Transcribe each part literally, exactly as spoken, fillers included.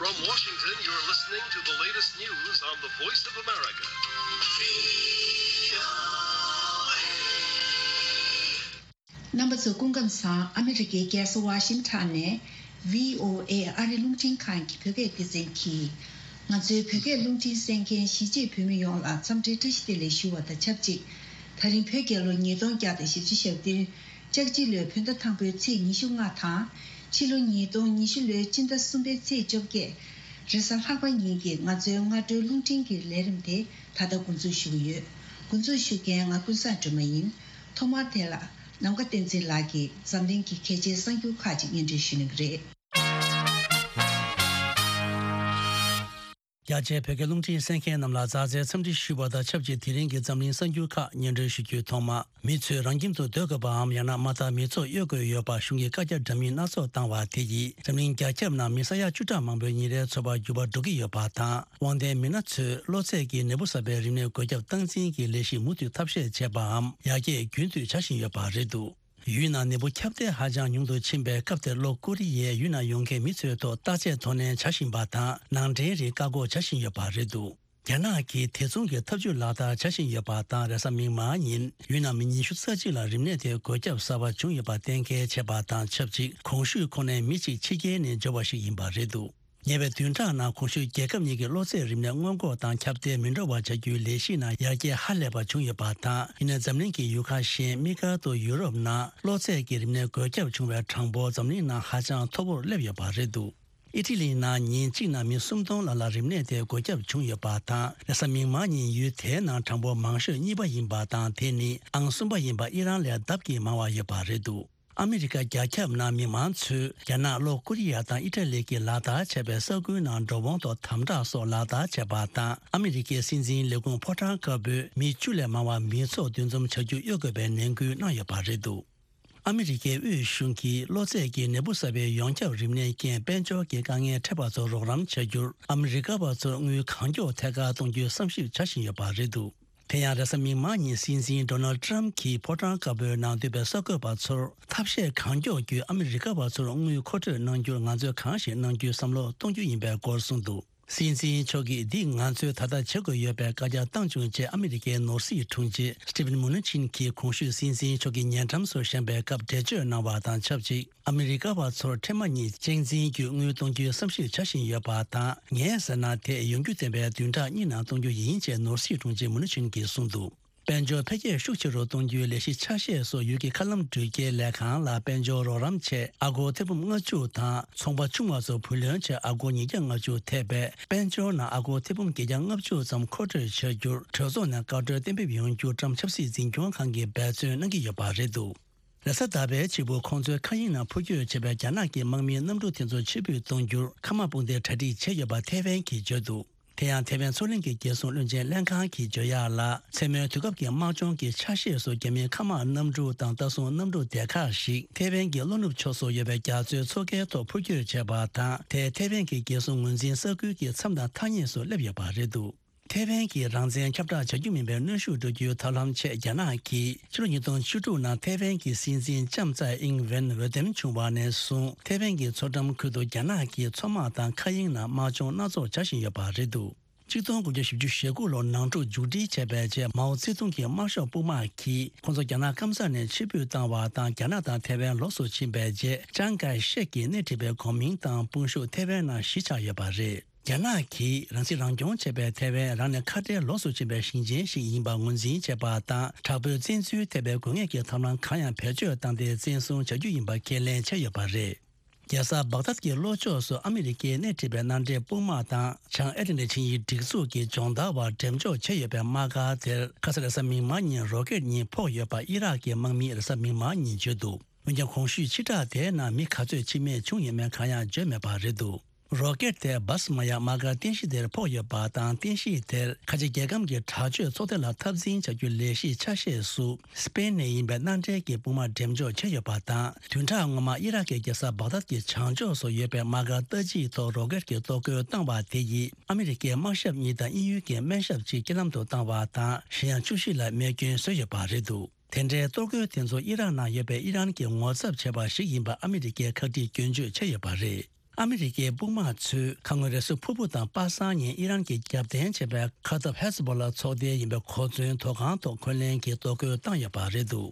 From Washington, you're listening to the latest news on the Voice of America. རྣམ་པ་ཚོ་སྐུ་ཁམས་བཟང་། ཨ་མི་རི་ཀའི་རྒྱལ་ས་ཝ་ཤིང་ཊོན་ནས་བྷི་ཨོ་ཨེ་ཨ་རི་རླུང་འཕྲིན་ཁང་གི་བོད་སྐད་སྡེ་ཚན་གྱིས། ང་ཚོའི་བོད་སྐད་རླུང་འཕྲིན་གསན་མཁན་གཞིས་བྱེས་བོད་མི་ཡོངས་ལ་འཚམས་འདྲི་བཀྲ་ཤིས་བདེ་ལེགས་ཞུ་བ་དང་ཆབས་ཅིག་ད་རིང་བོད་རྒྱལ་ལོ་ཉིས་སྟོང་བརྒྱ་དང་བཞི་བཅུ་ཞེ་བདུན། ལྕགས་བྱི་ལོའི་བོད་ཟླ་དང་པོའི་ཚེས་ཉི་ཤུ་ལྔ་དང་། ཕྱི་ལོ་ཉིས་སྟོང་ཉི་ཤུ་ལོའི་སྤྱི་ཟླ་གསུམ་པའི་ཚེས་བཅོ་བརྒྱད། རེས་གཟའ་ལྷག་པ་ཉིན་གྱི་ང་ཚོའི་སྔ་དྲོའི་རླུང་འཕྲིན་གྱི་ལས་རིམ་དེ་ད་ལྟ་འགོ་འཛུགས་ཞུ་གི་ཡོད། འགོ་འཛུགས་ཞུ་མཁན་ང་ཀུན་བཟང་སྒྲོལ་མ་ཡིན། ཐོག་མར་དེ་ལ་ནམ་མཁའ་བསྟན་འཛིན་ལགས་ཀྱིས་འཛམ་གླིང་གི་གལ་ཆེའི་གསར་འགྱུར་ཁག་ཅིག་སྙན་སྒྲོན་ཞུ་གནང་གི་རེད། རྒྱ་ཆེའི་བོད་སྐད་རླུང་འཕྲིན་གསན་མཁན་རྣམས་ལ་མཛའ་བརྩེའི་འཚམས་འདྲི་ཞུ་བ་དང་ཆབས་ཅིག་དེ་རིང་གི་འཛམ་གླིང་གསར་འགྱུར་ཁག་སྙན་སྒྲོན་ཞུ་རྒྱུའི་ཐོག་མ། མི་ཚོས་རང་ཁྱིམ་དུ་སྡོད་དགོས་པའམ་ཡང་ན་མ་མཐའ་མི་ཚོགས་གཡོལ་དགོས་ཡོད་པར་གཞུང་གིས་བཀའ་རྒྱ་འདྲ་མིན་སྣ་ཚོགས་བཏང་བ་དེ་ཡིས་འཛམ་གླིང་རྒྱ་ཁྱབ་ནང་མི་ས་ཡ་བཅུ་ཕྲག་མང་པོའི་ཉིན་རེའི་འཚོ་བར་འགྱུར་བ་འགྲོ་གི་ཡོད་པ་དང་། དབང་ལྡན་མི་སྣ་ཚོས་གློ་ཚད་ཀྱི་ནད་འབུ་གསར་པའི་རིམས་ནད་འགོས་ཁྱབ་སྟངས་འཛིན་གྱི་ལས་གཞི་མུ་མཐུད་ཐབས་ཤེས་བྱས་པའམ་ཡར་རྒྱས་རྒྱུན་མཐུད་བྱ་བཞིན་ཡོད་པ་རེད་འདུག་ཡུལ་ནང་ནད་འབུ་ཁྱབ་གདལ་ཧ་ཅང་ཉུང་དུ་ཕྱིན་པའི་སྐབས་དེར་ལྷོ་ཀོ་རི་ཡས་ཡུལ་ནང་ཡོང་མཁན་མི་ཚོའི་ཐོག་བརྟག་དཔྱད་དོ་ནན་བྱ་བཞིན་པ་དང་། ནང་འདྲེན་རིགས་བཀག་འགོག་བྱ་བཞིན་ཡོད་པ་རེད་འདུག་རྒྱ་ནག་གིས་དེ་མཚུངས་ཀྱི་ཐབས་ཇུས་ལག་བསྟར་བྱ་བཞིན་ཡོད་པ་དང་། རེས་གཟའ་མིག་དམར་ཉིན་ཡུལ་ནང་མི་ཉི་ཤུ་རྩ་གཅིག་ལ་རིམས་ནད་དེ་འགོས་ཁྱབ་གསར་པ་བྱུང་ཡོད་པ་གཏན་འཁེལ་བྱས་པ་དང་ཆབས་ཅིག་གོང་ཞུས་ཁོ་ནའི་མི་གཅིག་ཕྱི་རྒྱལ་ནས་འབྱོར་བ་ཞིག་ཡིན་པ་རེད་འདུག་ཉེ་བའི་བདུན་ཕྲག་ནང་གོང་ཞུས་རྒྱལ་ཁབ་གཉིས་ཀྱི་གློ་ཚད་རིམས་ནད་སྔོན་འགོག་དང་ཁྱབ་གདལ་མི་འགྲོ་བ་བྱ་རྒྱུའི་ལས་གཞི་ནང་ཡར་རྒྱས་ཧ་ལས་པ་བྱུང་ཡོད་པ་དང་། ཡིན་ནའི་འཛམ་གླིང་གི་ཡུལ་ཁག་གཞན། དམིགས་བཀར་དུ་ཡུ་རོབ་ནང་གློ་ཚད་ཀྱི་རིམས་ནད་འགོས་ཁྱབ་བྱུང་བའི་གྲངས་འབོར་འཛམ་གླིང་ནང་ཧ་ཅང་མཐོ་པོར་སླེབས་ཡོད་པ་རེད་འདུག་ཨི་ཊ་ལི་ནང་ཉིན་གཅིག་ནང་མི་སུམ་སྟོང་ལྷག་ལ་རིམས་ནད་དེ་འགོས་ཁྱབ་བྱུང་ཡོད་པ་དང་། རེས་གཟའ་མིག་དམར་ཉིན་ཡུལ་དེའི་ནང་གྲངས་འབོར་མང་ཤོས་གཉིས་པ་ཡིན་པ་དང་། དེ་ནི་ཨང་གསུམ་པ་ཡིན་པ་ཨི་རན་ལས་ལྡབ་ཀྱིས་མང་བ་ཡོད་པ་རེད་འདུག་ཨ་མི་རི་ཀ་རྒྱ་ཁྱབ་ནང་མི་མང་ཚོས་རྒྱ་ནག་ལྷོ་ཀོ་རི་ཡ་དང་ཨི་ཊ་ལི་གིས་ལག་བསྟར་བྱས་པའི་ས་ཁུལ་ནང་འགྲོ་འོང་ཐོག་དམ་དྲག་སོགས་ལག་བསྟར་བྱས་པ་དང་། ཨ་མི་རི་ཀའི་སྲིད་འཛིན་ལས་ཁུངས་ཕོ་བྲང་དཀར་པོས་མི་བཅུ་ལས་མང་བ་མི་ཚོགས་འདུ་འཛོམས་བྱ་རྒྱུ་གཡོལ་དགོས་པའི་ནན་སྐུལ་གནང་ཡོད་པ་རེད་འདུག་ཨ་མི་རི་ཀའི་དབུས་གཞུང་གིས་གློ་ཚད་ཀྱི་ནད་འབུ་གསར་པའི་ཡོངས་ཁྱབ་རིམས་ནད་རྐྱེན་དཔལ་འབྱོར་གྱི་དཀའ་ངལ་འཕྲད་པ་ཚོར་རོགས་རམ་བྱ་རྒྱུར་ཨ་མི་རི་ཀ་བ་ཚོར་དངུལ་གང་མགྱོགས་ཐད་ཀར་གཏོང་རྒྱུའི་བསམ་ཞིབ་བྱ་བཞིན་ཡོད་པ་རེད་འདུག་དེ་ཡང་རེས་གཟའ་མིག་དམར་ཉིན་སྲིད་འཛིན་ཌོ་ནལ་ཊམ་གྱིས་ཕོ་བྲང་དཀར་པོའི་ནང་འདུས་པའི་གསར་འགོད་པ་ཚོར་ཐབས་ཤེས་གང་མགྱོགས་བརྒྱུད་ཨ་མི་རི་ཀ་བ་ཚོར་དངུལ་མཁོ་སྤྲོད་གནང་རྒྱུར་ང་ཚོས་གང་ཞིག་གནང་རྒྱུའི་བསམ་བློ་གཏོང་རྒྱུ་ཡིན་པའི་སྐོར་གསུངས་འདུག་སྲིད་འཛིན་མཆོག་གིས་འདི་ང་ཚོས་ད་ལྟ་བྱེད་དགོས་ཡོད་པའི་བཀའ་རྒྱ་བཏང་བྱུང་ཅེས་ཨ་མི་རི་ཀའི་ནོར་སྲིད་དྲུང་ཆེ་སི་ཊི་ཕན་མུ་ནུ་ཆིན་གྱིས་གོང་ཞུས་སྲིད་འཛིན་མཆོག་གི་ཉེ་འགྲམ་སུ་བཞེངས་པའི་སྐབས་འགྲེལ་བརྗོད་གནང་བ་དང་ཆབས་ཅིག་ཨ་མི་རི་ཀ་བ་ཚོར་འཕྲལ་མ་ཉིད་གཅེས་འཛིན་བརྒྱུད་དངུལ་གཏོང་རྒྱུའི་བསམ་ཞིབ་བྱ་བཞིན་ཡོད་པ་དང་། ངས་ཟེར་ན་དེ་ཡོང་རྒྱུ་བདེན་པའི་བདུན་ཕྲག་གཉིས་ནང་གཏོང་རྒྱུ་ཡིན་ཅེས་ནོར་སྲིད་དྲུང་ཆེ་མུ་ནུ་ཆིན་གྱིས་གསུངས་འདུག་དཔལ་འབྱོར་འཕེལ་རྒྱས་ཤུགས་ཆེ་རུ་གཏོང་རྒྱུའི་ལས་གཞི་ཆ་ཤས་སོགས་ཡུལ་གྱི་མཁའ་ལམ་འགྲུལ་སྐྱེལ་ལས་ཁང་ལ་དཔལ་འབྱོར་རོགས་རམ་ཆེད་ཨ་སྒོར་ཐེར་འབུམ་ལྔ་བཅུ་དང་། ཚོང་པ་ཆུང་བ་ཚོར་བུ་ལོན་ཆེད་ཨ་སྒོར་ཉིས་བརྒྱ་ལྔ་བཅུ་ཐེ་བའི་དཔལ་འབྱོར་ནང་ཨ་སྒོར་ཐེར་འབུམ་བརྒྱད་བརྒྱ་ལྔ་བཅུ་ཙམ་མཁོ་སྤྲོད་བྱ་རྒྱུར་གྲོས་ཚོགས་ནས་བཀའ་འཁྲོལ་གཏན་འབེབས་ཡོང་རྒྱུ་ཀྲམ་ཆབ་སྲིད་འཛིན་སྐྱོང་ཁང་གིས་འབད་བརྩོན་གནང་གི་ཡོད་པ་རེད་འདུག་རེས་གཟའ་ཟླ་བའི་ཕྱི་པོ་ཁོང་ཚོའི་མཁའ་དབྱིངས་ནང་འཕུར་སྐྱོད་བྱས་པའི་རྒྱ་ནག་གི་དམག་མིའི་གནམ་གྲུ་དེ་ཚོ་ཕྱིར་འབུད་གཏོང་རྒྱུར་མཁའ་དམག་དཔུང་སྡེས་གྲ་སྒྲིག་བྱས་ཡོད་པ་ཐེ་ཝན་གྱིས་བརྗོད་འདུག་དེ་ཡང་ཐེ་ཝན་མཚོ་གླིང་གི་རྒྱལ་སྲུང་བློན་ཆེན་ལྷན་ཁང་གིས་བརྗོད་ཡག་ལ། མཚན་མོའི་དུས་སྐབས་ཀྱི་དམག་སྦྱོང་གི་ཆ་ཤས་སུ་རྒྱ་མིའི་མཁའ་དམག་གནམ་གྲུ་དང་ལྟ་སྲུང་གནམ་གྲུ་སྡེ་ཁག་ཞིག་ཐེ་ཝན་གྱི་ལྷོ་ནུབ་ཕྱོགས་སུ་ཡོད་པའི་རྒྱ་མཚོའི་མཚོ་ཁའི་ཐོག་འཕུར་སྐྱོད་བྱས་པ་དང་། དེས་ཐེ་ཝན་གྱི་རྒྱལ་སྲུང་ངོས་འཛིན་ས་ཁུལ་གྱི་མཚམས་དང་ཐག་ཉེ་སུ་སླེབས་ཡོད་པ་རེད་འདུག་ཐེ་ཝན་གྱིས་རང་བཙན་ཁྱབ་བསྒྲགས་བྱ་རྒྱུ་མིན་པའི་གནོན་ཤུགས་འགྲོ་རྒྱུའི་ཐབས་ལམ་ཆེད་རྒྱ་ནག་གིས་ཕྱི་ལོ་ཉིས་སྟོང་བཅུ་དྲུག་ནང་ཐེ་ཝན་གྱི་སྲིད་འཛིན་ལྕམ་ཙའེ་ཨིང་ཝེན་འོས་འདེམས་བྱུང་བ་ནས་བཟུང་ཐེ་ཝན་གྱི་མཚོ་འགྲམ་ཁུལ་དུ་རྒྱ་ནག་གིས་མཚོ་དམག་དང་མཁའ་དབྱིངས་ནང་དམག་སྦྱོང་སྣ་ཚོགས་བྱ་བཞིན་ཡོད་པ་རེད་འདུག་གཅིག་སྟོང་དགུ་བརྒྱ་བཞི་བཅུ་ཞེ་དགུ་ལོར་ནང་འཁྲུག་མཇུག་སྒྲིལ་བྱས་པའི་རྗེས། མའོ་ཙེ་ཏུང་གི་དམར་ཤོག་དཔུང་དམག་གིས་ཁོང་ཚོ་རྒྱ་ནག་སྐམ་ས་ནས་ཕྱིར་འབུད་བཏང་བ་དང་། རྒྱ་ནག་དང་ཐེ་ཝན་ལོགས་སུ་ཕྱིན་པའི་རྗེས། ཅང་ཀའེ་ཤེག་གིས་སྣེ་ཁྲིད་པའི་གོ་མིང་དང་དཔུང་ཤུགས་ཐེ་ཝན་ནང་གཞིས་ཆགས་ཡོད་པ་རེད། རྒྱ་ནག་གིས་རང་སྲིད་རང་སྐྱོང་བྱེད་པའི་ཐེ་ཝན་རང་ནས་ཁ་བྲལ་ལོགས་སུ་ཕྱིན་པའི་ཞིང་ཆེན་ཞིག་ཡིན་པ་ངོས་འཛིན་བྱེད་པ་དང་། དྲག་པོའི་བཙན་འཛུལ་ཐེབས་པའི་དགོས་ངེས་ཀྱི་ཐབས་ལམ་གང་ཡང་བེད་སྤྱོད་བཏང་སྟེ་བཙན་བཟུང་བྱ་རྒྱུ་ཡིན་པ་ཁས་ལེན་བྱས་ཡོད་པ་རེད། རྒྱལ་ས་བག་དྷད་ཀྱི་ལྷོ་ཕྱོགས་སུ་ཨ་མི་རི་ཀས་སྣེ་ཁྲིད་པའི་མནའ་འབྲེལ་དཔུང་དམག་དང་བྱང་ཨེ་ཏི་ལན་ཊིག་ཆིངས་ཡིག་སྒྲིག་འཛུགས་ཀྱི་སྦྱོང་བརྡར་བར་འགྲེམས་འཇོག་བྱས་ཡོད་པའི་དམག་སྒར་དེར་ཁ་ས་རེས་གཟའ་མིག་དམར་ཉིན་རོ་ཀེད་གཉིས་ཕོག་ཡོད་པ་ཨི་རག་གི་དམག་མིས་རེས་གཟའ་མིག་དམར་ཉིན་བརྗོད་འདུག་འོན་ཀྱང་གོང་ཞུས་ཕྱི་བསྒྲགས་དེའི་ནང་མི་ག་ཚོད་འཆི་རྨས་བྱུང་ཡོད་མེད་གང་ཡང་བརྗོད་མེད་པ་རེད་འདུག་རོ་ཀེད་དེ་སྦ་སི་མ་ཡ་དམག་སྒར་རྟེན་གཞི་དེར་ཕོག་ཡོད་པ་དང་། རྟེན་གཞི་དེར་ཁ་ཆེ་རྒྱལ་ཁམས་ཀྱི་དྲག་སྤྱོད་ཚོགས་སྡེ་ལ་འཐབ་འཛིང་བྱ་རྒྱུའི་ལས་གཞི་ཆ་ཤས་སུ་སི་པེན་ནས་ཡིན་པའི་མནའ་འབྲེལ་གྱི་དཔུང་དམག་འགྲེམས་འཇོག་བྱས་ཡོད་པ་དང་། བདུན་ཕྲག་སྔོན་མ་ཨི་རག་གི་རྒྱལ་ས་བག་དྷད་ཀྱི་བྱང་ཕྱོགས་སུ་ཡོད་པའི་དམག་སྒར་ལྟ་ཅིའི་ཐོག་རོ་ཀེད་ཀྱི་གཏོར་རྒོལ་བཏང་བ་དེ་ཡིས་ཨ་མི་རི་ཀའི་དམག་ཞབས་གཉིས་དང་དབྱིན་ཡུལ་གྱི་སྨན་ཞབས་གཅིག་རྐྱེན་ལམ་དུ་བཏང་བ་དང་། གཞན་ཡང་བཅུ་བཞི་ལ་རྨས་སྐྱོན་བཟོས་ཡོད་པ་རེད་འདུག་དེ་འདྲའི་གཏོར་རྒོལ་དེ་ཚོ་ཨི་རག་ནང་ཡོད་པའི་ཨི་རན་གྱིས་ངོ་ཚབ་བྱས་པ་ཞིག་ཡིན་པ་ཨ་མི་རི་ཀས་ཁག་དཀྲིས་སྐྱོན་བརྗོད་བྱས་ཡོད་པ་རེད། ཨ་མི་རི་ཀའི་དཔུང་དམག་ཚོས་ཁ་སྔོན་རེས་གཟའ་ཕུར་བུ་དང་པ་སངས་ཉིན་ཨི་རན་གྱིས་རྒྱབ་རྟེན་བྱས་པའི་ཁ་འཐབ་ཧེ་ཛ་བྷོ་ལ་ཚོགས་སྡེ་ཡིན་པའི་གོ་མཚོན་ཐོག་ཁང་ཐོག་འཁོན་ལན་གྱིས་གཏོར་རྒོལ་བཏང་ཡོད་པ་རེད་འདུག་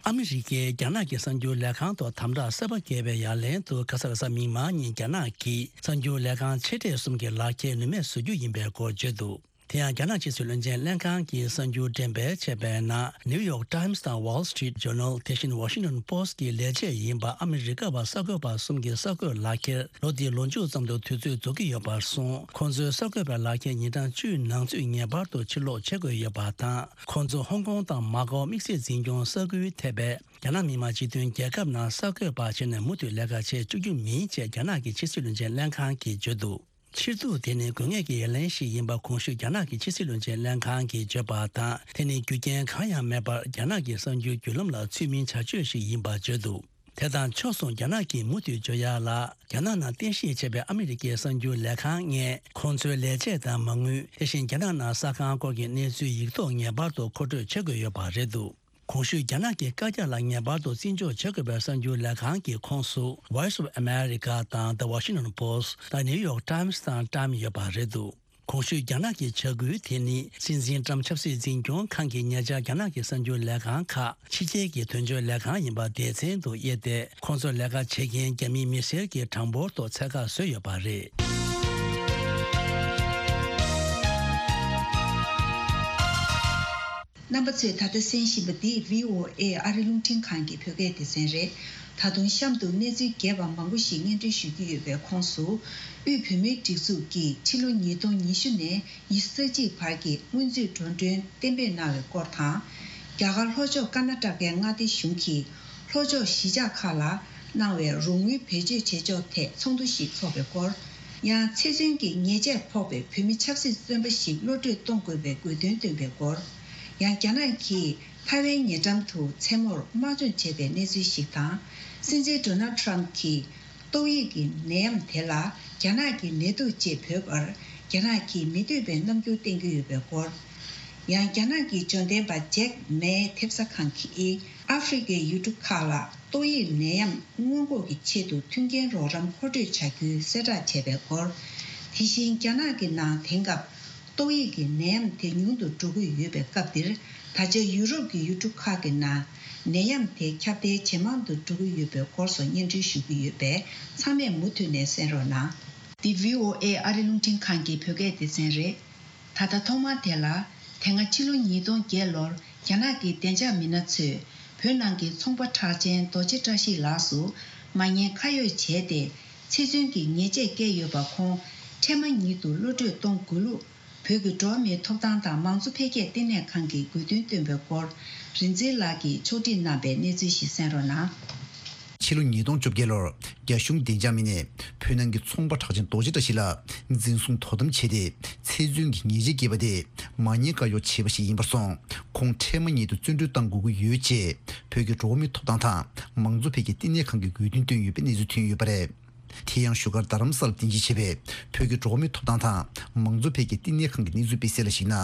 ཨ་མི་རི་ཀས་རྒྱ་ནག་གི་གསར་འགྱུར་ལས་ཁང་ཐོག་དམ་དྲག་གསར་པ་བཀལ་བའི་ཡ་ལན་དུ་ཁ་ས་ལ་གཟའ་མིག་དམར་ཉིན་རྒྱ་ནག་གིས་གསར་འགྱུར་ལས་ཁང་ཆེ་གྲས་གསུམ་གྱི་ལག་ཁྱེར་ནུས་མེད་བཟོ་རྒྱུ་ཡིན་པའི་སྐོར་བརྗོད་འདུག་དེ་ཡང་རྒྱ་ནག་ཕྱི་སྲིད་བློན་ཆེན་ལྷན་ཁང་གིས་གསར་འགྱུར་འགྲེམས་སྤེལ་བྱས་པའི་ནང་ནིའུ་ཡོག་ཊའིམ་སི་དང་ཝོལ་སི་ཊི་རིཊ་ཇོར་ནལ། དེ་བཞིན་ཝ་ཤིང་ཊོན་པོ་སི་ཊི་གི་ལས་བྱེད་ཡིན་པ་ཨ་མི་རི་ཀ་བ་གསར་འགོད་པ་གསུམ་གྱི་གསར་འགོད་ལག་ཁྱེར་ལོ་འདིའི་ལོ་མཇུག་ཙམ་དུ་དུས་ཚོད་རྫོགས་ཀྱི་ཡོད་པར་སོང་། ཁོང་ཚོའི་གསར་འགོད་པའི་ལག་ཁྱེར་ཉིན་གྲངས་བཅུའི་ནང་ཚུད་ངེས་པར་དུ་ཕྱིར་སློག་བྱེད་དགོས་ཡོད་པ་དང་། ཁོང་ཚོ་ཧོང་ཀོང་དང་མ་ཀའོ་དམིགས་བསལ་འཛིན་སྐྱོང་ས་ཁུལ་ཐེ་བའི་རྒྱ་ནག་མི་དམངས་སྤྱི་མཐུན་རྒྱལ་ཁབ་ནང་གསར་འགོད་པ་བྱས་ནས་མུ་མཐུད་ལས་ཀ་བྱེད་བཅུག་རྒྱུ་མིན་ཅེས་རྒྱ་ནག་གི་ཕྱི་སྲིད་བློན་ཆེན་ལྷན་ཁང་གིས་བརྗོད་འདུག་ཕྱིར་ཐུག་དེ་ནི་དགོས་ངེས་ཀྱི་ཡ་ལན་ཞིག་ཡིན་པ་གོང་ཞུས་རྒྱ་ནག་གི་ཕྱི་སྲིད་བློན་ཆེན་ལྷན་ཁང་གིས་བརྗོད་པ་དང་། དེ་ནི་རྒྱུ་རྐྱེན་གང་ཡང་མེད་པར་རྒྱ་ནག་གི་གསར་འགྱུར་བརྒྱུད་ལམ་ལ་ཚུལ་མིན་བྱ་སྤྱོད་ཞིག་ཡིན་པ་བརྗོད་འདུག་དེ་དང་ཕྱོགས་མཚུངས་རྒྱ་ནག་གིས་མུ་མཐུད་བརྗོད་ཡག་ལ། རྒྱ་ནག་ནང་རྟེན་གཞི་བྱས་པའི་ཨ་མི་རི་ཀའི་གསར་འགྱུར་ལས་ཁང་ལྔས་ཁོང་ཚོའི་ལས་བྱེད་དང་མ་དངུལ། དེ་བཞིན་རྒྱ་ནག་ནང་གསར་ཁང་སྐོར་གྱི་གནས་ཚུལ་ཡིག་ཐོག་ངེས་པར་དུ་མཁོ་སྤྲོད་བྱེད་དགོས་ཡོད་པ་རེད་འདུག་གོང་ཞུས་རྒྱ་ནག་གི་བཀའ་རྒྱ་ལ་ངེས་པར་དུ་བརྩི་འཇོག་བྱེད་དགོས་པའི་གསར་འགྱུར་ལས་ཁང་གི་ཁོངས་སུ་Voice of America དང་The Washington Post དང་New York Times དང་Time ཡོད་པ་རེད་འདུག་གོང་ཞུས་རྒྱ་ནག་གི་བྱ་འགུལ་དེ་ནི་སྲིད་འཛིན་ཊམ་ཆབ་སྲིད་འཛིན་སྐྱོང་ཁང་གིས་ཉེ་ཆར་རྒྱ་ནག་གི་གསར་འགྱུར་ལས་ཁང་ཁག་ཕྱི་རྒྱལ་གྱི་དོན་བརྗོད་ལས་ཁང་ཡིན་པ་སྡེ་ཚན་དུ་དབྱེ་སྟེ། ཁོང་ཚོར་ལས་ཀ་བྱེད་མཁན་རྒྱ་མིའི་མི་སེར་གྱི་གྲངས་འབོར་ཐོག་ཚད་བཀག་བཟོས་ཡོད་པ་རེད། རྣམ་པ་ཚོས་ད་ལྟ་གསན་བཞིན་པ་འདི་བྷི་ཨོ་ཨེ་ཨ་རི་རླུང་འཕྲིན་ཁང་གི་བོད་སྐད་སྡེ་ཚན་རེད། ད་དུང་གཤམ་དུ་གནས་ཚུལ་རྒྱས་པ་མང་པོ་ཞིག་སྙན་སྒྲོན་ཞུ་རྒྱུ་ཡོད་པའི་ཁོངས་སུ། དབུས་བོད་མིའི་སྒྲིག་འཛུགས་ཀྱིས་ཕྱི་ལོ་ཉིས་སྟོང་ཉི་ཤུ་ནས་ཉི་ཤུ་རྩ་གཅིག་བར་གྱི་སྔོན་ཚུད་འགྲོ་གྲོན་གཏན་འབེབས་གནང་བའི་སྐོར་དང་། རྒྱ་གར་ལྷོ་ཕྱོགས་ཀར་ན་ཊ་ཀའི་མངའ་སྡེ་གཞུང་གིས་ལྷོ་ཕྱོགས་གཞིས་ཆགས་ཁག་ལ་གནང་བའི་རོགས་དངུལ་བེད་སྤྱོད་བྱེད་ཕྱོགས་ཐད་ཚོགས་འདུ་ཞིག་འཚོགས་པའི་སྐོར། ཡང་ཚེ་བཙོན་གྱི་ཉེས་ཆད་ཕོག་པའི་བོད་མི་ཆབ་སྲིད་བཙོན་པ་ཞིག་གློད་གྲོལ་གཏོང་དགོས་པའི་དགོས་འདུན་བཏོན་པའི་སྐོར། ཡང་རྒྱ་ནག་གིས་ཐའེ་ཝན་ཉེ་འགྲམ་དུ་མཚན་མོར་དམག་སྦྱོང་བྱས་པའི་གནས་ཚུལ་ཞིག་དང་། སྲིད་འཛིན་ཌོ་ནལ་ཊམ་གྱིས་ཏོག་དབྱིབས་ཀྱི་ནད་ཡམས་དེ་ལ་རྒྱ་ནག་གི་ནད་དུག་ཅེས་འབོད་པར་རྒྱ་ནག་གིས་མི་འདོད་པའི་རྣམ་འགྱུར་བསྟན་གྱི་ཡོད་པའི་སྐོར། ཡང་རྒྱ་ནག་གི་འབྱོར་ལྡན་པ་ཇེག་མའི་ཐེབས་གསར་ཁང་གིས་ཨ་ཧྥེ་རི་ཁའི་ཡུལ་གྲུ་ཁག་ལ་ཏོག་དབྱིབས་ནད་ཡམས་སྔོན་འགོག་གི་ཆེད་དུ་མཐུན་རྐྱེན་རོགས་རམ་མཁོ་སྤྲོད་བྱ་རྒྱུའི་གསལ་བསྒྲགས་བྱས་པའི་སྐོར། དེ་བཞིན་རྒྱ་ནག་གི་ནང་དེང་སྐབས་ཏོག་དབྱིབས་ཀྱི་ནད་ཡམས་དེ་ཉུང་དུ་འགྲོ་གི་ཡོད་པའི་སྐབས་འདིར། ད་ཆ་ཡུ་རོབ་ཀྱི་ཡུལ་གྲུ་ཁག་གི་ནང་ནད་ཡམས་དེ་ཁྱབ་གདལ་ཇེ་མང་དུ་འགྲོ་གི་ཡོད་པའི་སྐོར་སོགས་སྙན་སྒྲོན་ཞུ་གི་ཡོད་པས། ཚང་མས་མུ་མཐུད་ནས་གསན་རོགས་གནང་། འདི་བྷི་ཨོ་ཨེ་ཨ་རི་རླུང་འཕྲིན་ཁང་གི་བོད་སྐད་སྡེ་ཚན་རེད། ད་ལྟ་ཐོག་མར་དེ་ལ། དེ་སྔ་ཕྱི་ལོ་ཉིས་སྟོང་བརྒྱད་ལོར་རྒྱ་ནག་གི་བདེ་འཇགས་མི་སྣ་ཚོས་བོད་ནང་གི་ཚོང་པ་གྲགས་ཅན་རྡོ་རྗེ་བཀྲ་ཤིས་ལགས་སུ་མ་ཉེས་ཁ་གཡོགས་བྱས་ཏེ། ཚེ་བཙོན་གྱི་ཉེས་ཆད་བཀལ་ཡོད་པ། ཁོང་འཕྲལ་མ་ཉིད་དུ་གློད་གྲོལ་གཏོང་དགོས་ལུགས། བོད་ཀྱི་འགྲོ་བ་མིའི་ཐོབ་ཐང་དང་མང་གཙོ་འཕེལ་རྒྱས་ལྟེ་གནས་ཁང་གིས་དགོས་འདུན་བཏོན་པའི་སྐོར། རིག་འཛིན་ལགས་ཀྱིས་ཕྱོགས་སྒྲིག་གནང་བའི་གནས་ཚུལ་ཞིག་གསན་རོགས་གནང་། ཕྱི་ལོ་ཉིས་སྟོང་བཅོ་བརྒྱད་ལོར་རྒྱ་གཞུང་བདེ་འཇགས་མི་སྣས་བོད་ནང་གི་ཚོང་པ་གྲགས་ཅན་རྡོ་རྗེ་བཀྲ་ཤིས་ལགས་འཛིན་བཟུང་དོ་དམ་བྱས་ཏེ། ཚེ་བཙོན་གྱི་ཉེས་ཆད་བཀལ་བ་དེ་མ་ཉེས་བཀའ་གཡོག་བྱས་པ་ཞིག་ཡིན་པར་སོང་། ཁོང་འཕྲལ་མ་ཉིད་དུ་བཙོན་གྲོལ་གཏང་དགོས་ཀྱི་ཡོད་ཅེས་བོད་ཀྱི་འགྲོ་བ་མིའི་ཐོབ་ཐང་དང་མང་གཙོ་འཕེལ་རྒྱས་ལྟེ་གནས་ཁང་གིས་དགོས་འདུན་བཏོན་ཡོད་པའི་གནས་ཚུལ་ཐོན་ཡོད་པ་རེད། དེ་ཡང་བཞུགས་སྒར་རྡ་རམ་ས་ལར་རྟེན་གཞི་བྱས་པའི་བོད་ཀྱི་འགྲོ་བ་མིའི་ཐོབ་ཐང་དང་མང་གཙོ་འཕེལ་རྒྱས་ལྟེ་གནས་ཁང་གིས་གནས་ཚུལ་སྤེལ་གསལ་ལ་གཞིགས་ན།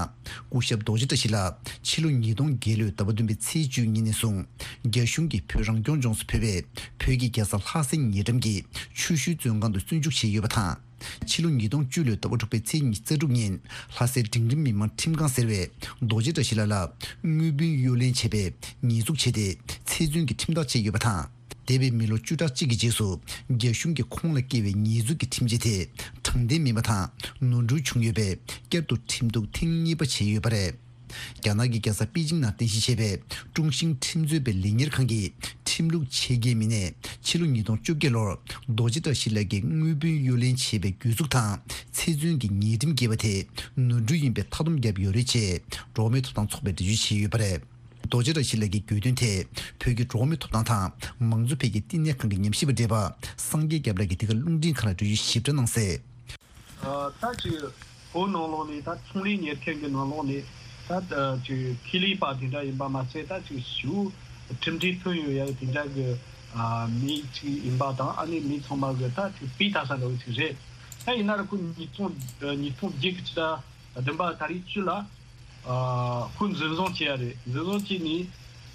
སྐུ་ཞབས་རྡོ་རྗེ་བཀྲ་ཤིས་ལགས་ཕྱི་ལོ་ཉིས་སྟོང་བརྒྱད་ལོའི་ཟླ་བ་བདུན་པའི་ཚེས་བཅུ་གཉིས་ནས་བཟུང་རྒྱ་གཞུང་གིས་བོད་རང་སྐྱོང་ལྗོངས་སུ་ཕུད་པའི་བོད་ཀྱི་རྒྱལ་ས་ལྷ་སའི་ཉེ་འགྲམ་གྱི་ཆུ་ཤུལ་བཙོན་ཁང་དུ་བཙོན་འཇུག་བྱས་ཡོད་པ་དང་། ཕྱི་ལོ་ཉིས་སྟོང་བཅུ་ལོའི་ཟླ་བ་དྲུག་པའི་ཚེས་ཉི་ཤུ་རྩ་དྲུག་ཉིན་ལྷ་སའི་འབྲིང་རིམ་མི་མང་ཁྲིམས་ཁང་ཟེར་བས་རྡོ་རྗེ་བཀྲ་ཤིས་ལགས་ལ་དངུལ་བུན་གཡོ་ལེན་བྱས་པའི་ཉེས་འཛུགས་བྱས་ཏེ་ཚེ་བཙོན་གྱི་ཁྲིམས་ཐག་བཅད་ཡོད་པ་དང་། འདས་པའི་མི་ལོ་བཅུ་ཕྲག་གཅིག་གི་རྗེས་སུ་རྒྱ་གཞུང་གིས་ཁོང་ལ་བཀལ་བའི་ཉེས་འཛུགས་ཀྱི་ཁྲིམས་ཆད་དེ་དྲང་བདེན་མིན་པ་དང་ནོར་འཁྲུལ་བྱུང་ཡོད་པས་བསྐྱར་དུ་ཁྲིམས་གཏུག་ཐེངས་གཉིས་པ་བྱས་ཡོད་པ་རེད། རྒྱ་ནག་གི་རྒྱལ་ས་པེ་ཅིང་ནང་རྟེན་གཞི་བྱས་པའི་ཀྲུང་ཤིང་ཁྲིམས་རྩོད་པའི་ལས་གཉེར་ཁང་གི་ཁྲིམས་ལུགས་ཆེད་མཁས་མི་སྣས་ཕྱི་ལོ་ཉིས་སྟོང་བཅོ་བརྒྱད་ལོར་རྡོ་རྗེ་བཀྲ་ཤིས་ལགས་ཀྱིས་དངུལ་བུན་གཡོ་ལེན་བྱས་པའི་གྱོད་འཛུགས་དང་ཚེ་བཙོན་གྱི་ཉེས་ཁྲིམས་བཀལ་བ་དེ་ནོར་འཁྲུལ་ཡིན་པའི་མཐའ་སྡོམ་བརྒྱབ་ཡོད་རེད་ཅེས་འགྲོ་བ་མིའི་ཐོབ་ཐང་ཚོགས་པས་འགྲེལ་བརྗོད་བྱས་ཡོད་པ་རེད། རྡོ་རྗེ་བཀྲ་ཤིས་ལགས་ཀྱི་གྱོད་དོན་ཐད་བོད་ཀྱི་འགྲོ་བ་མིའི་ཐོབ་ཐང་དང་མང་གཙོ་འཕེལ་རྒྱས་བསྟི་གནས་ཁང་གི་ཉམས་ཞིབ་པ་བགྲེས་པ་སངས་རྒྱས་སྐྱབས་ལགས་ཀྱིས་འདི་ག་རླུང་འཕྲིན་ཁང་ལ་འགྲེལ་བརྗོད་ཞིབ་ཕྲ་གནང་གསལ། ད་ཅིག་བོད་ནང་ལོགས་ནས་ད་ཚོང་ལས་གཉེར་མཁན་གྱི་ནང་ལོགས་ནས་ད་ཅིག་ཁེ་ལས་པ་དེ་འདྲ་ཡིན་པ་མ་ཟད། ད་ཅིག་ཞུ་ཁྲིམས་སྒྲིག་ཐོན་ཡོད་ཡ་དེ་འདྲ་གི་མི་ཅིག་ཡིན་པ་དང་། ཨ་ནི་མི་ཚང་མ་གི་ད་ཅིག་སྤུས་དག་ས་འདྲ་བོ་ཅིག་རེད། ད་ཡིན་ན་ར་ཁོ་ཉིས་སྟོང་ཉིས་སྟོང་བརྒྱད་ཀྱི་ཕྱི་ཟླ་བདུན་པ་ད་རེས་བཅུ་ལ་ཨ་ཁོ་འཛིན་བཟུང་བྱས་ཡ་རེད། འཛིན་བཟུང་བྱས་ནས་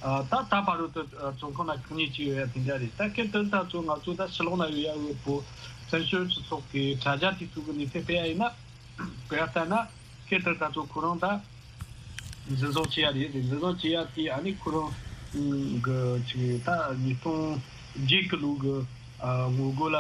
ད་ད་བར་དུ་བཙོན་ཁང་ན་ཁྱོན་ཉིད་ཅིག་ཡོད་ཡ་དེ་འདྲ་རེད། ད་སྐབས་དེར་ད་ཚོ་ང་ཚོ་ད་ཕྱི་ལོགས་ན་ཡོད་ཡ་ཡོད་པོ་བཙན་བྱོལ་སྤྱི་ཚོགས་ཀྱི་དྲ་རྒྱ་དེ་ཚོ་གི་གནས་ཚུལ་སྤེལ་ཡ་ཡིན་ན། དཔེར་ལྟར་ན་སྐབས་དེར་ད་ཚོ་ཁོ་རང་ད་འཛིན་བཟུང་བྱས་ཡ་རེད། འཛིན་བཟུང་བྱས་ཡ་དེ་ཨ་ནི་ཁོ་རང་གི་ཅིག་ད་ཉིས་སྟོང་བརྒྱད་གི་ལོ་གི་ངོ་རྒོལ་ལ་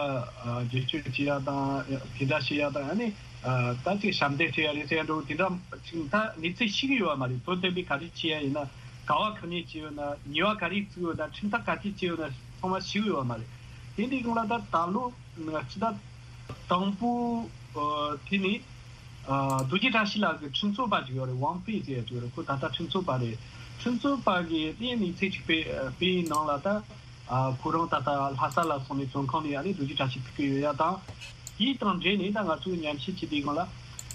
རྒྱབ་སྐྱོར་བྱེད་ཡ་དང་དེ་འདྲ་བྱེད་ཡ་དང་། ཨ་ནི་ད་ཅིག་ཞབས་འདེགས་སྤྲད་ཡ་རེད་ཟེར་ཡ་འདྲ་བོ་དེ་འདྲ་ཅིག་ད་གནས་ཚུལ་ཤེས་ཀྱི་ཡོད་པ་མ་རེད། དོན་དམ་པའི་ག་རེ་བྱེད་ཡ་ཡིན་ན་ག་བ་ག་ནས་བྱས་ཡོད་ན། ཉེས་པ་ག་རེ་བཙུགས་ཡོད་ན། ཁྲིམས་ཐག་ག་ཚོད་བཅད་ཡོད་ན་ཚང་མ་ཤེས་ཀྱི་ཡོད་པ་མ་རེད། དེ་འདྲའི་སྒང་ལ་ད་ད་ལོ་ང་ཚོ་ད་དང་པོ་ཨ་དེ་ནི་ཨ་རྡོ་རྗེ་བཀྲ་ཤིས་ལགས་ཀྱི་ཁྲིམས་རྩོད་པ་ཅིག་ཡོད་རེད། ཝང་ཧྥེ་ཟེར་ཡ་ཅིག་ཡོད་རེད། ཁོ་ད་ལྟ་ཁྲིམས་རྩོད་པ་རེད། ཁྲིམས་རྩོད་པ་གིས་དེ་གནས་ཚུལ་ཅིག་སྤེལ་སྤེལ་ཡིན་ནང་ལ་ད་ཨ་ཁོ་རང་ད་ལྟ་ལྷ་ས་ལ་སོང་ནས་བཙོན་ཁང་ནས་ཨ་ནི་རྡོ་རྗེ་བཀྲ་ཤིས་ཐུག་གི་ཡོད་ཡ་དང་། དེ་དང་འབྲེལ་ནས་ད་ང་ཚོས་ཉམས་ཞིབ་བྱེད་དུས་སྒང་ལ་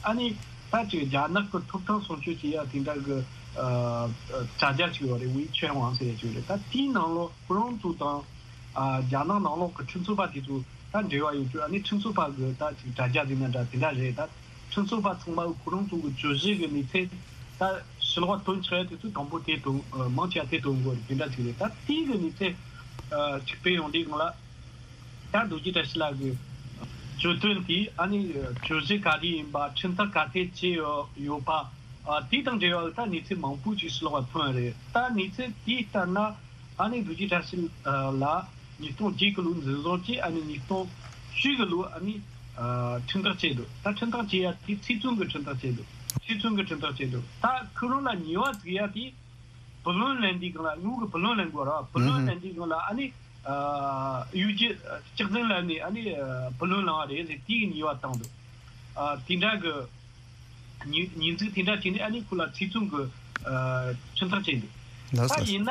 ཨ་ནི་ད་ཅིག་རྒྱ་ནག་གི་ཐོབ་ཐང་སྲུང་སྐྱོབ་བྱེད་ཡ་དེ་འདྲ་གི་ཨ་དྲ་རྒྱ་ཅིག་ཡོད་རེད། ཝེ་ཆོན་ཝང་ཟེར་ཡ་ཅིག་ཡོད་རེད། ད་དེའི་ནང་ལོགས་ཁོ་རང་ཚོ་དང་ཨ་རྒྱ་ནག་ནང་ལོགས་ཀྱི་ཁྲིམས་རྩོད་པ་དེ་ཚོ་ད་འབྲེལ་བ་ཡོད་རྒྱུ། ཨ་ནི་ཁྲིམས་རྩོད་པ་གི་ད་ཅིག་དྲ་རྒྱ་ཟེར་ན་འདྲ་དེ་འདྲ་རེད། ད་ཁྲིམས་རྩོད་པ་ཚང་མ་གི་ཁོ་རང་ཚོ་གི་བཅུ་བཞི་གི་གནས་ཚད་ད་ཕྱི་ལོགས་ཐོན་ཆོག་ཡ་དེ་ཚོ་དང་པོ་དེ་ཐོན་ཨ་མང་ཆེ་བ་དེ་ཐོན་དགོས་རེད། དེ་འདྲ་ཅིག་རེད། ད་དེའི་གི་གནས་ཚད་ཨ་ཅིག་སྤེལ་ཡོང་དུས་སྒང་ལ་ད་རྡོ་རྗེ་བཀྲ་ཤིས་ལགས་ཀྱི་གྱོད་དོན་དེ་ཨ་ནི་གྱོད་གཞི་ག་རེ་ཡིན་པ། ཁྲིམས་ཐག་ག་ཚོད་བཅད་ཡོད་ཡོད་པ། ཨ་དེ་དང་འབྲེལ་བ་ད་གནས་ཚུལ་མང་པོ་ཅིག་ཕྱི་ལོགས་ལ་ཐོན་རེད། ད་གནས་ཚུལ་དེ་ལྟར་ན་ཨ་ནི་རྡོ་རྗེ་བཀྲ་ཤིས་ལགས་ཉིས་སྟོང་བརྒྱད་གི་ལོ་འཛིན་བཟུང་བྱས། ཨ་ནི་ཉིས་སྟོང་བཅུ་གི་ལོ་ཨ་ནི་ཨ་ཁྲིམས་ཐག་བཅད་འདུག་ད་ཁྲིམས་ཐག་བཅད་ཡ་དེ་ཚེ་བཙོན་གྱི་ཁྲིམས་ཐག་བཅད་འདུག་ཚེ་བཙོན་གྱི་ཁྲིམས་ཐག་བཅད་འདུག་ད་ཁོ་རང་ལ་ཉེས་པ་བཙུགས་ཡ་དེ་བུ་ལོན་ལེན་དུས་སྒང་ལ། དངུལ་གྱི་བུ་ལོན་ལེན་དགོས་ར། བུ་ལོན་ལེན་དུས་སྒང་ལ་ཨ་ནི་ཨ་གཡོ་སྒྱུ་སྐྱག་རྫུན་ལེན་ནས་ཨ་ནི་ཨ་བུ་ལོན་བླངས་པ་རེད་ཟེར། དེའི་ཉེས་པ་བཏང་འདུག་ཨ་དེ་འདྲ་གི་ཉེས་ཉེས་འཛུགས་དེ་འདྲ་བྱས་ནས་ཨ་ནི་ཁོ་ལ་ཚེ་བཙོན་གྱི་ཨ་ཁྲིམས་ཐག་བཅད་འདུག་ལགས་ད་སོ། ཡིན་ན་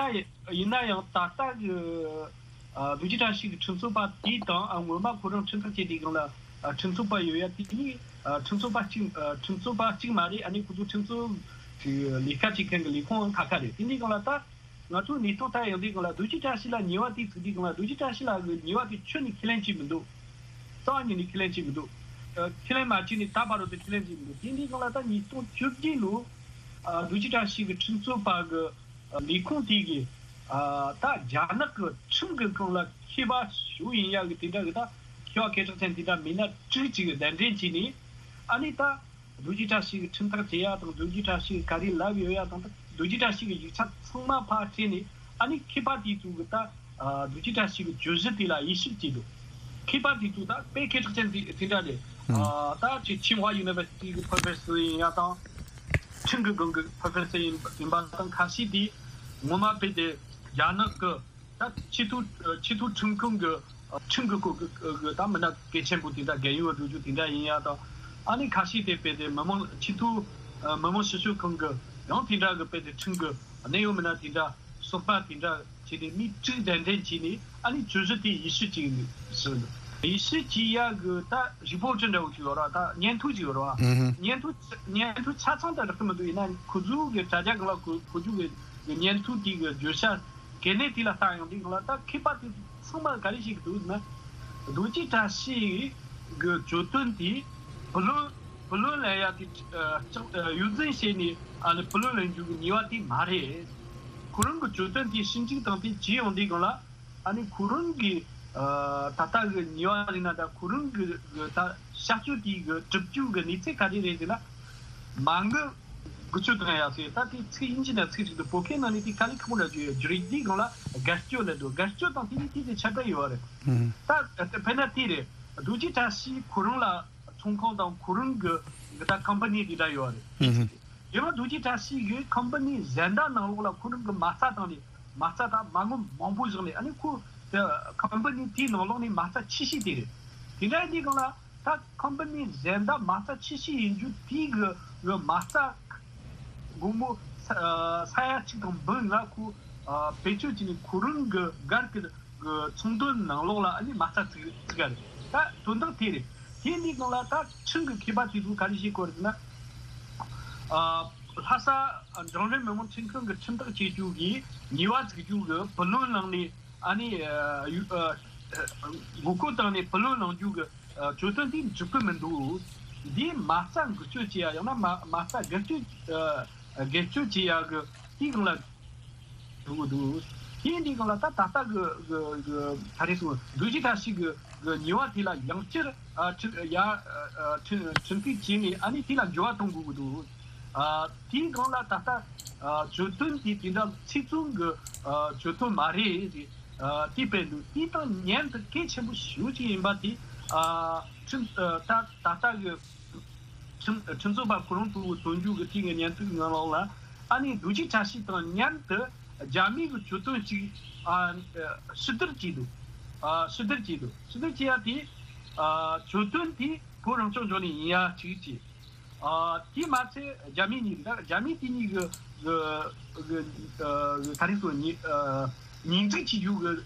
ཡིན་ན་ཡང་ད་ལྟ་གི་ཨ་རྡོ་རྗེ་བཀྲ་ཤིས་ཀྱི་ཁྲིམས་རྩོད་པ་དེ་དང་ཨ་སྔོན་མ་ཁོ་རང་ཁྲིམས་ཐག་བཅད་དུས་སྒང་ལ་ཨ་ཁྲིམས་རྩོད་པ་ཡོད་ཡ་དེ་གཉིས་ཨ་ཁྲིམས་རྩོད་པ་གཅིག་ཨ་ཁྲིམས་རྩོད་པ་གཅིག་མ་རེད། ཨ་ནི་ཁོ་ཚོ་ཁྲིམས་རྩོད་ཀྱི་ལས་ཀ་བྱེད་མཁན་གྱི་ལས་ཁུངས་ཁག་ཁག་རེད། དེ་འདྲའི་སྒང་ལ་ད་ང་ཚོའི་གནས་སྟངས་ལྟར་ཡོང་དུས་སྒང་ལ་རྡོ་རྗེ་བཀྲ་ཤིས་ལ་ཉེས་པ་དེ་བཙུགས་དུས་སྒང་ལ་རྡོ་རྗེ་བཀྲ་ཤིས་ལགས་ཀྱི་ཉེས་པ་དེ་ཁྱོན་ནས་ཁས་ལེན་བྱས་མི་འདུག་རྩ་བ་ཉིད་ནས་ཁས་ལེན་བྱས་མི་འདུག་ཨ་ཁས་ལེན་མ་བྱས་ནས་ད་བར་དུ་ཁས་ལེན་བྱས་མི་འདུག་དེ་འདྲའི་སྒང་ལ་ད་ཉིས་སྟོང་བཅོ་བརྒྱད་ལོ་ཨ་རྡོ་རྗེ་བཀྲ་ཤིས་ཀྱི་ཁྲིམས་རྩོད་པ་གི་ལས་ཁུངས་དེ་གིས་ཨ་ད་རྒྱ་ནག་གི་ཁྲིམས་ཀྱི་སྒང་ལ་མཁས་པ་ཞིག་ཡིན་ཡག་གི་དེ་འདྲ་གི་ད་མཁས་པ་སྐད་གྲགས་ཅན་དེ་འདྲ་མི་སྣ་དྲུག་ཅིག་གདན་འདྲེན་བྱས་ནས་ཨ་ནི་ད་རྡོ་རྗེ་བཀྲ་ཤིས་ཀྱི་ཁྲིམས་ཐག་བཅད་ཡག་དང་། རྡོ་རྗེ་བཀྲ་ཤིས་ཀྱིས་ག་རེ་ལབ་ཡོད་ཡག་དང་། ད་རྡོ་རྗེ་བཀྲ་ཤིས་ཀྱི་ཡིག་ཆ་ཚང་མ་ཕར་སྤྲད་ནས་ཨ་ནི་མཁས་པ་དེ་ཚོ་གིས་ད་ཨ་རྡོ་རྗེ་བཀྲ་ཤིས་ཀྱི་བརྗོད་གཞི་དེ་ལ་དབྱེ་ཞིབ་བྱས་འདུག་མཁས་པ་དེ་ཚོ་ད་དཔེ་སྐད་གྲགས་ཅན་དེ་དེ་འདྲ་རེད། ཨ་ད་ཅིག་ཆིང་ཧྭ་ཡུ་ནི་ཝར་སི་ཊི་གི་པོ་རོ་ཕེ་སར་ཡིན་ཡག་དང་། ཁྲིམས་ཀྱི་སྒང་གི་པོ་རོ་ཕེ་སར་ཡིན་ཡིན་པ་དང་། ཁ་ཤས་དེ་ངོ་མ་དཔེ་དེ་རྒྱ་ནག་གི་ད་ཆེས་མཐོའི་ཆེས་མཐོའི་ཁྲིམས་ཁང་གི་ཁྲིམས་ཀྱི་སྐོར་གྱི་ད་མི་སྣ་གལ་ཆེན་པོ་དེ་འདྲ་རྒན་ཡོལ་བ་འགྲོ་རྒྱུ་དེ་འདྲ་ཡིན་ཡག་དང་། ཨ་ནི་ཁ་ཤས་དེ་དཔེ་དེ་མི་མང་ཆེས་མཐོའི་མི་དམངས་ཞིབ་དཔྱོད་ཁང་གི་ཡང་དེ་འདྲ་གི་དཔེ་དེ་ཁྲིམས་ཀྱི་གནད་ཡོད་མི་སྣ་དེ་འདྲ་ཟུར་པ་དེ་འདྲ་བྱས་ནས་མི་དྲུག་གདན་འདྲེན་བྱས་ནས་ཨ་ནི་བརྗོད་གཞི་དེ་དབྱེ་ཞིབ་བྱས་ནས་ཟེར་འདུག་དབྱེ་ཞིབ་བྱེད་ཡག་གི་ད་རི་པོར་ཊི་འདྲ་བོ་ཅིག་ཡོད་ར། ད་སྙན་ཐོ་ཅིག་ཡོད་ར། ཨུ་ཧུ། སྙན་ཐོ་སྙན་ཐོ་ཆ་ཚང་ད་རག་གི་མི་འདུག་ཡིན་ན་ཁོ་ཚོ་གི་དྲ་རྒྱ་སྒང་ལ་ཁོ་ཁོ་ཚོ་གི་གི་སྙན་ཐོ་དེ་གི་བརྗོད་བྱ་གལ་གནད་དེ་ལ་ལྟ་ཡོང་དུས་སྒང་ལ་ད་མཁས་པ་དེ་ཚང་མ་ག་རེ་བཤད་གི་འདུག་ཟེར་ན། རྡོ་རྗེ་བཀྲ་ཤིས་གི་གྱོད་དོན་དེ་བུ་ལོན་བུ་ལོན་ལེན་ཡ་དེ་ཨ་ལྕགས་ཨ་གཡོ་འཛིན་བྱས་ནས་ཨ་ནི་བུ་ལོན་ལེན་རྒྱུ་གི་ཉེས་པ་དེ་མ་རེད། ཁོ་རང་གི་གྱོད་དོན་དེ་ཞིབ་འཇུག་དང་དེ་བྱས་ཡོང་དུས་སྒང་ལ་ཨ་ནི་ཁོ་རང་གི་ཨ་ད་ལྟ་གི་ཉེས་པ་ཡིན་ན་ད་ཁོ་རང་གི་གི་ད་བྱ་སྤྱོད་དེ་གི་གྲུབ་རྒྱུ་གི་གནས་ཚུལ་ག་རེ་རེད་ཟེར་ན། མ་དངུལ་འགུལ་སྐྱོད་བཏང་ཡག་ཟེར། ད་དེ་ཚིག་དབྱིན་ཇི་ནང་ཚིག་ཅིག་འདུག་བོད་སྐད་ནང་ནས་དེ་དཀའ་ལས་ཁག་པོ་འདྲ་ཅིག་ཡོད། བསྒྱུར་ཡིག་དེའི་སྒང་ལ་བརྒལ་སྐྱོད་ལབ་འདུག་བརྒལ་སྐྱོད་དང་དེ་གཉིས་དེ་དེ་ཁྱད་པར་ཡོད་རེད། ཨུམ། ད་དཔེར་ན་དེ་རེད། རྡོ་རྗེ་བཀྲ་ཤིས་ཁོ་རང་ལ་ཚོང་ཁང་དང་ཁོ་རང་གི་གི་ད་ཀམ་པ་ནི་དེ་འདྲ་ཡོད་རེད། ཨུམ། དེ་བ་རྡོ་རྗེ་བཀྲ་ཤིས་ཀྱི་ཀམ་པ་ནི་གཞན་དག་ནང་ལོགས་ལ་ཁོ་རང་གི་མ་རྩ་བཏང་ནས་མ་རྩ་ད་མ་དངུལ་མང་པོ་བཞག་ནས་ཨ་ནི་ཁོ་ཀམ་པ་ནི་དེའི་ནང་ལོགས་ནས་མ་རྩ་ཆེ་ཤོས་དེ་རེད། དེ་འདྲ་ཡིན་དུས་སྒང་ལ། ད་ཀམ་པ་ནི་གཞན་དག་མ་རྩ་ཆེ་ཤོས་ཡིན་རྒྱུ་དེའི་གི་གི་མ་རྩ་སྒོར་མོ་ས་ས་ཡ་གཅིག་དང་འབུམ་ལྔ་ཁོ་ཨ་བེད་སྤྱོད་བྱས་ནས་ཁོ་རང་གི་སྒར་གི་གི་ཚོང་དོན་ནང་ལོགས་ལ་ཨ་ནི་མ་རྩ་བཙུགས་བཙུགས་ཡ་རེད། ད་དོན་དག་དེ་རེད། དེ་འདི་སྒང་ལ་ད་ཁྲིམས་ཀྱི་མཁས་པ་དེ་ཚོ་ག་རེ་བཤད་ཀྱི་ཡོད་རེད་ཟེར་ན། ཨ་ལྷ་ས་འབྲིང་རིམ་མི་དམངས་ཁྲིམས་ཁང་གི་ཁྲིམས་ཐག་བཅད་རྒྱུ་གི་ཉེས་པ་བཙུགས་རྒྱུ་གི་བུ་ལོན་བླངས་ནས། ཨ་ནི་ཨ་ཡུ་ཨ་མགོ་སྐོར་བཏང་ནས་བུ་ལོན་བླང་རྒྱུ་གི་ཨ་གྱོད་དོན་དེ་འགྲིག་གི་མི་འདུག་འདིའི་མ་རྩ་འགུལ་སྐྱོད་བྱེད་ཡ་ཡང་ན་མ་མ་རྩ་བརྒལ་སྐྱོད་ཨ་བརྒལ་སྐྱོད་བྱེད་ཡ་གི་དེའི་སྒང་ལ་ འགྲོ་གི་འདུག་དེ་འདི་གང་ལ་ད་ད་ལྟ་གི་གི་གི་ད་རེས་སུ་རྡོ་རྗེ་བཀྲ་ཤིས་གི་གི་ཉེས་པ་དེ་ལ་ཡང་བསྐྱར་ཨ་ཁྲིམས་ཡ་ཨ་ཁྲིམས་ཁྲིམས་གཏུག་བྱས་ནས་ཨ་ནི་དེ་ལ་འགྱུར་བ་གཏོང་དགོས་ཀྱི་འདུག་ཨ་དེའི་སྒང་ལ་ད་ལྟ་ཨ་གྱོད་དོན་དེ་དེ་འདྲ་ཚིག་མཚོན་གྱི་ཨ་གྱོད་དོན་མ་རེད་ཟེར་ཨ་དེ་སྤེལ་འདུག་དེ་དང་མཉམ་དུ་གལ་ཆེན་པོ་ཞེ་པོ་ཅིག་ཡིན་པ་དེ་ཨ་ཁྲིམས་ཨ་ད་ད་ལྟ་གི་ཁྲིམས་ཁྲིམས་རྩོད་པ་ཁོ་རང་ཚོའི་དོན་གཅོད་ཀྱི་དེ་གི་སྙན་ཐོའི་ནང་ལོགས་ལ་ཨ་ནི་རྡོ་རྗེ་བཀྲ་ཤིས་དང་མཉམ་དུ་རྒྱ་མི་གི་གྱོད་དོན་ཅིག་ཨ་ཨ་ཕྱིར་བསྡུར་བྱས་འདུག་ཨ་ཕྱིར་བསྡུར་བྱས་འདུག་ཕྱིར་བསྡུར་བྱས་ཡ་དེ་ཨ་གྱོད་དོན་དེ་བོད་རང་སྐྱོང་ལྗོངས་ནས་ཡིན་ཡ་ཅིག་བྱས། ཨ་དེ་མ་ཚད་རྒྱ་མི་གཉིས་ད་རྒྱ་མི་དེ་གཉིས་གི་གི་གི་ཨ་ག་རེ་ཟེར་ཉེས་ཨ་ཉེས་འཛུགས་བྱེད་རྒྱུ་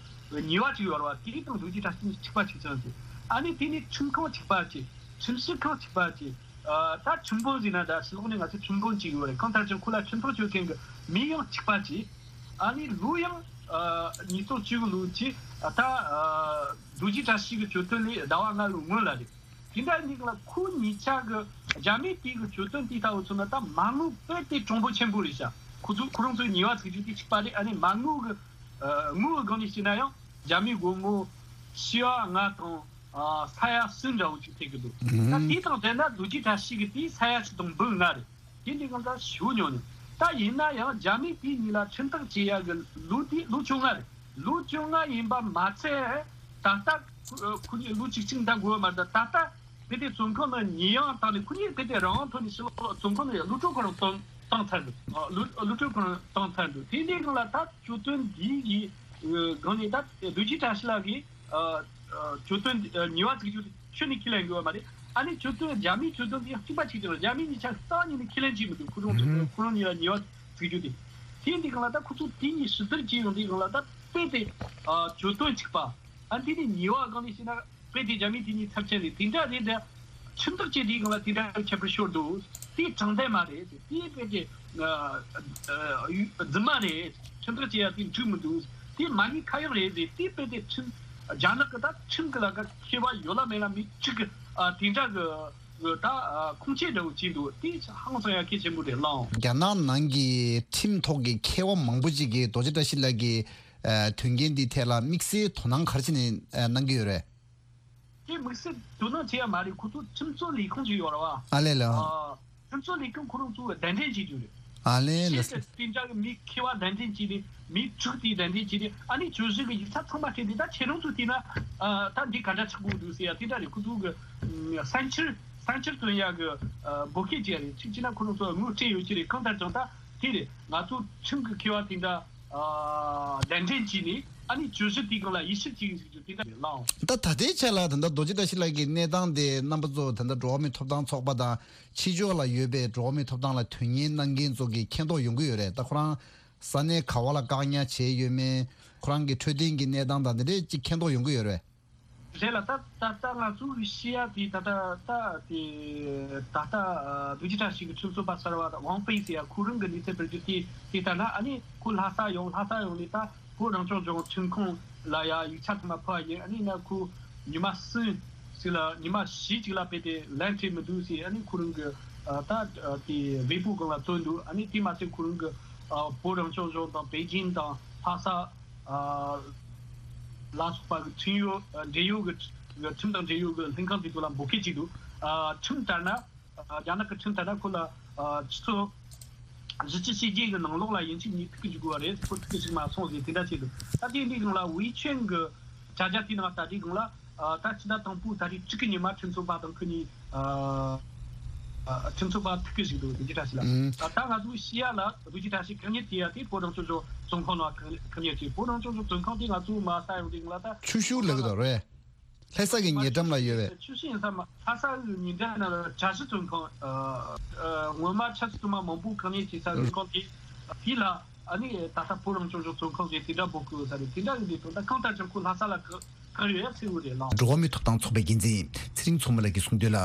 གི་ཉེས་པ་ཅིག་ཡོད་རེད་བ། དེ་དང་རྡོ་རྗེ་བཀྲ་ཤིས་གཉིས་གཅིག་པ་གཅིག་རྐྱང་བྱས། ཨ་ནི་དེ་ནས་ཁྲིམས་ཁང་གཅིག་པ་བྱས། ཁྲིམས་ཞིབ་ཁང་གཅིག་པ་བྱས། ཨ་ད་ཁྲིམས་དཔོན་ཟེར་ན་ད་ཕྱི་ལོགས་ནས་ང་ཚོས་ཁྲིམས་དཔོན་ཅིག་ཡོད་རེད། གང་ལྟར་ཀྱང་ཁོ་ལ་ཁྲིམས་ཐག་གཅོད་མཁན་གྱི་མི་ཡང་གཅིག་པ་བྱས། ཨ་ནི་ལོ་ཡང་ཨ་ཉིས་སྟོང་བཅུ་དགུ་ལོ་ཅིག་ཨ་ད་ཨ་རྡོ་རྗེ་བཀྲ་ཤིས་ཀྱི་གྱོད་དོན་ལས་ཟླ་བ་ལྔ་ལོའི་སྔོན་ལ་རེད། དེ་འདྲ་ཡིན་ལ་ཁོ་གཉིས་ཆ་གི་རྒྱ་མི་དེ་གི་གྱོད་དོན་དེ་ལྟ་བུ་མཚོན་ན་ད་མ་དངུལ་དཔེ་དེ་གྲུང་པོ་ཆེན་པོ་རེད་ཤག་ཁོ་ཚོ་ཁོ་རང་ཚོའི་ཉེས་པ་ཚིག་རྒྱུ་དེ་གཅིག་པ་རེད། ཨ་ནི་མ་དངུལ་གི་ཨ་དངུལ་གི་སྒང་ནས་བཤད་ན་ཡང་རྒྱ་མི་སྒོར་མོ་ཞེ་པོ་ལྔ་དང་ཨ་ས་ཡ་གསུམ་འདྲ་བོ་ཅིག་ཐེབས་ཀྱི་འདུག་ད་དེ་དང་ལྡན་ན་རྡོ་རྗེ་བཀྲ་ཤིས་ཀྱི་དེ་ས་ཡ་གཅིག་དང་འབུམ་ལྔ་རེད། དེ་འདི་གང་ལྟར་ཞུ་མྱོང་ནས་ད་ཡིན་ན་ཡང་རྒྱ་མི་དེ་གཉིས་ལ་ཁྲིམས་ཐག་བཅད་ཡ་གི་ལོ་དེ་ལོ་བཅོ་ལྔ་རེད། ལོ་བཅོ་ལྔ་ཡིན་པ་མ་ཚད་ད་ལྟ་ཁོ་ཁོ་གཉིས་ལོ་གཅིག་གཅིག་འདང་དགོས་པ་མ་རེད། ད་ད་ལྟ་དཔེ་དེ་བཙོན་ཁང་ནང་ཉེས་ཡངས་བཏང་ནས་ཁོ་གཉིས་དཔེ་དེ་རང་དབང་ཐོག་ནས་ཕྱི་ལོགས་བཙོན་ཁང་ནས་གློད་གྲོལ་ཁོ་རང་བཏང་བཏང་ཚར་འདུག་ཨ་གློད་གློད་གྲོལ་ཁོ་རང་བཏང་ཚར་འདུག་དེ་འདྲའི་སྒང་ལ་ད་གྱོད་དོན་འདི་ཡི་སྒང་ནས་ད་རྡོ་རྗེ་བཀྲ་ཤིས་ལགས་ཀྱིས་ཨ་ཨ་གྱོད་དོན་འདི་ཨ་ཉེས་པ་བཙུགས་རྒྱུ་དེ་ཁྱོན་ནས་ཁས་ལེན་དགོས་པ་མ་རེད། ཨ་ནི་གྱོད་དོན་རྒྱ་མིའི་གྱོད་དོན་དེ་ཡང་གཅིག་པ་གཅིག་རྐྱང་རེད། རྒྱ་མི་གཉིས་ཆ་རྩ་བ་ཉིད་ནས་ཁས་ལེན་བྱེད་མི་འདུག་ཁོ་རང་ཚོ་ཁོ་རང་གཉིས་ལ་ཉེས་པ་བཙུགས་རྒྱུ་དེ། དེ་འདི་སྒང་ལ་ད་ཁོ་ཚོ་དེ་གཉིས་ཞིབ་བསྡུར་བྱས་ཡོང་དུས་སྒང་ལ་ད་དཔེ་དེ་ཨ་གྱོད་དོན་གཅིག་པ། ཨ་འདི་ནི་ཉེས་པ་སྒང་ནས་བཤད་ན་དཔེ་དེ་རྒྱ་མི་དེ་གཉིས་ཚབས་ཆེན་རེད། དེ་འདྲ་རེད་དེ། ཁྲིམས་ཐག་བཅད་དུས་སྒང་ལ་དེ་འདྲ་ཁྱད་པར་ཤོར་འདུག་དེ་དྲང་བདེན་མ་རེད། དེ་དཔེ་དེ་ཨ་ཨ་རྫུན་མ་རེད། ཁྲིམས་ཐག་བཅད་ཡ་དེ་འགྲིག་མི་འདུག་དེ་མ་ཉེས་ཁ་གཡོག་རེད་ཟེར། དེ་དཔེ་དེ་ཁྲིམས་རྒྱ་ནག་གི་ད་ཁྲིམས་གི་ལ་ཀ་མཁས་པ་ཡོད་ལ་མེད་ལ་མི་གཅིག་གི་ཨ་དེ་འདྲ་གི་གི་ད་ཨ་ཁུངས་སྐྱེལ་འདྲ་བོ་བྱས་འདུག་དེ་ཧང་སང་ཡ་གལ་ཆེན་པོ་རེད་ལགས། རྒྱ་ནག་ནང་གི་ཁྲིམས་ཐོག་གི་མཁས་པ་མང་པོ་ཅིག་གིས་རྡོ་རྗེ་བཀྲ་ཤིས་ལགས་ཀྱི་ཨ་དོན་རྐྱེན་འདི་ཐད་ལ་དམིགས་བསལ་དོ་སྣང་ག་རེ་བྱས་ནས་ཨ་གནང་གི་ཡོད་རེད། དེ་དམིགས་བསལ་དོ་སྣང་བྱེད་ཡ་མ་རེད། ཁོ་ཚོ་ཁྲིམས་རྩོད་ལས་ཁུངས་ཅིག་ཡོད་རེད་བ། ཨ་ལས་ལགས། ཨ་ཁྲིམས་རྩོད་ལས་ཁུངས་ཁོ་རང་ཚོ་གདན་འདྲེན་བྱེད་རྒྱུ་རེད། ཨ་ལས་ལགས། ཤེས་དེ་འདྲ་གི་མི་མཁས་པ་གདན་འདྲེན་བྱས་ནས་མི་དྲུག་དེ་གདན་འདྲེན་བྱས་ནས་ཨ་ནི་གྱོད་གཞི་གི་ཡིག་ཆ་ཚང་མ་སྤྲད་དེ་ད་ཁྱེད་རང་ཚོ་བལྟས་ན་ཨ་ད་འདི་ག་འདྲ་ཆགས་དགོས་འདུག་ཟེར་ཡ་དེ་འདྲ་རེད། ཁོ་ཚོ་གི་ཨ་གསང་ཕྱིར་གསང་ཕྱིར་སྟོན་ཡ་གི་ཨ་འབོད་སྐད་བྱས་རེད། གཅིག་བྱས་ན་ཁོ་རང་ཚོ་དངུལ་སྤྲད་ཡོད་ཀྱི་རེད། གང་ལྟར་ཀྱང་ད་དེ་རེད། ང་ཚོ་ཁྲིམས་ཀྱི་མཁས་པ་དེ་འདྲ་ཨ་གདན་འདྲེན་བྱས་ནས་ཨ་ནི་གྱོད་གཞི་དེའི་སྒང་ལ་ཡིད་ཞིབ་བྱེད་ཀྱི་ཡིན་ཟེར་རྒྱུ་དེ་འདྲ་རེད་ལགས། ད་ད་ལྟའི་ཆ་ལ་ད་ལྟ་རྡོ་རྗེ་བཀྲ་ཤིས་ལགས་ཀྱི་གནས་སྟངས་དེ་རྣམ་པ་ཚོ་ད་ལྟ་འགྲོ་བ་མིའི་ཐོབ་ཐང་ཚོགས་པ་དང་ཕྱི་ཕྱོགས་ལ་ཡོད་པའི་འགྲོ་བ་མིའི་ཐོབ་ཐང་ལ་དོན་གཉེར་གནང་མཁན་ཚོ་གིས་མཁྱེན་རྟོགས་ཡོང་གི་ཡོད་རེད། ད་ཁོ་རང་ས་གནས་ག་བ་ལ་བཀག་ཉར་བྱས་ཡོད་མེད། ཁོ་རང་གི་འཕྲོད་བསྟེན་གྱི་གནས་སྟངས་དང་དེ་འདྲས་ཅིག་མཁྱེན་རྟོགས་ཡོང་གི་ཡོད་རེད། རེད་ལ་ད་ད་ལྟ་ང་ཚོ་གི་ཤེས་ཡ་དེ་ད་ལྟ་ད་དེ་ད་ལྟ་རྡོ་རྗེ་བཀྲ་ཤིས་ཀྱི་ཁྲིམས་རྩོད་པ་གསར་བ་ཝང་པེ་ཟེར་ཡ་ཁོ་རང་གི་གནས་ཚུལ་སྤེལ་རྒྱུ་དེ་དེ་ལྟར་ན་ཨ་ནི་ཁོ་ལྷ་ས་ཡོང་། ལྷ་ས་ཡོང་ནས་ད་བོད་རང་སྐྱོང་ལྗོངས་ཁྲིམས་ཁང་ལ་ཡ་ཡིག་ཆ་ཚང་མ་ཕུལ་བ་ཡིན། ཨ་ནི་ན་ཁོ་ཉི་མ་གསུམ་ཞིག་ལ་ཉི་མ་བཞི་ཅིག་ལ་དཔེ་དེ་ལན་སྤྲད་མི་འདུག་ཟེར། ཨ་ནི་ཁོ་རང་གི་ད་དེ་ཝེ་པོ་སྒང་ལ་བཏོན་འདུག་ཨ་ནི་དེ་མ་ཟད་ཁོ་རང་གི་བོད་རང་སྐྱོང་ལྗོངས་དང་པེ་ཅིན་དང་ལྷ་ས། ལ་སོགས་པ་གི་ཁྲིམས་ཡོད་འབྲེལ་ཡོད་ཀྱི་ཁྲིམས་དང་འབྲེལ་ཡོད་ཀྱི་ལྷན་ཁང་དེ་ཚོ་ལ་འབོད་སྐད་ཅིག་འདུག་ཁྲིམས་ལྟར་ན་རྒྱ་ནག་གི་ཁྲིམས་ལྟར་ན་ཁོ་ལ་ཆུ་ཚོད་བཞི་བཅུ་ཞེ་བརྒྱད་ཀྱི་ནང་ལོགས་ལ་ཡིན་གཅིག་མིན་གཅིག་ཐུག་གི་འཇུག་དགོས་པ་རེད། ཁོ་ཐུག་གི་ཞིག་མ་སོང་ཟེར་དེ་འདྲ་བྱས་འདུག་ད་དེ་འདི་སྒང་ལ་ཝེ་ཆུན་གྱི་བྱ་རྒྱ་དེའི་ནང་ལྟ་དེའི་སྒང་ལ། ད་ཕྱི་ཟླ་དང་པོའི་ད་རེས་དྲུག་གི་ཉི་མ་ཁྲིམས་རྩོད་པ་དང་ཁོ་གཉིས་ཁྲིམས་རྩོད་པ་ཐུག་གི་ཞིག་འདུག་རྡོ་རྗེ་བཀྲ་ཤིས་ལགས། ད་ང་ཚོའི་ཤེས་ཡ་ལ་རྡོ་རྗེ་བཀྲ་ཤིས་གང་ཉིད་དེ་ཡ་དེ་བོད་རང་སྐྱོང་ལྗོངས་བཙོན་ཁང་ནང་གང་ཉིད་དེ་བོད་རང་སྐྱོང་ལྗོངས་བཙོན་ཁང་དེ་ང་ཚོའི་མ་ས་ཡོང་དེ་ང་ལ་ད་ཆུ་ཤུགས་ལེགས་དང་རེད། ལྷ་ས་གི་ཉེ་འགྲམ་ལ་ཡོད་པས། ཆུ་ཤུགས་ཡིན་ས་མ་ལྷ་ས་གི་ཉེ་འགྲམ་ན་གྲྭ་བཞི་བཙོན་ཁང་སྔོན་མ་ཆབ་སྲིད་དུ་མ་མང་པོ་གང་ཉིད་ཀྱི་ས་བཙོན་ཁང་དེ་དེ་ལ་ཨ་ནི་ད་ལྟ་བོད་རང་སྐྱོང་ལྗོངས་བཙོན་ཁང་དེ་དེ་འདྲ་འབོད་དགོས་ས་རེད། དེ་འདྲ་ཡིན་དུས་ད་ལྟ་གང་ལྟར་ཀྱང་ཁོ་ལྷ་ས་ལ་ག་གང་ཡོད་ཡ་ཚིག་འུ་རེད་ལགས། འགྲོ་བ་མིའི་ཐོབ་ཐང་ཚོགས་པའི་འགན་འཛིན་ཚེ་རིང་མཚོ་མོ་ལགས་ཀྱིས་གསུངས་དོན་ལ།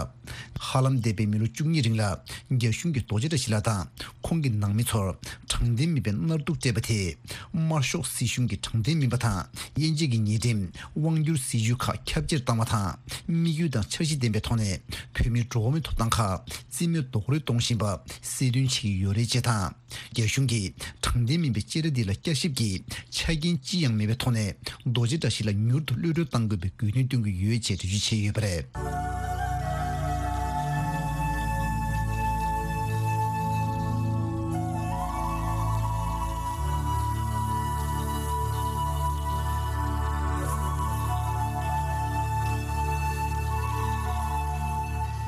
ཧ་ལམ་འདས་པའི་མི་ལོ་བཅུ་གཉིས་རིང་ལ་རྒྱ་གཞུང་གིས་རྡོ་རྗེ་བཀྲ་ཤིས་ལགས་དང་ཁོང་གི་ནང་མི་ཚོར་དྲང་བདེན་མིན་པའི་མནར་སྡུག་སྤྲད་པ་དེས་དམར་ཤོག་སྲིད་གཞུང་གི་དྲང་བདེན་མིན་པ་དང་དབྱེ་འབྱེད་ཀྱི་ཉེས་ཁྲིམས་དབང་སྒྱུར་སྲིད་ཇུས་ཁག་ཁྱབ་ཆེར་བཏང་བ་དང་དམིགས་ཡུལ་དང་འཆར་གཞི་ལྡན་པའི་ཐོག་ནས་བོད་མིའི་འགྲོ་བ་མིའི་ཐོབ་ཐང་ཁག་རྩིས་མེད་རྡོག་རོལ་གཏོང་བཞིན་པ་གསལ་སྟོན་བྱེད་ཀྱི་ཡོད་རེད་ཅེས་དང་། རྒྱ་གཞུང་གིས་དྲང་ དོན་ལྡན་མིན་པའི་བཅད་ཁྲ་འདི་ལ་བསྐྱར་ཞིབ་ཀྱི་ཆ་རྐྱེན་ཅི་ཡང་མེད་པའི་ཐོག་ནས། རྡོ་རྗེ་བཀྲ་ཤིས་ལ་མྱུར་དུ་གློད་གྲོལ་གཏང་དགོས་པའི་དགོས་འདུན་བཏོན་གྱི་ཡོད་ཅེས་འགྲེལ་བརྗོད་བྱས་ཡོད་པ་རེད།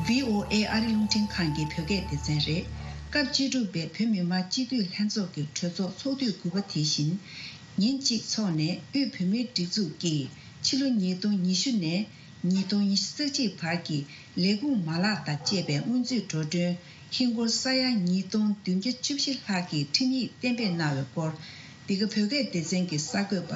བྷི་ཨོ་ཨེ་ཨ་རི་རླུང་འཕྲིན་ཁང་གི་བོད་སྐད་སྡེ་ཚན་རེད། སྐབས་བཅུ་དྲུག་པའི་བོད་མི་མང་སྤྱི་འཐུས་ལྷན་ཚོགས་ཀྱི་གྲོས་ཚོགས་ཚོགས་དུས་དགུ་པ་དེ་བཞིན། ཉིན་གཅིག་འཚོགས་ནས། དབུས་བོད་མིའི་སྒྲིག་འཛུགས་ཀྱིས་ཕྱི་ལོ་ཉིས་སྟོང་ཉི་ཤུ་ནས་ཉིས་སྟོང་ཉི་ཤུ་རྩ་གཅིག་བར་གྱི་ལས་ཁུངས་མ་ལག་དང་བཅས་པའི་སྔོན་རྩིས་འགྲོ་གྲོན་ཧིན་སྒོར་ས་ཡ་ཉིས་སྟོང་བདུན་བརྒྱ་བཅུ་བཞི་ལྷག་གི་ཁྲིམས་ཡིག་གཏན་འབེབས་གནང་བའི་སྐོར། འདི་ག་བོད་སྐད་སྡེ་ཚན་གྱི་གསར་འགོད་པ་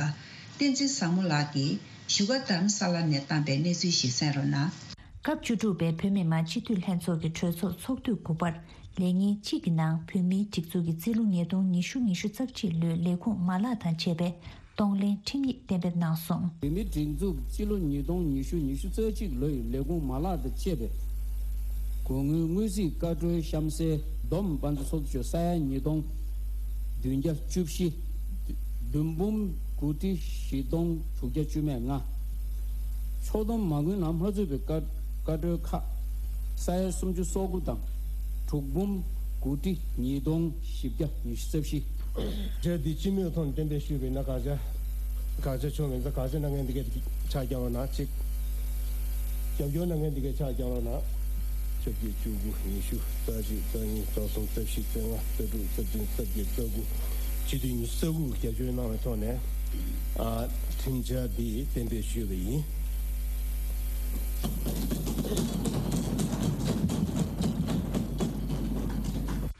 བསྟན་འཛིན་བཟང་མོ་ལགས་ཀྱིས་བཞུགས་སྒར་རྡ་རམ་ས་ལ་ནས་བཏང་པའི་གནས་ཚུལ་ཞིག་གསན་རོགས་གནང་། སྐབས་བཅུ་དྲུག་པའི་བོད་མི་མང་སྤྱི་འཐུས་ལྷན་ཚོགས་ཀྱི་གྲོས་ཚོགས་ཚོགས་དུས་དགུ་པར། ལས་ཉིན་གཅིག་གི་ནང་བོད་མིའི་སྒྲིག་འཛུགས་ཀྱི་རྩིས་ལོ་ཉིས་སྟོང་ཉི་ཤུ་ཉི་ཤུ་རྩ་གཅིག་ལོའི་ལས་ཁུངས་མ་ལག་དང་བཅས་པའི་གཏོང་ལེན་ཁྲིམས་ཡིག་གཏན་འབེབས་གནང་སོང་། བོད་མིའི་སྒྲིག་འཛུགས་སྤྱི་ལོ་ཉིས་སྟོང་ཉི་ཤུ་ཉི་ཤུ་རྩ་གཅིག་ལོའི་ལས་ཁུངས་མ་ལག་དང་བཅས་པའི་གོང་དངུལ་དངུལ་རྩིས་བཀའ་འཁྲོལ་གཤམ་གསལ། བསྡོམས་དཔལ་འབྱོར་ཚོགས་འདུ་ཆུ་ས་ཡ་ཉིས་སྟོང་བདུན་བརྒྱ་བཅུ་བཞི། བདུན་འབུམ་དགུ་ཁྲི་བཞི་སྟོང་དྲུག་བརྒྱ་བཅུ་མེད་ལྔ། ཕྱོགས་བསྡོམས་མ་དངུལ་ནང་མ་ཚུད་པའི་བཀའ་བཀའ་འཁྲོལ་ཁག་ས་ཡ་སུམ་ཅུ་སོ་དགུ་དང་། དྲུག་འབུམ་དགུ་ཁྲི་ཉིས་སྟོང་བཞི་བརྒྱ་ཉི་ཤུ་རྩ་བཞི། བཅད་འདི་སྤྱི་མོས་ཐོག་ནས་གཏན་འབེབས་ཞུས་པ་ཡིན་ན་དགག་བྱ། དགག་བྱ་བྱུང་མེད་ཙང་དགག་བྱ་གནང་མཁན་འདི་གས་ཕྱག་རྒྱག་རོགས་གནང་གཅིག་རྒྱབ་སྐྱོར་གནང་མཁན་འདི་གས་ཕྱག་རྒྱག་རོགས་གནང་། ཆ་བརྒྱད་བཅུ་དགུ་ཉི་ཤུ་རྩ་གཅིག་རྩ་གཉིས་རྩ་གསུམ་རྩ་བཞི་རྩ་ལྔ་རྩ་དྲུག་རྩ་བདུན་རྩ་བརྒྱད་རྩ་དགུ། སྤྱི་འཐུས་ཉི་ཤུ་རྩ་དགུ་གིས་རྒྱབ་སྐྱོར་གནང་བའི་ཐོག་ནས། ཨ། ཁྲིམས་འཆར་འདི་གཏན་འབེབས་ཞུས་པ་ཡིན།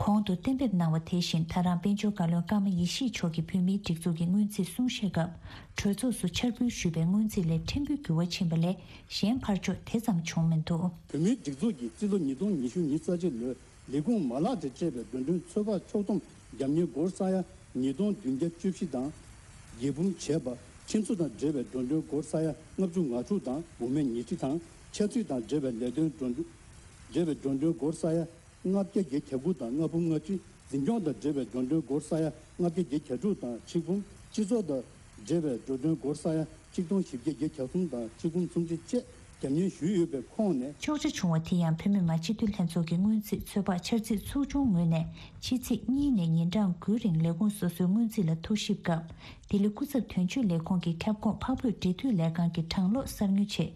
གོང་དུ་གཏན་འབེབས་གནང་བ་དེ་བཞིན། ད་རང་དཔལ་འབྱོར་བཀའ་བློན་ཀརྨ་ཡེ་ཤེས་མཆོག་གིས་བོད་མིའི་སྒྲིག་འཛུགས་ཀྱི་སྔོན་རྩིས་གསུང་བཤད་སྐབས། གྲོས་ཚོགས་སུ་འཆར་འབུལ་ཞུས་པའི་སྔོན་རྩིས་ལས་ཕྲན་བུ་འགྱུར་བ་ཕྱིན་པ་ལས། གཞན་ཕར་ཕྱོགས་དེ་ཙམ་བྱུང་མི་འདུག་བོད་མིའི་སྒྲིག་འཛུགས་ཀྱི་རྩིས་ལོ་ཉིས་སྟོང་ཉི་ཤུ་ཉི་ཤུ་རྩ་གཅིག་ལོའི་ལས་ཁུངས་མ་ལག་དང་བཅས་པའི་འགྲོ་གྲོན་ཚོད་དཔག་ཕྱོགས་བསྡོམས་རྒྱབ་གཉེར་སྒོར་ས་ཡ་ཉིས་སྟོང་བདུན་བརྒྱ་བཅུ་བཞི་དང་། རྒྱས་འབུམ་བྱས་པ། ཁྱིམ་གསོ་དང་འབྲེལ་བའི་འགྲོ་གྲོན་སྒོར་ས་ཡ་ལྔ་བཅུ་ང་དྲུག་དང་། འོག་མའི་ཉིས་ཁྲི་དང་། ཆབ་སྲིད་དང་འབྲེལ་བའི་ལས་དོན་འགྲོ་གྲོན། འབྲེལ་བའི་འགྲོ་གྲོན་སྒོར་ས་ཡ་ལྔ་བརྒྱ་བརྒྱད་བརྒྱ་དགུ་དང་ལྔ་འབུམ་ལྔ་ཁྲི། འཛིན་སྐྱོང་དང་འབྲེལ་བའི་འགྲོ་གྲོན་སྒོར་ས་ཡ་ལྔ་བརྒྱ་བརྒྱད་བརྒྱ་དྲུག་དང་ཆིག་འབུམ། སྤྱི་ཚོགས་དང་འབྲེལ་བའི་འགྲོ་གྲོན་སྒོར་ས་ཡ་ཆིག་སྟོང་བཞི་བརྒྱ་བརྒྱད་བརྒྱ་གསུམ་དང་ཆིག་འབུམ་སུམ་ཅུ་བཅས་རྒྱབ་གཉེར་ཞུས་ཡོད་པའི་ཁོངས་ནས། གཅོག་ཆ་བྱུང་བ་དེ་ཡང་བོད་མི་མང་སྤྱི་འཐུས་ལྷན་ཚོགས་ཀྱི་སྔོན་རྩིས་ཚོད་དཔག་འཆར་རྩིས་ཚོགས་ཆུང་ངོས་ནས་ཕྱི་ཚེས་གཉིས་ནས་ཉིན་གྲངས་དགུའི་རིང་ལས་ཁུངས་སོ་སོའི་སྔོན་རྩིས་ལ་ཐུགས་ཞིབ་སྐབས། ལྡི་ལི་སྐུ་ཚབ་དོན་གཅོད་ལས་ཁུངས་ཀྱི་ཁྱབ་ཁོངས་འཕགས་བོད་འབྲེལ་མཐུད་ལས་ཁང་གི་གྲངས་ཀློག་གསར་དངུལ་ཆེད།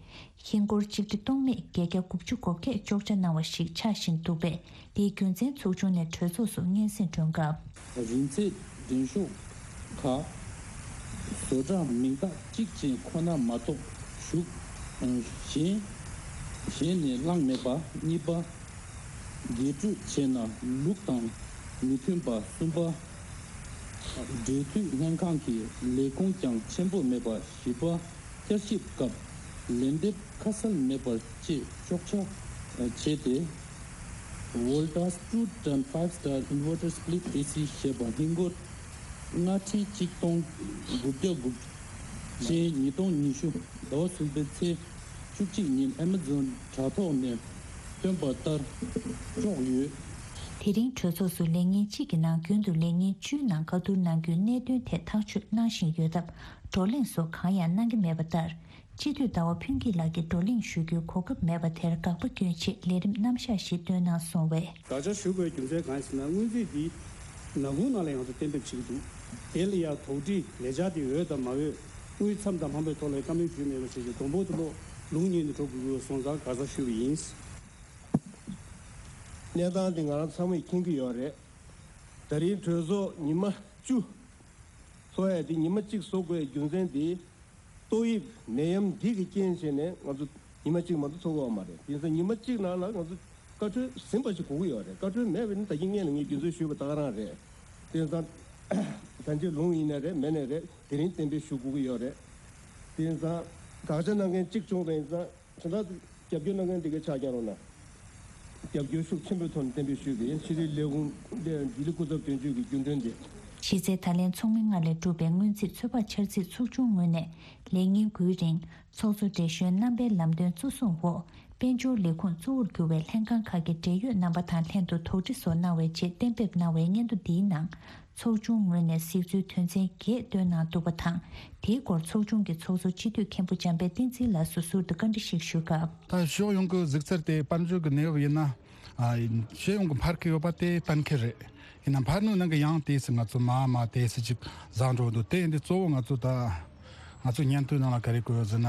ཧིན་སྒོར་གཅིག་ཁྲི་སྟོང་མེད་བརྒྱད་བརྒྱ་དགུ་བཅུ་གོ་བརྒྱད་གཅོག་ཆ་གནང་བ་ཞིག་ཆགས་བཞིན་འདུག་པས། དེའི་རྒྱུ་མཚན་ཚོགས་ཆུང་ནས་གྲོས་ཚོགས་སུ་སྙན་སེང་སྒྲོན་སྐབས། རིན་ཚད་འགྲེམས་ཤོག་ཁག་བཟོ་གྲྭ་མིང་རྟགས་གཅིག་ཅན་ཁོ་ན་མ་གཏོགས་ཞུགས། གཞན། གཞན་ནས་བླངས་མེད་པ། གཉིས་པ། དགེ་སྤྲོད་བྱས་ན་ལུགས་དང་མི་མཐུན་པ། གསུམ་པ། འབྲེལ་མཐུད་ལྷན་ཁང་གི་ལས་ཁུངས་ཀྱང་ཆེན་པོ་མེད་པ། བཞི་པ། བསྐྱར་ཞིབ་སྐབས་ལན་འདེབས་ཁ་གསལ་མེད་པ་བཅས་གཅོག་ཆ་བྱས་ཏེ། Voltas two ton five star inverter split A C ཞེས་པ་ཧིན་སྒོར་ལྔ་ཁྲི་གཅིག་སྟོང་དགུ་བརྒྱ་དགུ་ཅན་ཉིས་སྟོང་ཉི་ཤུ་ཟླ་བ་གསུམ་པའི་ཚེས་བཅུ་གཅིག་ཉིན་Amazon དྲ་ཐོག་ནས་བཏོན་པ་ལྟར་གཅོག་ཡོད། དེ་རིང་གྲོས་ཚོགས་སུ་ལས་ཉིན་གཅིག་གི་ནང་རྒྱུན་དུ་ལས་ཉིན་བཅུའི་ནང་བཀའ་བསྡུར་གནང་རྒྱུའི་གནད་དོན་ཐད་ཐག་གཅོད་གནང་བཞིན་ཡོད་སྟབས། བགྲོ་གླེང་སོགས་གང་ཡང་གནང་གི་མེད་པ་ལྟར། སྤྱི་འཐུས་ཟླ་བ་ཕུན་སྐྱིད་ལགས་ཀྱིས་བགྲོ་གླེང་ཞུ་རྒྱུའི་གོ་སྐབས་མེད་པ་དེར་དགག་པ་སྐྱོན་ཆེད་ལས་རིམ་རྣམ་གཞག་ཞིག་བཏོན་གནང་སོང་བས། དགག་བྱ་ཞུ་དགོས་རྒྱུ་མཚན་གང་ཡིན་ཟེར་ན། སྔོན་རྩིས་འདི་ནག་ཁུང་ནང་ལ་ཡང་ཚུར་གཏན་འབེབས་བྱེད་ཀྱི་འདུག་དེ་ལ་ཡང་དོགས་འདྲི་ལས་འཆར་དེ་འོས་དང་མ་འོས། དངུལ་མཚམས་དང་འཕངས་པའི་ཐོག་ལ་བཀའ་མོལ་ཞུས་མེད་པ་བྱས་ཏེ། སྡོང་པོ་དེ་ལོ་ལུང་ཉིད་ནས་འགྲོ་དགོས་ཀྱི་ཡོད་སོང་ཙང་དགག་བྱ་ཞུས་པ་ཡིན། གནས་སྟངས་འདི་ང་རང་ཚང་མས་མཁྱེན་གྱི་ཡོད་རེད། ད་རིང་གྲོས་ཚོགས་ཉི་མ་བཅུ་ཚོགས་ཡས་འདི་ཉི་མ་གཅིག་བཟོ་དགོས་རྒྱུ་མཚན་འདི། ཏོག་དབྱིབས་ནད་ཡམས་འདི་གི་རྐྱེན་བྱས་ནས་ང་ཚོ་ཉི་མ་གཅིག་མ་གཏོགས་ཚོགས་ཀྱི་ཡོད་མ་རེད། དེ་ཡིན་ཙང་ཉི་མ་གཅིག་ནང་ལ་ང་ཚོ་བཀའ་འཁྲོལ་ཟིན་པ་ཞིག་དགོས་ཀྱི་ཡོད་རེད། བཀའ་འཁྲོལ་མེད་པ་ཡིན་ན་ད་གིན་སྔོན་ལ་ངས་རྒྱུ་མཚན་ཞུས་པ་ད་ག་རང་རེད། དེ་ཡིན་ཙང་ད་ལྟའི་ལུང་ཡིན་ནའི་རེད། མེད་ནའི་རེད། དེ་རིང་གཏན་འབེབས་ཞུ་དགོས་ཀྱི་ཡོད་རེད། དེ་ཡིན་ཙང་དགག་བྱ་གནང་མཁན་གཅིག་བྱུང་བ་ཡིན་ཙང་། དོན་དག་རྒྱབ་སྐྱོར་གནང་མཁན་འདི་གའི་ཕྱག་རྒྱག་རོགས་གནང་། རྒྱབ་སྐྱོར་ཤུགས་ཆེན་པོའི་ཐོག་ནས་གཏན་འབེབས་ཞུས་པ་ཡིན། ཕྱི་དྲིལ་ལས་ཁུངས་ལྡི་ལི་སྐུ་ཚབ་དོན་གཅོད་ཀྱི་རྒྱུན་གྲོན་དེ། གཞི་རྩའི་ད་ལན་ཚོགས་མི་ལྔ་ལས་གྲུབ་པའི་སྔོན་རྩིས་ཚོད་དཔག་འཆར་རྩིས་ཚོགས་ཆུང་ངོས་ནས་ལས་ཉིན་དགུའི་རིང་ཚོགས་གཙོ་བགྲེས་གཞོན་རྣམ་པའི་ལམ་སྟོན་གཙོ་བཟུང་འོག་དཔལ་འབྱོར་ལས་ཁུངས་གཙོ་བོར་གྱུར་བའི་ལྷན་ཁང་ཁག་གི་འབྲེལ་ཡོད་རྣམ་པ་དང་ལྷན་དུ་དོགས་འདྲི་སོགས་གནང་བའི་རྗེས་གཏན་འབེབས་གནང་བའི་སྙན་ཐོ་འདིའི་ནང་། ཚོགས་ཆུང་ངོས་ནས་གཟིགས་ཚུལ་དོན་ཚན་བརྒྱད་བཏོན་གནང་འདུག་པ་དང་། དེའི་སྐོར་ཚོགས་ཆུང་གི་ཚོགས་གཙོ་སྤྱི་འཐུས་མཁན་པོ་འཇམ་དཔལ་བསྟན་འཛིན་ལགས་སུ་ཟུར་དུ་བཀའ་འདྲི་ཞིག་ཞུ་སྐབས། ད་ཕྱོགས་ཡོངས་ཀྱི་གཟིགས་ཚུལ་དེ་དཔལ་འབྱོར་གྱི་གནས་བབ་ཡིན་ན། ཨ། ཕྱོགས་ཡོངས་ཀྱི་འཕར་གྱི་ཡོད་པ་དེ་གཏན་འཁེལ་རེད། ཡིན་ན་འཕར་ནུས་ནང་གི་ཡང་དེ་སུ་ང་ཚོ་མ་མ་དེ་སུ་ཅིག་བཟང་འགྲོ་འདུག་དེ་ཡིན་དུས་གཙོ་བོ་ང་ཚོ་ད་ང་ཚོ་སྙན་ཐོའི་ནང་ལ་ག་རེ་བཀོད་ཡོད་ཟེར་ན།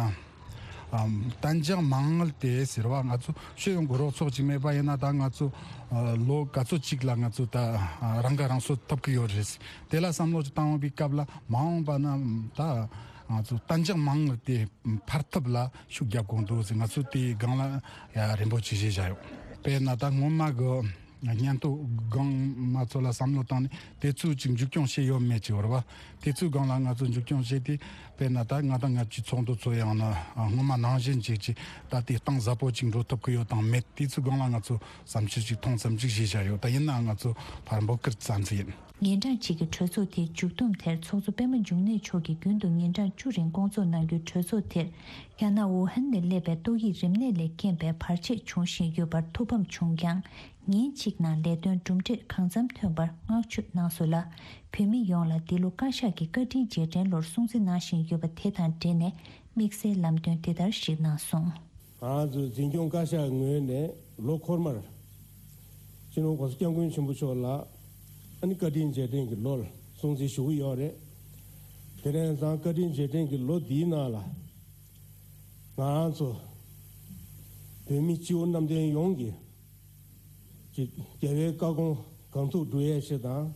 ཨམ། གཏན་འཇགས་མ་དངུལ་དེ་ཟེར་བ་ང་ཚོ་ཕྱོགས་ཡོངས་ཀྱི་རོགས་ཚོགས་ཅིག་མེད་པ་ཡིན་ན་ད་ང་ཚོ་ཨ་ལོ་ག་ཚོད་ཅིག་ལ་ང་ཚོ་ད་ཨ་རང་ཁ་རང་གསོ་ཐུབ་ཀྱི་ཡོད་རེད། དེ་ལ་བསམ་བློ་ཅིག་བཏང་བའི་སྐབས་ལ་མ་འོངས་པ་ན་ད་ང་ཚོ་གཏན་འཇགས་མ་དངུལ་དེ་འཕར་ཐབས་ལ་ཤུགས་རྒྱབ་དགོས་འདུག་ཟེར། ང་ཚོ་དེའི་སྒང་ལ་ཡ་རིམ་པ་ཅིག་བཞེས་བཞག་ཡོད། དཔེར་ན་ད་སྔོན་མ་གི་སྙན་ཐོ་སྒང་མ་ཚོ་ལ་བསམ་བློ་བཏང་ནས་དེ་ཚོ་ཅིག་མཇུག་སྐྱོང་བྱས་ཡོད་མེད་ཅིག་ཡོད་རེད་བ། དེ་ཚོའི་སྒང་ལ་ང་ཚོ་མཇུག་སྐྱོང་བྱས་ཏེ་དཔེར་ན་ད་ང་དང་ང་ཚོའི་ཚོགས་འདུ་ཚོ་ཡང་ན་སྔོན་མ་ནང་བཞིན་ཅིག་ཅིག་ད་དེ་གཏིང་ཟབ་པོ་ཅིག་འགྲོ་ཐུབ་ཀྱི་ཡོད་དང་མེད། དེ་ཚོའི་སྒང་ལ་ང་ཚོ་བསམ་ཚུལ་ཅིག་མཐོང་ཙམ་ཅིག་བཞེས་བཞག་ཡོད། ད་ཡིན་ནའང་ང་ཚོ་ཕར་འབོད་སྐུལ་ཙམ་ཙམ་ཡིན། ཉིན་གྲངས་གཅིག་གི་གྲོས་ཚོགས་དེའི་མཇུག་བསྡོམས་དེར་ཚོགས་གཙོ་པད་མ་འབྱུང་གནས་མཆོག་གིས་རྒྱུན་དུ་ཉིན་གྲངས་བཅུ་རིང་སྐོང་ཚོགས་གནང་རྒྱུའི་གྲོས་ཚོགས་དེར་རྒྱ་ནག་ཝུ་ཧན་ནས་སླེབས་པའི་ཏོག་དབྱིབས་རིམས་ནད་ལས་རྐྱེན་པས་བར་ཆད་བྱུང་བཞིན་ཡོད་པར་ཐུགས་ཕམ་བྱུང་ཀྱང་། ཉིན་གཅིག་ནང་ལས་དོན་གྲུབ་འབྲས་གང་འཚམ་ཐོན་པར་བསྔགས་བརྗོད་གནང་སོང་ལ། བོད་མི་ཡོངས་ལ་འདི་ལོ་བཀའ་ཤག་གི་བཀའ་དྲིན་རྗེས་དྲན་ལོར་སྲུང་བརྩི་གནང་བཞིན་ཡོད་པ་དེ་དང་འབྲེལ་ནས་དམིགས་བསལ་ལམ་སྟོན་འདི་ལྟར་ཞིག་གནང་སོང་། ང་རང་ཚོའི་འཛིན་སྐྱོང་བཀའ་ཤག་ངོས་ནས་ལོ་འཁོར་མར་སྤྱི་ནོར་༸གོང་ས་༸སྐྱབས་མགོན་ཆེན་པོ་མཆོག་ལ་ཨ་ནི་བཀའ་དྲིན་རྗེས་དྲན་གྱི་ལོར་སྲུང་བརྩི་ཞུ་གི་ཡོད་རེད། དེ་རིང་ཙང་བཀའ་དྲིན་རྗེས་དྲན་གྱི་ལོ་འདིའི་ནང་ལ་ང་རང་ཚོ་བོད་མི་སྤྱི་བོ་གནམ་བསྟན་ཡོངས་ཀྱི་ཅིག་རྒྱལ་བའི་བཀའ་དགོངས་གང་ཐུབ་སྒྲུབ་ཡས་ཆེད་དང་།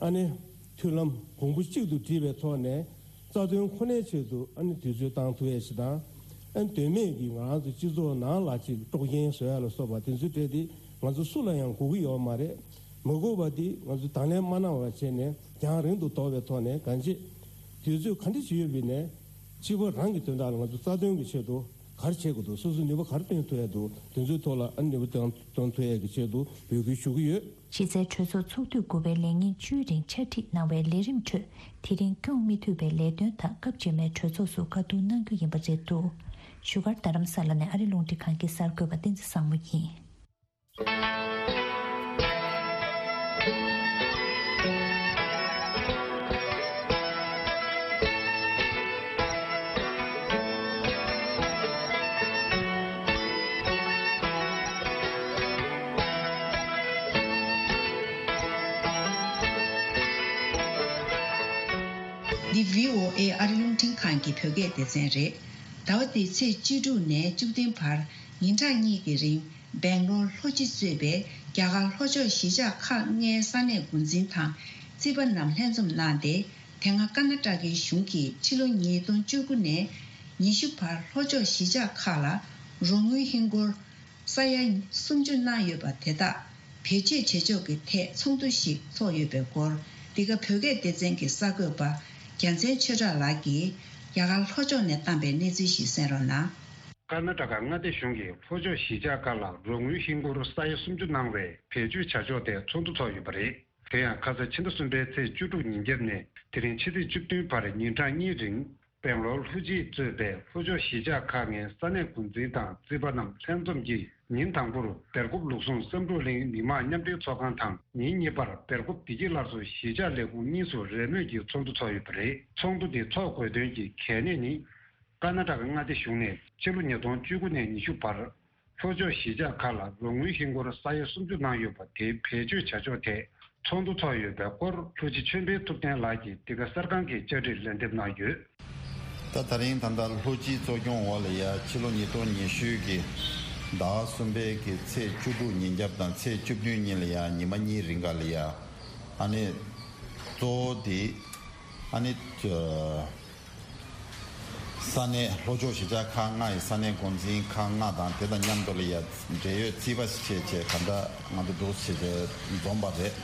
ཨ་ནི་མཐུན་ལམ་གོང་བུ་གཅིག་ཏུ་བསྒྲིལ་བའི་ཐོག་ནས་རྩ་དོན་ཁོ་ནའི་ཆེད་དུ་ཨ་ནི་དུས་ཚོད་བཏང་ཐུབ་ཡས་ཆེད་དང་། ཨ་ནི་དོན་མེད་ཀྱི་ང་རང་ཚོ་སྤྱི་ཚོགས་ནང་ལ་ཅིག་དཀྲོག་རྐྱེན་བཟོ་ཡ་ལ་སོགས་པ་དེ་ཚོའི་གྲས་དེ་ང་ཚོ་སུ་ལ་ཡང་དགོས་ཀྱི་ཡོད་མ་རེད། མ་དགོས་པ་དེ་ང་ཚོས་དང་ལེན་མ་གནང་བ་བྱས་ནས་རྒྱང་རིང་དུ་དོར་བའི་ཐོག་ནས་གང་ཅི་དུས་ཚོད་ག་འདྲ་ཞིག་ཡོད་པའི་ནས་སྤྱི་པ་རང་གི་དོན་དག་ལ་ང་ཚོ་རྩ་དོན་གྱི་ཆེད་དུ་ག་རེ་བྱེད་དགོས་འདུག་སོ་སོ་ནུས་པ་ག་རེ་བཏོན་ཐུབ་ཡ་འདུག་དེ་ཚོའི་ཐོག་ལ་ཨ་ནུས་པ་བཏོན་བཏོན་ཐུབ་ཡ་གི་ཆེད་དུ་འབོད་སྐུལ་ཞུ་གི་ཡོད། གཞི་རྩའི་གྲོས་ཚོགས་ཚོགས་དུས་དགུ་པའི་ལས་ཉིན་བཅུའི་རིང་ཕྱག་བྲིས་གནང་བའི་ལས་རིམ་ཁྲོད་དེ་རིང་སྐྱོང་མི་ཐུབ་པའི་ལས་དོན་དག་སྐབས་རྗེས་མའི་གྲོས་ཚོགས་སུ་བཀའ་བསྡུར་གནང་རྒྱུ་ཡིན་པ་རེད་འདུག་བཞུགས་སྒར་རྡ་རམ་ས་ལ་ནས་ཨ་རི་རླུང་འཕྲིན་ཁང་གི་གསར་འགོད་པ་བསྟན་འཛིན་བཟང་མོ་ཡིན། འདི་བྷི་ཨོ་ཨེ་ཨ་རི་རླུང་འཕྲིན་ཁང་གི་བོད་སྐད་སྡེ་ཚན་རེད། ཟླ་བ་འདིའི་ཚེས་བཅུ་དྲུག་ནས་བཅུ་བདུན་བར་ཉིན་གྲངས་གཉིས་ཀྱི་རིང་། སྦེང་ལོར་ལྷོ་སྤྱི་གཙོས་པའི་རྒྱ་གར་ལྷོ་ཕྱོགས་གཞིས་ཆགས་ཁག་ལྔའི་ས་གནས་འགོ་འཛིན་དང་རྩིས་པ་རྣམས་ལྷན་འཛོམས་གནང་སྟེ། དེ་སྔ་ཀར་ན་ཊ་ཀའི་གཞུང་གིས་ཕྱི་ལོ་ཉིས་སྟོང་བཅུ་དགུ་ནས་ཉི་ཤུ་བར་ལྷོ་ཕྱོགས་གཞིས་ཆགས་ཁག་ལ་རོགས་དངུལ་ཧིན་སྒོར་ས་ཡ་སུམ་ཅུ་གནང་ཡོད་པ་དེ་དག་བེད་སྤྱོད་བྱེད་ཕྱོགས་ཀྱི་ཐད་ཚོགས་འདུ་ཞིག་ཚོགས་ཡོད་པའི་སྐོར། འདི་ག་བོད་སྐད་སྡེ་ཚན་གྱི་གསར་འགོད་པ་རྒྱལ་མཚན་ཆོས་གྲགས་ལགས་ཀྱིས་རྒྱ་གར་ལྷོ་ཕྱོགས་ནས་བཏང་པའི་གནས་ཚུལ་ཞིག་གསན་རོགས་གནང་། ཀར་ན་ཊ་ཀ་མངའ་སྡེ་གཞུང་གིས་ལྷོ་ཕྱོགས་གཞིས་ཆགས་ཁག་ལ་རོགས་དངུལ་ཧིན་སྒོར་ས་ཡ་སུམ་ཅུ་གནང་བའི་བེད་སྤྱོད་བྱ་ཕྱོགས་ཐད་ཚོགས་འདུ་ཚོགས་ཡོད་པ་རེད། དེ་ཡང་ཁ་ས་ཕྱི་ཟླ་གསུམ་པའི་ཚེས་བཅུ་དྲུག་ཉིན་རྒྱབ་ནས་དེ་རིང་ཕྱི་ཚེས་བཅུ་བདུན་བར་ཉིན་གྲངས་གཉིས་རིང་སྦེང་ལོར་ལྷོ་སྤྱི་གཙོས་པའི་ལྷོ་ཕྱོགས་གཞིས་ཆགས་ཁག་ལྔའི་ས་གནས་འགོ་འཛིན་དང་རྩིས་པ་རྣམས་ལྷན་འཛོམས་ཀྱིས། ཉིན་དང་པོར་སྦེལ་ཀོབ་ལུགས་ཟུང་བསམ་གྲུབ་གླིང་མི་དམངས་མཉམ་འབྲེལ་ཚོགས་ཁང་དང་། ཉིན་གཉིས་པར་སྦེལ་ཀོབ་བདེ་སྐྱིད་སླར་གསོ་གཞིས་ཆགས་ལས་ཁུངས་གཉིས་སུ་རེས་མོས་ཀྱིས་ཚོགས་འདུ་ཚོགས་ཡོད་པ་རེད། ཚོགས་འདུ་འདི་ཚོགས་དགོས་དོན་གྱི་གལ་གནད་ནི། ཀར་ན་ཊ་ཀ་མངའ་སྡེ་གཞུང་ནས་ཕྱི་ལོ་ཉིས་སྟོང་བཅུ་དགུ་ནས་ཉི་ཤུ་བར་ལྷོ་ཕྱོགས་གཞིས་ཆགས་ཁག་ལ་རོགས་དངུལ་ཧིན་སྒོར་ས་ཡ་སུམ་ཅུ་གནང་ཡོད་པ་དེ་བེད་སྤྱོད་བྱ་ཕྱོགས་ཐད་ཚོགས་འདུ་ཚོགས་ཡོད་པའི་སྐོར་ལྷོ་སྤྱི་ཆོས་འཕེལ་ཐུབ་བསྟན་ལགས་ཀྱིས་འདི་ག་གསར་ཁང་གི་བཅར་འདྲིར་ལན་འདེབས་གནང་ཡོད། ད་ད་རིང་ད་ལྟ་ལྷོ་སྤྱིའི་གཙོ་སྐྱོང་འོག་ལ་ཡ་ཕྱི་ལོ་ཉིས་སྟོང་ཉི་ཤུ་གི་ཟླ་བ་གསུམ་པའི་གི་ཚེས་བཅུ་དྲུག་ཉིན་རྒྱབ་དང་ཚེས་བཅུ་བདུན་ཉིན་ལ་ཡ་ཉི་མ་གཉིས་རིང་ག་ལ་ཡ་ཨ་ནི་གཙོ་བོ་དེ་ཨ་ནི་ས་གནས་ལྷོ་ཕྱོགས་གཞིས་ཆགས་ཁག་ལྔ་ཡི་ས་གནས་འགོ་འཛིན་ཁག་ལྔ་དང་དེ་དང་མཉམ་དུ་ལ་ཡ་འབྲེལ་ཡོད་རྩིས་པ་བྱས་བྱས་ག་འདྲ་ང་ཚོ་འདུག་བྱས་བྱས་འཛོམས་པ་རེད།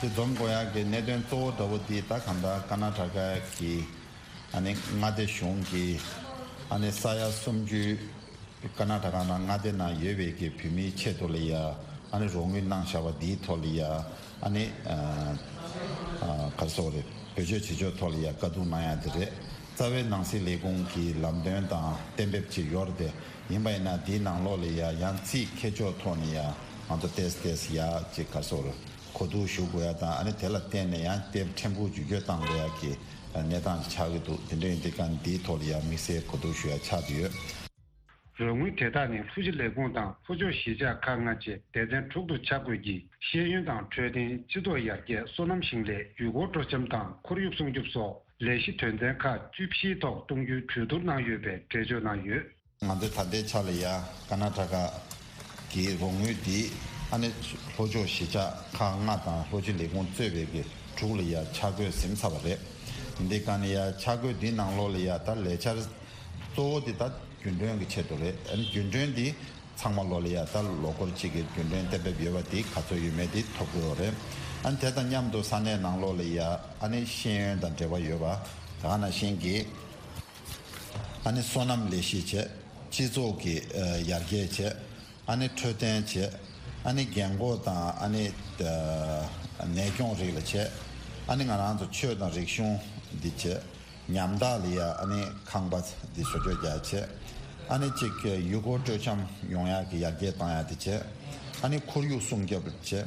དེ་འཛོམས་དགོས་ཡག་གི་གནད་དོན་གཙོ་བོ་འདྲ་བོ་དེ་ད་ག་འདྲ་ཀར་ན་ཊ་ཀ་གི་ཨ་ནི་མངའ་སྡེ་གཞུང་གིས་ཨ་ནི་ས་ཡ་སུམ་ཅུ་ཀར་ན་ཊ་ཀ་ནང་མངའ་སྡེ་ནང་ཡོད་པའི་གི་བོད་མིའི་ཆེད་དུ་ལ་ཡ་ ཨ་ནི་རོགས་དངུལ་གནང་བཞག་པ་འདིའི་ཐོག་ལ་ཡ་ཨ་ནི་ཨ་ཨ་ག་རེ་ཟེར་དགོས་རེད། བེད་སྤྱོད་བྱེད་ཕྱོགས་ཐོག་ལ་ཡ་བཀའ་བསྡུར་གནང་ཡ་དེ་རེད། རྩ་བའི་ནང་སྲིད་ལས་ཁུངས་ཀྱི་ལམ་སྟོན་དང་གཏན་འབེབས་ཅིག་ཡོད་རེད་དེ། ཡིན་པ་ཡིན་ན་དེའི་ནང་ལོགས་ལ་ཡ་ཡང་རྩིས་ཁྱད་ཆོས་ཐོག་ནས་ཡ་ང་ཚོ་ཏེས་ཏེས་ཡ་ཅིག་ག་རེ་ཟེར་དགོས་རེད། གོ་བསྡུར་ཞུ་དགོས་ཡ་དང་ཨ་ནི་དེ་ལ་བརྟེན་ནས་ཡང་དེབ་ཕྲན་བུ་བརྒྱུད་སྐྱོད་བཏང་དགོས་ཡ་གི་གནས་སྟངས་ཆགས་ཀྱི་འདུག་དེ་འདྲ་ཡིན་དུས་ཀ་འདིའི་ཐོག་ལ་ཡང་དམིགས་བསལ་གོ་བསྡུར་ཞུ་ཡ་ཆགས་ཀྱི་ཡོད། རོགས་དངུལ་དེ་དག་ནི་ལྷོ་སྤྱི་ལས་ཁུངས་དང་ལྷོ་ཕྱོགས་གཞིས་ཆགས་ཁག་ལྔ་བཅས་སྡེ་ཚན་དྲུག་ཏུ་ཆ་བགོས་ཀྱིས་ཤེས་ཡོན་དང་འཕྲོད་བསྟེན། སྤྱི་ཚོགས་ཡར་རྒྱས། སོ་ནམ་ཞིང་ལས། ཡུལ་སྐོར་སྤྲོ་འཆམ་དང་ཁོར་ཡུག་སྲུང་སྐྱོབ་སོགས་ལས་གཞི་དོན་ཚན་ཁག་བཅུ་བཞིའི་ཐོག་གཏོང་རྒྱུའི་གྲོས་བསྡུར་གནང་ཡོད་པའི་འགྲེལ་བརྗོད་གནང་ཡོད། ང་ཚོས་ད་ལྟའི་ཆ་ལ་ཡ་ཀར་ནཱ་ཊ་ཀ་གི་རོགས་དངུལ་འདི་ཨ་ནི་ལྷོ་ཕྱོགས་གཞིས་ཆགས་ཁག་ལྔ་དང་ལྷོ་སྤྱི་ལས་ཁུངས་གཙོས་པའི་གི་དྲུག་ལ་ཡ་ཆ་བགོས་ཟིན་ཚར་བ་རེད། འདི་ག་ནི་ཡ་ཆ་བགོས་འདི་ནང་ལོགས་ལ་ཡ་ད་ལས་འཆར་གཙོ་བོ་འདི་ད་རྒྱུན་གྲོན་གྱི་ཆེད་དུ་རེད། ཨ་ནི་རྒྱུན་གྲོན་འདི་ཚང་མ་ལོགས་ལ་ཡ་ད་ལོ་འཁོར་གཅིག་གི་རྒྱུན་གྲོན་གཏན་འབེབས་ཡོད་པ་འདི་ག་ཚོད་ཡོད་མེད་འདི་ཐོབ་དགོས་པ་རེད། ཨ་ནི་དེ་དང་མཉམ་དུ་ས་གནས་ནང་ལོགས་ལ་ཡ་ཨ་ནི་ཤེས་ཡོན་དང་འབྲེལ་བ་ཡོད་པ་དེ་ག་ནང་བཞིན་གྱི་ཨ་ནི་སོ་ནམ་ལས་གཞི་བྱས། སྤྱི་ཚོགས་ཀྱི་ཨ་ཡར་རྒྱས་བྱས། ཨ་ནི་འཕྲོད་བསྟེན་བྱས། ཨ་ནི་རྒན་འཁོགས་དང་ཨ་ནི་ཨ་ནད་སྐྱོང་རིགས་ལ་བྱས། ཨ་ནི་ང་རང་ཚོ་ཆོས་དང་རིག་གཞུང་འདི་བྱས། ཉམ་ཐག་ལ་ཡ་ཨ་ནི་ཁང་པ་འདི་བཟོ་བཅོས་རྒྱག་བྱས། ཨ་ནི་གཅིག་ཡུལ་སྐོར་སྤྲོ་འཆམ་ཡོང་ཡག་གི་ཡར་རྒྱས་བཏང་ཡག་འདི་བྱས། ཨ་ནི་ཁོར་ཡུག་སྲུང་སྐྱོབ་བྱས།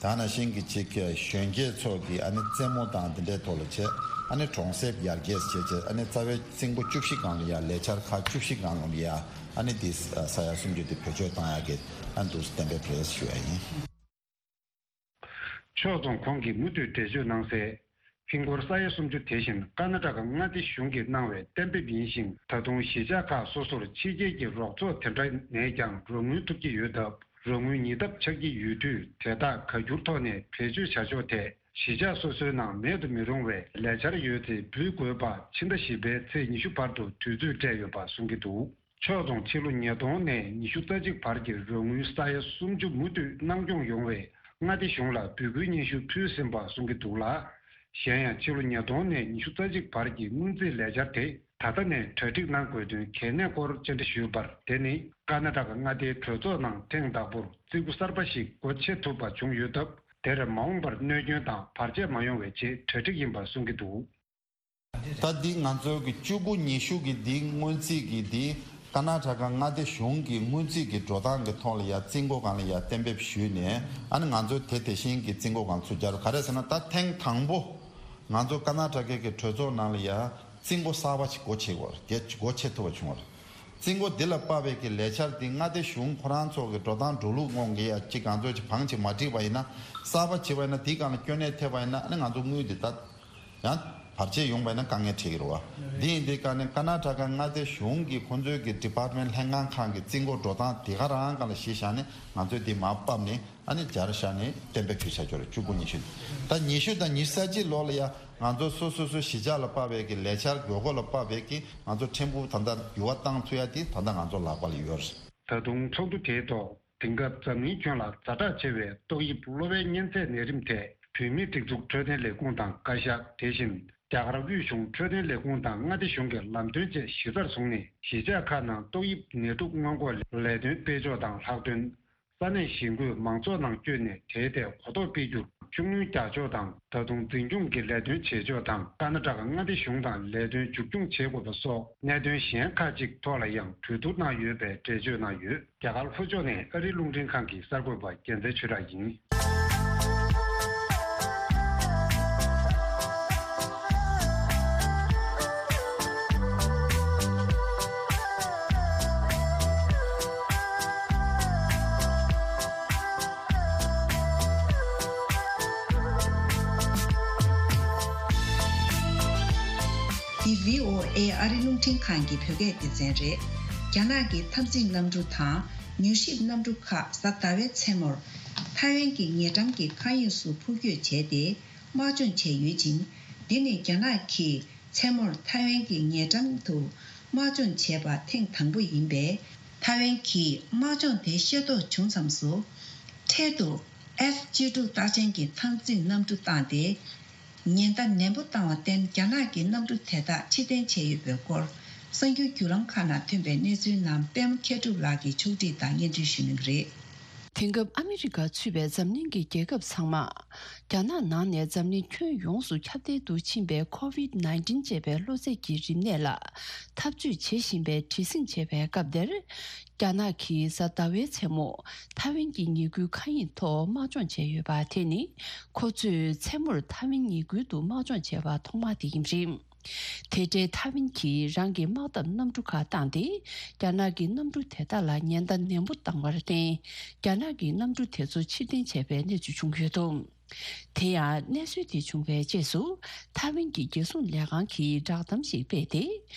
དེ་ནང་བཞིན་གྱི་གཅིག་གཞོན་སྐྱེས་ཚོ་གི་ཨ་ནི་རྩེད་མོ་དང་འདི་འདྲའི་ཐོག་ལ་བྱས། ཨ་ནི་གྲོང་གསེབ་ཡར་རྒྱས་བྱས་བྱས། ཨ་ནི་རྩ་བའི་རྩིས་འགོ་བཅུ་བཞི་སྒང་ལ་ཡ་ལས་འཆར་ཁག་བཅུ་བཞི་སྒང་ལ་ཡ་ཨ་ནི་འདི་ས་ཡ་སུམ་ཅུ་འདི་བེད་སྤྱོད་བཏང་ཡག་གི་ཨ་འདུག་གཏན་འབེབས་རེད་ཞུ་ཡ་ཡིན། ཕྱོགས་མཚུངས་ཁོང་གིས་མུ་མཐུད་འགྲེལ་བརྗོད་གནང་གསལ། ཧིན་སྒོར་ས་ཡ་སུམ་ཅུ་དེ་བཞིན་ཀར་ནཱ་ཊ་ཀ་མངའ་སྡེ་གཞུང་གིས་གནང་བའི་གཏན་འབེབས་ཡིན་ཞིང་། ད་དུང་གཞིས་ཆགས་ཁག་སོ་སོར་ཕྱི་རྒྱལ་གྱི་རོགས་ཚོགས་དེ་འདྲ་ནས་ཀྱང་རོགས་དངུལ་ཐོབ་ཀྱི་ཡོད་སྟབས། རོགས་དངུལ་ཉིས་ལྡབ་ཆགས་ཀྱི་ཡོད་དུས། དེ་དག་ག་འགྱུར་ཐོག་ནས་བེད་སྤྱོད་བྱ་ཕྱོགས་ཐད་གཞིས་ཆགས་སོ་སོའི་ནང་མེད་དུ་མི་རུང་བའི་ལས་འཆར་ཡོད་ཚེ་འབུལ་དགོས་པ་ཕྱི་ཟླ་བཞི་པའི་ཚེས་ཉི་ཤུ་བར་དུ་དུས་ཚོད་སྤྲད་ཡོད་པ་གསུང་གི་འདུག་ཕྱོགས་མཚུངས་ཕྱི་ལོ་ཉིས་སྟོང་ནས་ཉི་ཤུ་རྩ་གཅིག་བར་གྱི་རོགས་དངུལ་ས་ཡ་སུམ་ཅུ་མུ་མཐུད་གནང་སྐྱོང་ཡོང་བའི་མངའ་སྡེ་གཞུང་ལ་འབོད་སྐུལ་སྙན་ཞུ་ཕུལ་ཟིན་པ་གསུང་གི་འདུག་ལ། གཞན་ཡང་ཕྱི་ལོ་ཉིས་སྟོང་ནས་ཉི་ཤུ་རྩ་གཅིག་བར་གྱི་སྔོན་རྩིས་ལས་འཆར་དེ་ད་ལྟ་ནས་གྲ་སྒྲིག་གནང་དགོས་དོན་གལ་གནད་སྐོར་བཅར་འདྲི་ཞུས་པར། དེ་ནི་ཀར་ནཱ་ཊ་ཀ་མངའ་སྡེའི་གྲོས་ཚོགས་ནང་ཐེངས་དང་པོར་རྩིས་འགོ་གསར་པ་ཞིག་སྒོ་ཕྱེ་ཐུབ་པ་བྱུང་ཡོད་སྟབས། དེར་མ་འོངས་པར་གནོད་སྐྱོན་དང་བར་ཆད་མ་ཡོང་བའི་ཆེད་གྲ་སྒྲིག་ཡིན་པ་གསུང་གི་འདུག་ད་འདི་ང་ཚོའི་གི་བཅུ་དགུ་ཉི་ཤུ་གི་འདི་སྔོན་རྩིས་ཀྱི་འདི་ཀར་ནཱ་ཊ་ཀ་མངའ་སྡེ་གཞུང་གི་སྔོན་རྩིས་ཀྱི་འགྲོ་སྟངས་ཀྱི་ཐོག་ལ་ཡ་རྩིས་འགོ་སྒང་ལ་ཡ་གཏན་འབེབས་ཞུས་ནས། ཨ་ནི་ང་ཚོས་དེ་དེ་བཞིན་གྱི་རྩིས་འགོ་སྒང་ཚུར་བསྐྱར། ག་རེ་ཟེར་ན་ད་ཐེངས་དང་པོ་ང་ཚོ་ཀར་ནཱ་ཊ་ཀའི་གི་གྲོས་ཚོགས་ནང་ལ་ཡ་རྩིས་འགོ་གསར་པ་ཞིག་སྒོ་ཕྱེ་དགོས་རེད། སྒོ་ཕྱེ་ཐུབ་པ་བྱུང་བ་རེད། རྩིས་འགོ་འདི་ལ་དཔག་པའི་གི་ལས་འཆར་འདི་མངའ་སྡེ་གཞུང་ཁོ་རང་ཚོ་གི་འགྲོ་སྟངས་འགྲོ་ལུགས་དབང་གིས་ཡ་གཅིག་གང་ཚོད་ཅིག་བང་ཅིག་མ་བསྒྲིགས་པ་ཡིན་ན། གསར་པ་བྱེད་པ་ཡིན་ན་དེའི་སྒང་ལ་སྐྱོན་གནད་ཐེབས་པ་ཡིན་ན། ཨ་ནི་ང་ཚོ་དངུལ་འདི་ད་ཡང་བར་ཆད་ཡོང་བ་ཡིན་ན་དཀའ་ངལ་འཕྲད་ཀྱི་རེད་བ། འདི་ཡིན་དུས་ཀ་ནས་ཀར་ནཱ་ཊ་ཀ་མངའ་སྡེ་གཞུང་གི་ཁོང་ཚོའི་གི་ཌི་པཱར་ཊི་མེན་ཊི་ལྷན་ཁང་ཁང་གི་རྩིས་འགོ་འགྲོ་སྟངས་དེ་ག་རང་སྒང་ལ་གཞི་བཞག་ནས་ང་ཚོས་འདི་མར་ཕབ་ནས། ཨ་ནི་སྦྱར་བཞག་ནས་གཏན་འབེབས་ཞུས་བྱ་ཆོག་རེད། བཅུ་དགུ་ཉི་ཤུ། ད་ཉི་ཤུ་དང་ཉི་ཤུ་རྩ་གཅིག་ལོ་ལ་ཡ་ང་ཚོ་སོ་སོ་སོ་གཞིས་ཆགས་ལ་དཔག་པའི་གི་ལས་འཆར་དགོས་མཁོ་ལ་དཔག་པའི་གི་ང་ཚོ་ཕྲན་བུ་ད་ལྟ་འགྱུར་བ་བཏང་ཐུབ་ཡ་དེ་ད་ལྟ་ང་ཚོ་ལག་པ་ལ་ཡོད་རེད། ད་དུང་ཚོགས་འདུ་དེའི་ཐོག་དེང་སྐབས་འཛམ་གླིང་ཁྱོན་ལ་ཛ་དྲག་ཆེ་བའི་ཏོག་དབྱིབས་གློ་བའི་གཉན་ཚད་ནད་རིམས་ཐད་བོད་མིའི་སྒྲིག་འཛུགས་འཕྲོད་བསྟེན་ལས་ཁུངས་དང་བཀའ་ཤག་དེ་བཞིན་རྒྱ་གར་དབུས་གཞུང་འཕྲོད་བསྟེན་ལས་ཁུངས་དང་མངའ་སྡེ་གཞུང་གི་ལམ་སྟོན་བཅས་གཞི་རྩར་བཟུང་ནས། གཞིས་ཆགས་ཁག་ནང་ཏོག་དབྱིབས་ནད་དུག་སྔོན་འགོག་ལས་དོན་སྤེལ་ཕྱོགས་དང་ལྷག་དོན། ས་གནས་གཞིས་འགོས་མང་ཚོགས་ནང་བསྐྱོད་ནས་དེའི་ཐད་གོ་རྟོགས་སྤེལ་རྒྱུར་ཤུགས་སྣོན་རྒྱག་ཕྱོགས་དང་། ད་དུང་འཛིན་སྐྱོང་གི་ལས་དོན་བྱེད་ཕྱོགས་དང་། ཀར་ནཱ་ཊ་ཀ་མངའ་སྡེ་གཞུང་དང་ལས་དོན་མཇུག་སྐྱོང་བྱེད་དགོས་པ་སོགས་གནད་དོན་གཞན་ཁག་ཅིག་ཐོག་ལ་ཡང་གྲོས་བསྡུར་གནང་ཡོད་པའི་འགྲེལ་བརྗོད་གནང་ཡོད། རྒྱ་གར་ལྷོ་ཕྱོགས་ནས་ཨ་རིའི་རླུང་འཕྲིན་ཁང་གི་གསར་འགོད་པ་རྒྱལ་མཚན་ཆོས་གྲགས་ཡིན། འདི་བྷི་ཨོ་ཨེ་ཨ་རི་རླུང་འཕྲིན་ཁང་གི་བོད་སྐད་སྡེ་ཚན་རེད། རྒྱ་ནག་གི་འཐབ་འཛིང་གནམ་གྲུ་དང་མྱུལ་ཞིབ་གནམ་གྲུ་ཁག་གཟའ་ཟླ་བའི་མཚན་མོར་ཐའེ་ཝན་གྱི་ཉེ་འགྲམ་གྱི་མཁའ་དབྱིངས་སུ་འཕུར་སྐྱོད་བྱས་ཏེ། དམག་སྦྱོང་བྱས་ཡོད་ཅིང་། འདི་ནི་རྒྱ་ནག་གིས་མཚན་མོར་ཐའེ་ཝན་གྱི་ཉེ་འགྲམ་དུ་དམག་སྦྱོང་བྱས་པ་ཐེངས་དང་པོ་ཡིན་པས། ཐའེ་ཝན་གྱིས་དམག་སྦྱོང་དེ་ཤེས་རྟོགས་བྱུང་མཚམས་སུ། འཕྲལ་དུ་ཨེཕ་གཅིག་དྲུག་རྟགས་ཅན་གྱི་འཐབ་འཛིང་གནམ་གྲུ་བཏང་སྟེ། ཉེན་བརྡ་ནན་པོ་བཏང་བར་བརྟེན། རྒྱ་ནག་གི་གནམ་གྲུ་དེ་དག་ཕྱིར་འཐེན་བྱས་ཡོད་པའི་སྐོར། གསར་འགྱུར་བརྒྱུད་ལམ་ཁག་ནང་ཐོན་པའི་གནས་ཚུལ་རྣམས་པད་མ་མཁས་གྲུབ་ལགས་ཀྱིས་ཕྱོགས་སྒྲིག་དང་སྙན་སྒྲོན་ཞུ་གནང་གི་རེད། དེང་སྐབས་ཨ་མི་རི་ཀ་ཚུད་པའི་འཛམ་གླིང་གི་རྒྱལ་ཁབ་ཚང་མ། རྒྱ་ནག་ནང་ནས་འཛམ་གླིང་ཁྱོན་ཡོངས་སུ་ཁྱབ་གདལ་དུ་ཕྱིན་པའི་ཁོ་ཝིད་ནའིན་ཊིན་ཅེས་པའི་གློ་ཚད་ཀྱི་རིམས་ནད་ལ་འཐབ་རྩོད་བྱེད་བཞིན་པའི་བྲེལ་ཟིང་བྱེད་པའི་སྐབས་འདིར། རྒྱ་ནག་གིས་གཟའ་ཟླ་བའི་མཚན་མོ་ཐའེ་ཝན་གྱི་ཉེས་སྐྱོན་མཁའ་དབྱིངས་ཐོག་དམག་སྦྱོང་བྱས་ཡོད་པ་དེ་ནི། ཁོ་ཚོས་མཚན་མོར་ཐའེ་ཝན་ཉེས་ཁུལ་དུ་དམག་སྦྱོང་བྱས་པ་ཐོག་མ་དེ་ཡིན་པ་རེད། དེ་འཕྲལ་ཐའེ་ཝན་གྱིས་རང་གི་དམག་འཐབ་གནམ་གྲུ་ཁག་བཏང་སྟེ། རྒྱ་ནག་གི་གནམ་གྲུ་དེ་དག་ལ་ཉེན་བརྡ་ནན་པོ་བཏང་བར་བརྟེན། རྒྱ་ནག་གི་གནམ་གྲུ་དེ་ཚོ་ཕྱིར་འཐེན་བྱས་པའི་གནས་ཚུལ་བྱུང་ཡོད་འདུག་དེ་ཡང་གནས་ཚུལ་དེ་བྱུང་བའི་རྗེས་སུ། ཐའེ་ཝན་གྱི་རྒྱལ་སྲུང་ལས་ཁང་གིས་བསྒྲགས་གཏམ་ཞིག་སྤེལ་ཏེ།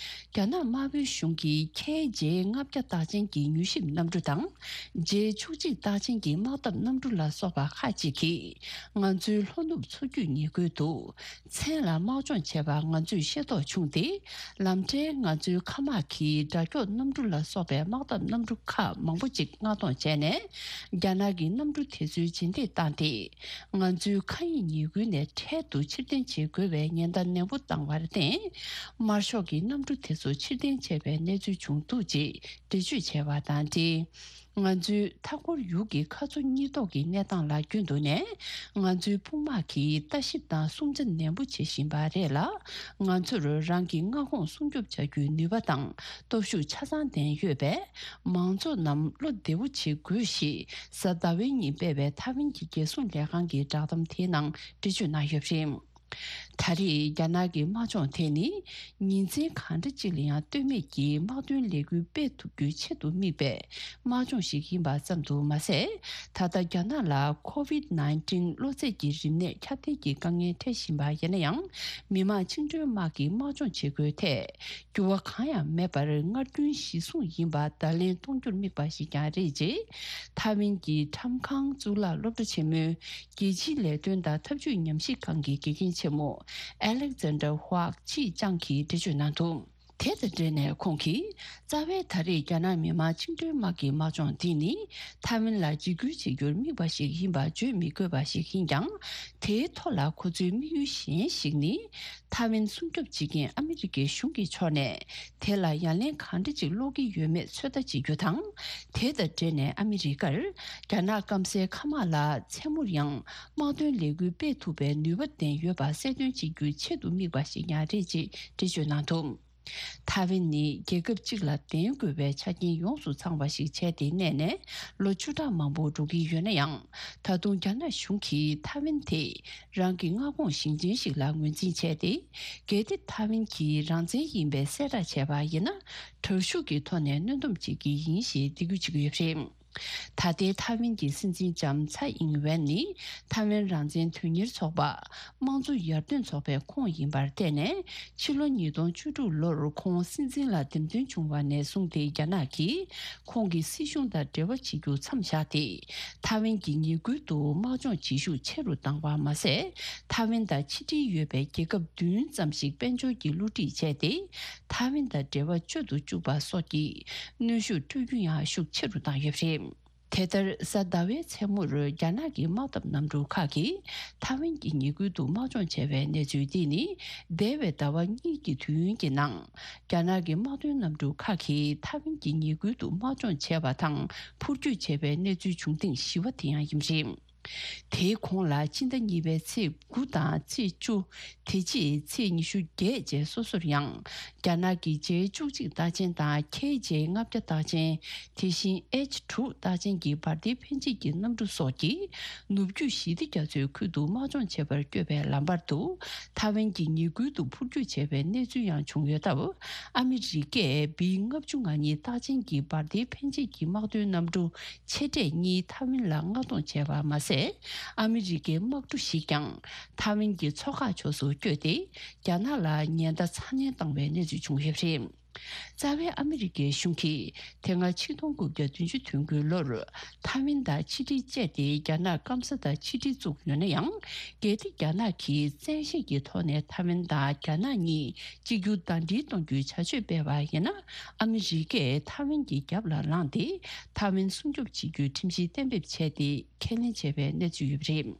རྒྱ་ནག་དམར་པོའི་གཞུང་གི་ཁེ་ཇེ་ལྔ་བརྒྱ་རྟགས་ཅན་གྱི་མྱུལ་ཞིབ་གནམ་གྲུ་དང་། ཇེ་བཅུ་གཅིག་རྟགས་ཅན་གྱི་དམག་འཐབ་གནམ་གྲུ་ལ་སོགས་པ་ཁག་ཅིག་གིས། ང་ཚོའི་ལྷོ་ནུབ་མཚོ་རྒྱུད་ཉེ་ཁུལ་དུ། མཚན་ལ་དམག་སྦྱོང་བྱས་པ་ང་ཚོས་ཤེས་རྟོགས་བྱུང་སྟེ། ལམ་འཕྲལ་ང་ཚོའི་མཁའ་དམག་གིས་དགྲ་སྐྱོང་གནམ་གྲུ་ལ་སོགས་པའི་དམག་འཐབ་གནམ་གྲུ་ཁག་མང་པོ་ཅིག་མངགས་གཏོང་བྱས་ནས། རྒྱ་ནག་གི་གནམ་གྲུ་དེ་ཚོའི་རྗེས་འདེད་བཏང་སྟེ། ང་ཚོའི་མཁའ་དབྱིངས་ཉེ་ཁུལ་ནས་འཕྲལ་དུ་ཕྱིར་འཐེན་བྱེད་དགོས་པའི་ཉེན་བརྡ་ནན་པོ་བཏང་བར་བརྟེན། དམར་ཤོག་གི་གནམ་གྲུ་དེ་ཚོ་ཕྱིར་འཐེན་བྱས་པའི་གནས་ཚུལ་བྱུང་འདུག་ཅེས་འགྲེལ་བརྗོད་བྱས་པ་དང་འབྲེལ། ང་ཚོའི་མཐའ་འཁོར་ཡུལ་གྱི་མཁའ་མཚོ་གཉིས་ཐོག་གི་གནས་སྟངས་ལ་རྒྱུན་དུ་ནས། ང་ཚོའི་དཔུང་དམག་གིས་ལྟ་ཞིབ་དང་སྲུང་བརྩི་ནན་པོ་བྱེད་བཞིན་པ་རེད་ལ། ང་ཚོར་རང་གི་མངའ་ཁོངས་སྲུང་སྐྱོབ་བྱ་རྒྱུའི་ནུས་པ་དང་སྟོབས་ཤུགས་ཆ་ཚང་ལྡན་ཡོད་པས། མང་ཚོགས་རྣམས་བློ་བདེ་བོ་བྱེད་དགོས་ཞེས་གཟའ་ཟླ་བའི་ཉིན་སྤེལ་བའི་ཐའེ་ཝན་གྱི་རྒྱལ་སྲུང་ལས་ཁང་གི་བསྒྲགས་གཏམ་དེའི་ནང་འགྲེལ་བརྗོད་གནང་ཡོད་པ་རེད། ད་རེས་རྒྱ་ནག་གི་དམག་སྦྱོང་དེ་ནི། ཉིན་མཚན་གང་འདྲ་ཅིག་ལ་ཡང་ལྟོས་མེད་ཀྱིས་དམག་དོན་ལས་འགུལ་སྤེལ་ཐུབ་རྒྱུའི་ཆེད་དུ་དམིགས་པའི་དམག་སྦྱོང་ཞིག་ཡིན་པ་ཙམ་དུ་མ་ཟད། ད་ལྟ་རྒྱ་ནག་ལ་ཁོ་ཝིད་ནའིན་ཊིན་གློ་ཚད་ཀྱི་རིམས་ནད་ཁྱབ་གདལ་གྱི་དཀའ་ངལ་འཕྲད་བཞིན་པ་ཡིན་ན་ཡང་། མི་དམངས་བཅིངས་འགྲོལ་དམག་གི་དམག་སྦྱོང་བྱེད་སྒོའི་ཐད། འགྱུར་བ་གང་ཡང་མེད་པར་སྔར་རྒྱུན་གཞི་བཟུང་ཡིན་པ་བརྡ་ལན་གཏོང་རྒྱུར་དམིགས་པ་ཞིག་ཀྱང་རེད་ཅེས། ཐའེ་ཝན་གྱི་ཁྲམ་ཁང་གཙུག་ལག་སློབ་གྲྭ་ཆེན་མོའི་རྒྱལ་སྤྱིའི་ལས་དོན་དང་འཐབ་ཇུས་ཉམས་ཞིབ་ཁང་གི་དགེ་རྒན་ཆེན་མོ་ཨ་ལེག་ཛན་ཌར་ཧྭག་ཅི་ཅང་གིས་འགྲེལ་བརྗོད་གནང་འདུག་དེ་དང་འབྲེལ་ནས་ཁོང་གིས། རྩ་བའི་ད་རེས་རྒྱ་ནག་མི་དམངས་བཅིངས་འགྲོལ་དམག་གི་དམག་སྦྱོང་འདི་ནི། ཐའེ་ཝན་ལ་འཇིགས་སྐུལ་བྱེད་རྒྱུར་དམིགས་པ་ཞིག་ཡིན་པ་བརྗོད་མི་དགོས་པ་ཞིག་ཡིན་ཀྱང་། དེའི་ཐོག་ལ་ཁོ་ཚོའི་དམིགས་ཡུལ་གཞན་ཞིག་ནི། ཐའེ་ཝན་སྲུང་སྐྱོབ་བྱེད་མཁན་ཨ་མི་རི་ཀའི་གཞུང་གི་ཕྱོགས་ནས། དེ་ལ་ཡ་ལན་གང་འདྲ་ཅིག་སློག་གི་ཡོད་མེད་ཚོད་ལྟ་བྱེད་རྒྱུ་དང་། དེ་དང་འབྲེལ་ནས་ཨ་མི་རི་ཀར། རྒྱ་ནག་སྐམ་སའི་མཁའ་དམག་ལ་མཚན་མོར་ཡང་དམག་དོན་ལས་འགུལ་སྤེལ་ཐུབ་པའི་ནུས་པ་ལྡན་ཡོད་པ་གསལ་སྟོན་བྱེད་རྒྱུའི་ཆེད་དུ་དམིགས་པ་ཞིག་ཀྱང་རེད་ཅེས་འགྲེལ་བརྗོད་གནང་འདུག་ཐའེ་ཝན་ནི་རྒྱལ་ཁབ་གཅིག་ལ་ལྡན་དགོས་པའི་ཆ་རྐྱེན་ཡོངས་སུ་ཚང་བ་ཞིག་བྱས་ཏེ་གནས་ནས་ལོ་བཅུ་ཕྲག་མང་པོ་འགྲོ་གི་ཡོད་ན་ཡང་། ད་དུང་རྒྱ་ནག་གཞུང་གིས་ཐའེ་ཝན་དེ་རང་གི་མངའ་ཁོངས་ཞིང་ཆེན་ཞིག་ལ་ངོས་འཛིན་བྱས་ཏེ། གལ་ཏེ་ཐའེ་ཝན་གྱིས་རང་བཙན་ཡིན་པའི་གསལ་བསྒྲགས་བྱས་པ་ཡིན་ན། དྲག་ཤུགས་ཀྱི་ཐོག་ནས་གནོན་སྡོམ་བྱེད་ཀྱི་ཡིན་ཞེས་འདེད་སྐུལ་བྱེད་ཀྱི་ཡོད་པ་རེད། ད་ལྟའི་ཐའེ་ཝན་གྱི་སྲིད་འཛིན་ལྕམ་ཚའེ་ཨིང་ཝེན་ནི་ཐའེ་ཝན་རང་བཙན་དོན་གཉེར་ཚོགས་པ། དམངས་གཙོ་ཡར་ཐོན་ཚོགས་པའི་ཁོངས་ཡིན་པར་བརྟེན་ནས། ཕྱི་ལོ་ཉིས་སྟོང་བཅུ་དྲུག་ལོར་ཁོང་སྲིད་འཛིན་ལ་འདེམས་ཐོན་བྱུང་བ་ནས་བཟུང་སྟེ། རྒྱ་ནག་གིས་ཁོང་གི་སྲིད་གཞུང་དང་འབྲེལ་བ་བྱེད་རྒྱུ་མཚམས་བཞག་སྟེ། ཐའེ་ཝན་གྱི་ཉེ་ཁུལ་དུ་དམག་སྦྱོང་བྱེད་ཤུགས་ཆེ་རུ་བཏང་བ་མ་ཟད། ཐའེ་ཝན་དང་ཕྱི་འབྲེལ་ཡོད་པའི་རྒྱལ་ཁབ་བདུན་ཙམ་ཞིག་དཔལ་འབྱོར་གྱི་བསླུ་བྲིད་བྱས་ཏེ། ཐའེ་ཝན་དང་འབྲེལ་བ་གཅོད་དུ་བཅུག་པ་སོགས་ཀྱི་གནོན་ཤུགས་སྤྲོད་རྒྱུ་ཡང་ཤུགས་ཆེ་རུ་བཏང་ཡོད་པ་རེད། དེ་ལྟར། གཟའ་ཟླ་བའི་མཚན་མོར་རྒྱ་ནག་གི་དམག་འཐབ་གནམ་གྲུ་ཁག་གིས་ཐའེ་ཝན་གྱི་ཉེ་ཁུལ་དུ་དམག་སྦྱོང་བྱས་པའི་གནས་ཚུལ་འདི་ནི། འདས་པའི་ཟླ་བ་གཉིས་ཀྱི་དུས་ཡུན་གྱི་ནང་། རྒྱ་ནག་གི་དམག་དོན་གནམ་གྲུ་ཁག་གིས་ཐའེ་ཝན་གྱི་ཉེ་ཁུལ་དུ་དམག་སྦྱོང་བྱས་པ་དང་འཕུར་སྐྱོད་བྱས་པའི་གནས་ཚུལ་བྱུང་ཐེངས་བཞི་པ་དེ་ཡང་ཡིན་པ་རེད། དེའི་གོང་ལ་ཕྱི་ཟླ་གཉིས་པའི་ཚེས་དགུ་དང་ཚེས་བཅུ། དེ་རྗེས་ཚེས་ཉི་ཤུ་བརྒྱད་བཅས་སོ་སོར་ཡང་། རྒྱ་ནག་གི་ཇེ་བཅུ་གཅིག་རྟགས་ཅན་དང་ཁེ་ཇེ་ལྔ་བརྒྱ་རྟགས་ཅན། དེ་བཞིན་ཨེཆ་དྲུག་རྟགས་ཅན་གྱི་འབར་མདེལ་འཕེན་བྱེད་ཀྱི་གནམ་གྲུ་སོགས་ཀྱིས། ནུབ་རྒྱུད་ཞི་བདེ་རྒྱ་མཚོའི་ཁུལ་དུ་དམག་སྦྱོང་བྱེད་པར་བསྐྱོད་པའི་ལམ་བར་དུ། ཐའེ་ཝན་གྱི་ཉེ་ཁུལ་དུ་འཕུར་སྐྱོད་བྱས་པའི་གནས་ཚུལ་ཡང་བྱུང་ཡོད་སྟབས། ཨ་མི་རི་ཀས་བི་ལྔ་བཅུ་ང་གཉིས་རྟགས་ཅན་གྱི་འབར་མདེལ་འཕེན་བྱེད་ཀྱི་དམག་དོན་གནམ་གྲུ་ཆེ་གྲས་གཉིས་ཐའེ་ཝན་ལ་མངགས་གཏོང་བྱས་པ་མ་ཟད། ཨ་མི་རི་ཀའི་དམག་གྲུ་ཞིག་ཀྱང་ཐའེ་ཝན་གྱི་མཚོ་ཁ་ཕྱོགས་སུ་བསྐྱོད་དེ། རྒྱ་ནག་ལ་ཉེན་བརྡ་ཚ་ནན་བཏང་བའི་གནས་ཚུལ་བྱུང་ཡོད་པ་རེད། རྩ་བའི་ཨ་མི་རི་ཀའི་གཞུང་གིས་དེ་སྔ་ཆིག་སྟོང་དགུ་བརྒྱ་བདུན་ཅུ་དོན་དགུའི་ལོར་ཐའེ་ཝན་དང་ཕྱི་འབྲེལ་བཅད་དེ་རྒྱ་ནག་སྐམ་ས་དང་ཕྱི་འབྲེལ་བཙུགས་ཡོད་ན་ཡང་། གལ་ཏེ་རྒྱ་ནག་གིས་བཙན་ཤེད་ཀྱི་ཐོག་ནས་ཐའེ་ཝན་དང་རྒྱ་ནག་གཉིས་གཅིག་གྱུར་ཟླ་སྒྲིལ་གཏོང་རྒྱུའི་བྱ་སྤྱོད་སྤེལ་བ་ཡིན་ན། ཨ་མི་རི་ཀས་ཐའེ་ཝན་གྱི་རྒྱབ་ལ་ལངས་ཏེ། ཐའེ་ཝན་སྲུང་སྐྱོབ་བྱེད་རྒྱུའི་ཁྲིམས་གཞི་གཏན་འབེབས་བྱས་ཏེ། ཁས་ལེན་བྱས་པའི་གནས་ཚུལ་ཡོད་པ་རེད།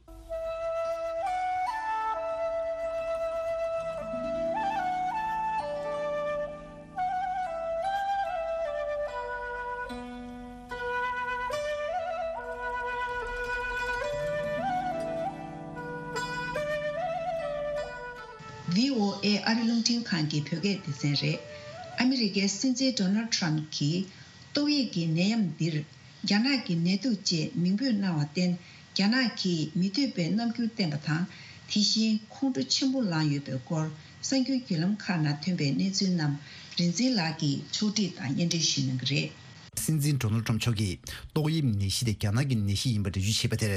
ཨེ་ཨ་རི་རླུང་འཕྲིན་ཁང་གི་བོད་སྐད་སྡེ་ཚན་རེད། ཨ་མི་རི་ཀའི་སྲིད་འཛིན་ཌོ་ནལ་ཊམ་གྱིས་ཏོག་དབྱིབས་ཀྱི་ནད་ཡམས་འདིར་རྒྱ་ནག་གི་ནད་དུག་ཅེས་མིང་འབོད་གནང་བར་བརྟེན། རྒྱ་ནག་གིས་མི་འདོད་པའི་རྣམ་འགྱུར་བསྟན་པ་དང་། དེ་བཞིན་ཁོང་ཁྲོ་ཆེན་པོ་ལངས་ཡོད་པའི་སྐོར། གསར་འགྱུར་བརྒྱུད་ལམ་ཁག་ནང་ཐོན་པའི་གནས་ཚུལ་རྣམས་རིག་འཛིན་ལགས་ཀྱིས་ཕྱོགས་སྒྲིག་དང་སྙན་སྒྲོན་ཞུ་གནང་གི་རེད། སྲིད་འཛིན་ཌོ་ནལ་ཊམ་མཆོག་གིས་ཏོག་དབྱིབས་ནད་གཞི་དེ་རྒྱ་ནག་གི་ནད་གཞི་ཡིན་པ་འགྲེལ་བརྗོད་བྱས་པ་དེར།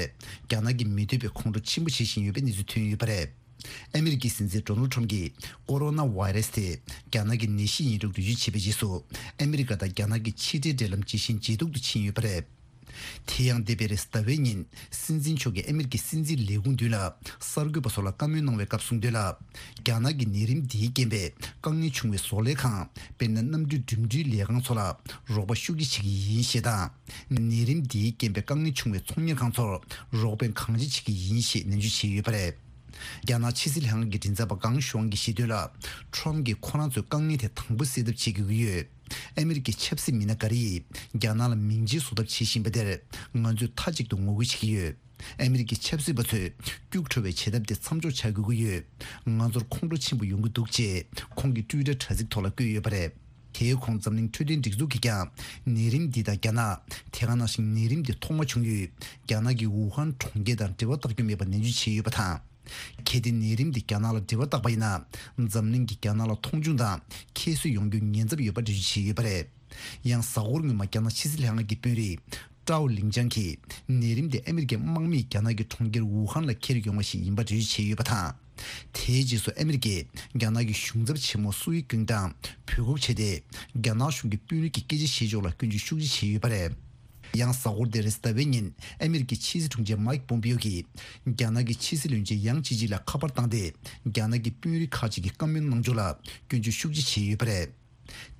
རྒྱ་ནག་གིས་མི་འདོད་པའི་ཁོང་ཁྲོ་ཆེན་པོ་བྱེད་བཞིན་ཡོད་པའི་གནས་ཚུལ་ཐོན་ཡོད་པ་རེད། ཨ་མི་རི་ཀའི་སྲིད་འཛིན་ཌོ་ནལ་ཊམ་གྱིས་ཀོ་རོ་ན་བྷ་ཡི་རེ་སི་དེ་རྒྱ་ནག་གི་ནད་གཞི་ཡིན་ལུགས་འགྲེལ་བརྗོད་བྱས་པའི་རྗེས་སུ། ཨ་མི་རི་ཀ་དང་རྒྱ་ནག་གི་ཕྱི་འབྲེལ་འབྲེལ་ལམ་ཇེ་ཞན་ཇེ་སྡུག་ཏུ་ཕྱིན་ཡོད་པ་རེད། དེ་ཡང་འདས་པའི་རེས་གཟའ་ཟླ་བའི་ཉིན། སྲིད་འཛིན་མཆོག་གིས་ཨ་མི་རི་ཀའི་སྲིད་འཛིན་ལས་ཁུངས་མདུན་ལ་གསར་འགོད་པ་ཚོ་ལ་བཀའ་མོལ་གནང་བའི་སྐབས་གསུངས་དོན་ལ། རྒྱ་ནག་གི་ནད་རིམས་འདིའི་རྐྱེན་པས་དཀའ་ངལ་བྱུང་བའི་བཟོ་ལས་ཁང་། དཔེར་ན་གནམ་གྲུའི་འགྲིམ་འགྲུལ་ལས་ཁང་ཚོ་ལ་རོགས་པ་ཤུགས་ཆེ་བྱེད་ཀྱི་ཡིན་ཞེས་དང་། ནད་རིམས་འདིའི་རྐྱེན་པས་དཀའ་ངལ་བྱུང་བའི་ཚོང་གཉེར་ཁང་ཚོར་རོགས་ཕན་གང་ཆེ་བྱེད་ཀྱི་ཡིན་ཞེས་ནན་བརྗོད་བྱས་ཡོད་པ་རེད། རྒྱ་ནག་ཕྱི་སྲིད་ལྷན་ཁང་གི་མགྲིན་ཚབ་པ་ཀང་ཞུའང་གིས་བཤད་དོན་ལ། ཁྲོམ་གྱིས་ཁོ་རང་ཚོའི་དཀའ་ངལ་དེ་དང་པོ་སེལ་ཐབས་བྱེད་དགོས་ཀྱི་ཡོད། ཨ་མི་རི་ཀའི་ཆབ་སྲིད་མི་སྣ་འགའ་རེ་ཡིས་རྒྱ་ནག་ལ་མིང་རྗེས་བཟོ་ཐབས་བྱེད་བཞིན་པ་དེར་ང་ཚོས་མཐའ་གཅིག་ཏུ་ངོ་རྒོལ་བྱེད་ཀྱི་ཡོད། ཨ་མི་རི་ཀའི་ཆབ་སྲིད་པ་ཚོས་སྐྱུག་བྲོ་བའི་བྱེད་ཐབས་དེ་མཚམས་འཇོག་བྱ་དགོས་ཀྱི་ཡོད། ང་ཚོར་ཁོང་ཁྲོ་ཆེན་པོ་ཡོང་གི་འདུག་ཅེས་ཁོང་གིས་ཊུའི་ཊར་དྲ་ཚིགས་ཐོག་ལ་བཀོད་ཡོད་པ་རེད། དེའི་གོང་འཛམ་གླིང་འཕྲོད་བསྟེན་སྒྲིག་འཛུགས་ཀྱིས་ཀྱང་ནད་རིམས་འདི་དང་རྒྱ་ནག་དེ་ག་ནང་བཞིན་ནད་རིམས་འདི་ཐོག་མ་བྱུང་ཡུལ་རྒྱ་ནག་གི་ཝུ་ཧན་གྲོང་ཁྱེར་དང་འབྲེལ་བ་བཏགས་རྒྱུ་མེད་པ་ནན་བརྗོད་བྱས་ཡོད་པ་དང་། གལ་ཏེ་ནད་རིམས་འདི་རྒྱ་ནག་ལ་འབྲེལ་བ་བཏགས་པ་ཡིན་ན། འཛམ་གླིང་གིས་རྒྱ་ནག་ལ་མཐོང་ཆུང་དང་ཁྱད་གསོད་ཡོང་རྒྱུའི་ཉེན་ཚབས་ཡོད་པ་འགྲེལ་བརྗོད་བྱས་ཡོད་པ་རེད། ཡང་གཟའ་འཁོར་སྔོན་མ་རྒྱ་ནག་ཕྱི་སྲིད་ལྷན་ཁང་གི་དཔོན་རིགས་ཀྲའོ་ལིང་ཅང་གིས་ནད་རིམས་དེ་ཨ་མི་རི་ཀའི་དམག་མིས་རྒྱ་ནག་གི་གྲོང་ཁྱེར་ཝུ་ཧན་ལ་འཁྱེར་ཡོང་བ་ཞིག་ཡིན་པ་འགྲེལ་བརྗོད་བྱས་ཡོད་པ་དང་། དེའི་རྗེས་སུ་ཨ་མི་རི་ཀས་རྒྱ་ནག་གི་གཞུང་ཚབ་ཆེན་མོ་སུའུ་ཀིང་དང་འབོད་འགུག་བྱས་ཏེ། རྒྱ་ནག་གཞུང་གི་དཔོན་རིགས་ཀྱི་སྐད་ཆ་བཤད་ཕྱོགས་ལ་སྐྱོན་བརྗོད་ཤུགས་ཆེ་བྱས་ཡོད་པ་རེད། ཡང་གཟའ་འཁོར་འདིར་རེས་གཟའ་ཟླ་བའི་ཉིན་ཨ་མི་རི་ཀའི་ཕྱི་སྲིད་དྲུང་ཆེ་མའིག་པོམ་པིའོ་གིས་རྒྱ་ནག་གི་ཕྱི་སྲིད་བློན་ཆེན་ཡང་ཅི་ཅི་ལ་ཁ་པར་བཏང་སྟེ། རྒྱ་ནག་གི་དཔོན་རིགས་ཁག་ཅིག་གིས་བཀའ་མོལ་གནང་ཕྱོགས་ལ་སྐྱོན་བརྗོད་ཤུགས་ཆེ་བྱས་ཡོད་པ་རེད།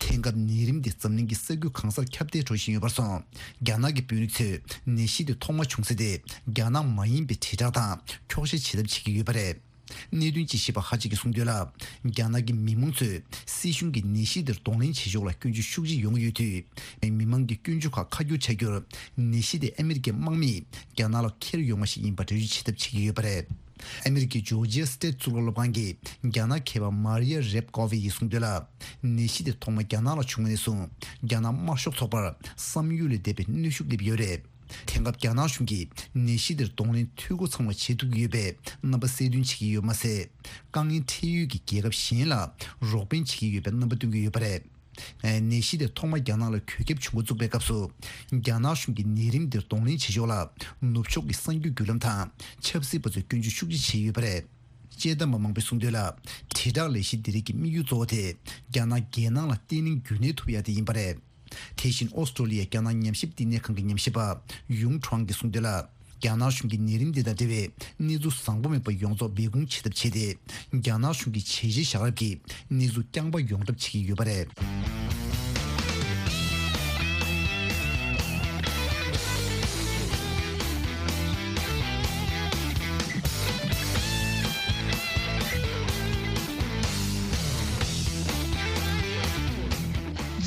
དེང་སྐབས་ནད་རིམས་འདི་འཛམ་གླིང་གི་ས་ཁུལ་གང་སར་ཁྱབ་གདལ་འགྲོ་བཞིན་ཡོད་པར་སོང་། རྒྱ་ནག་གི་དཔོན་རིགས་ཚོས་ནད་གཞི་འདི་ཐོག་མ་བྱུང་ས་དེ་རྒྱ་ནག་མ་ཡིན་པའི་དྲིལ་བསྒྲགས་དང་འཁྱོག་བཤད་བྱེད་ཐབས་བྱེད་ཀྱི་ཡོད་པ་རེད། གནད་དོན་དཔྱད་ཞིབ་པ་ཁག་ཅིག་གིས་གསུངས་དོན་ལ། རྒྱ་ནག་གི་མི་མང་ཚོས་སྲིད་གཞུང་གིས་ནད་གཞི་འདིར་གདོང་ལེན་བྱེད་ཕྱོགས་ལ་སྐྱོན་བརྗོད་ཤུགས་ཆེ་ཡོང་གི་ཡོད་དུས། མི་མང་གི་སྐྱོན་བརྗོད་ཁག་ཁ་བསྒྱུར་བྱ་རྒྱུར། ནད་གཞི་དེ་ཨ་མི་རི་ཀའི་དམག་མིས་རྒྱ་ནག་ལ་འཁྱེར་ཡོང་བ་ཞིག་ཡིན་པ་འགྲེལ་བརྗོད་བྱེད་ཐབས་བྱེད་ཀྱི་ཡོད་པ་རེད། ཨ་མི་རི་ཀའི་ཇོར་ཇི་ཡ་སི་ཊེཊ་གཙུག་ལག་སློབ་ཁང་གི་རྒྱ་ནག་མཁས་པ་མཱ་རི་ཡ་རེབ་ཀོ་ཝི་ཡིས་གསུངས་དོན་ལ། ནད་གཞི་དེ་ཐོག་མ་རྒྱ་ནག་ལ་བྱུང་བ་ནས་བཟུང་། རྒྱ་ནག་དམར་ཤོག་ཚོགས་པར་བསམ་ཡུལ་ལས་འདས་པའི་གནོན་ཤུགས་སླེབས་ཡོད་རེད། དེང་སྐབས་རྒྱ་ནག་གཞུང་གིས་ནད་གཞི་འདིར་གདོང་ལེན་འཐུས་སྒོ་ཚང་བ་བྱེད་ཐུབ་ཀྱི་ཡོད་པའི་རྣམ་པ་གསལ་སྟོན་བྱེད་ཀྱི་ཡོད་མ་ཟད། དཀའ་ངལ་འཕྲད་ཡུལ་གྱི་རྒྱལ་ཁབ་གཞན་ལ་རོགས་ཕན་བྱེད་ཀྱི་ཡོད་པའི་རྣམ་པ་སྟོན་གྱི་ཡོད་པ་རེད། ནད་གཞི་དེ་ཐོག་མ་རྒྱ་ནག་ལ་གྱོད་ཁྱབ་བྱུང་འགོ་བཙུགས་པའི་སྐབས་སུ། རྒྱ་ནག་གཞུང་གིས་ནད་རིམས་འདིར་གདོང་ལེན་བྱེད་ཕྱོགས་ལ་ནུབ་ཕྱོགས་ཀྱི་གསར་འགྱུར་བརྒྱུད་ལམ་དང་ཆབ་སྲིད་པ་ཚོས་སྐྱོན་བརྗོད་ཤུགས་ཆེ་བྱས་ཡོད་པ་རེད། དཔྱད་གཏམ་པ་མང་པོས་གསུངས་དོན་ལ། དྲིལ་བསྒྲགས་ལས་གཞི་འདི་རིགས་ཀྱི་དམིགས་ཡུལ་གཙོ་བོ་དེ་རྒྱ་ནག་རྒྱལ་ནང་ལ་བརྟན་ལྷིང་རྒྱུན་གནས་ཐུབ་ཡ་དེ་ཡིན་པ་རེད། དེ་བཞིན་ཨོ་སི་ཀྲོ་ལི་ཡའི་རྒྱ་ནག་ཉམས་ཞིབ་བསྟི་གནས་ཁང་གི་ཉམས་ཞིབ་པ་ཡུང་ཁྲོང་གིས་གསུངས་དོན་ལ། རྒྱ་ནག་གཞུང་གིས་ནད་རིམས་འདི་དང་འབྲེལ་བའི་གནས་ཚུལ་བཟང་པོ་མེད་པ་ཡོངས་རྫོགས་སྦས་སྐུང་བྱེད་ཐབས་བྱས་ཏེ། རྒྱ་ནག་གཞུང་གི་བྱས་རྗེས་བཞག་རབས་ཀྱི་གནས་ཚུལ་རྐྱང་པ་ཡོང་གྲབས་བྱེད་ཀྱི་ཡོད་པ་རེད།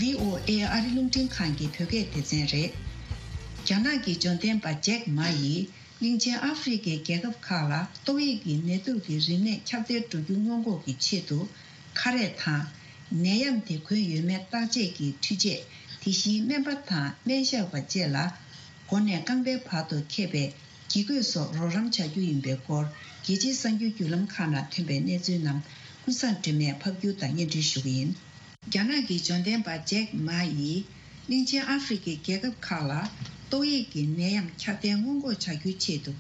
བྷི་ཨོ་ཨེ་ཨ་རི་རླུང་འཕྲིན་ཁང་གི་བོད་སྐད་སྡེ་ཚན་རེད། རྒྱ་ནག་གི་འབྱོར་ལྡན་པ་ཇེག་མ་ཡིས། གླིང་ཆེན་ཨ་ཧྥེ་རི་ཁའི་རྒྱལ་ཁབ་ཁག་ལ་ཏོག་དབྱིབས་ཀྱི་ནད་དུག་གི་རིམས་ནད་ཁྱབ་གདལ་འགྲོ་རྒྱུ་སྔོན་འགོག་གི་ཆེད་དུ། ཁ་རས་དང་། ནད་ཡམས་དེ་འགོས་ཡོད་མེད་བརྟག་དཔྱད་ཀྱི་འཕྲུལ་ཆས། དེ་བཞིན་སྨན་པ་དང་སྨན་ཞབས་པ་བཅས་ལ། མགོ་ནས་རྐང་པའི་བར་དུ་ཁེབས་པའི་ཡིག་བཀོད་སོགས་རོགས་རམ་བྱ་རྒྱུ་ཡིན་པའི་སྐོར། རྒྱལ་སྤྱིའི་གསར་འགྱུར་བརྒྱུད་ལམ་ཁག་ནང་ཐོན་པའི་གནས་ཚུལ་རྣམས་ཀུན་བཟང་སྒྲོལ་མས་ཕབ་སྒྱུར་དང་སྙན་སྒྲོན་ཞུ་གི་ཡིན། རྒྱ་ནག་གི་འབྱོར་ལྡན་པ་ཇེག་མ་ཡིས། གླིང་ཆེན་ཨ་ཧྥེ་རི་ཁའི་རྒྱལ་ཁབ་ཁག་ལ་ཏོག་དབྱིབས་ཀྱི་ནད་ཡམས་ཁྱབ་གདལ་སྔོན་འགོག་བྱ་རྒྱུའི་ཆེད་དུ།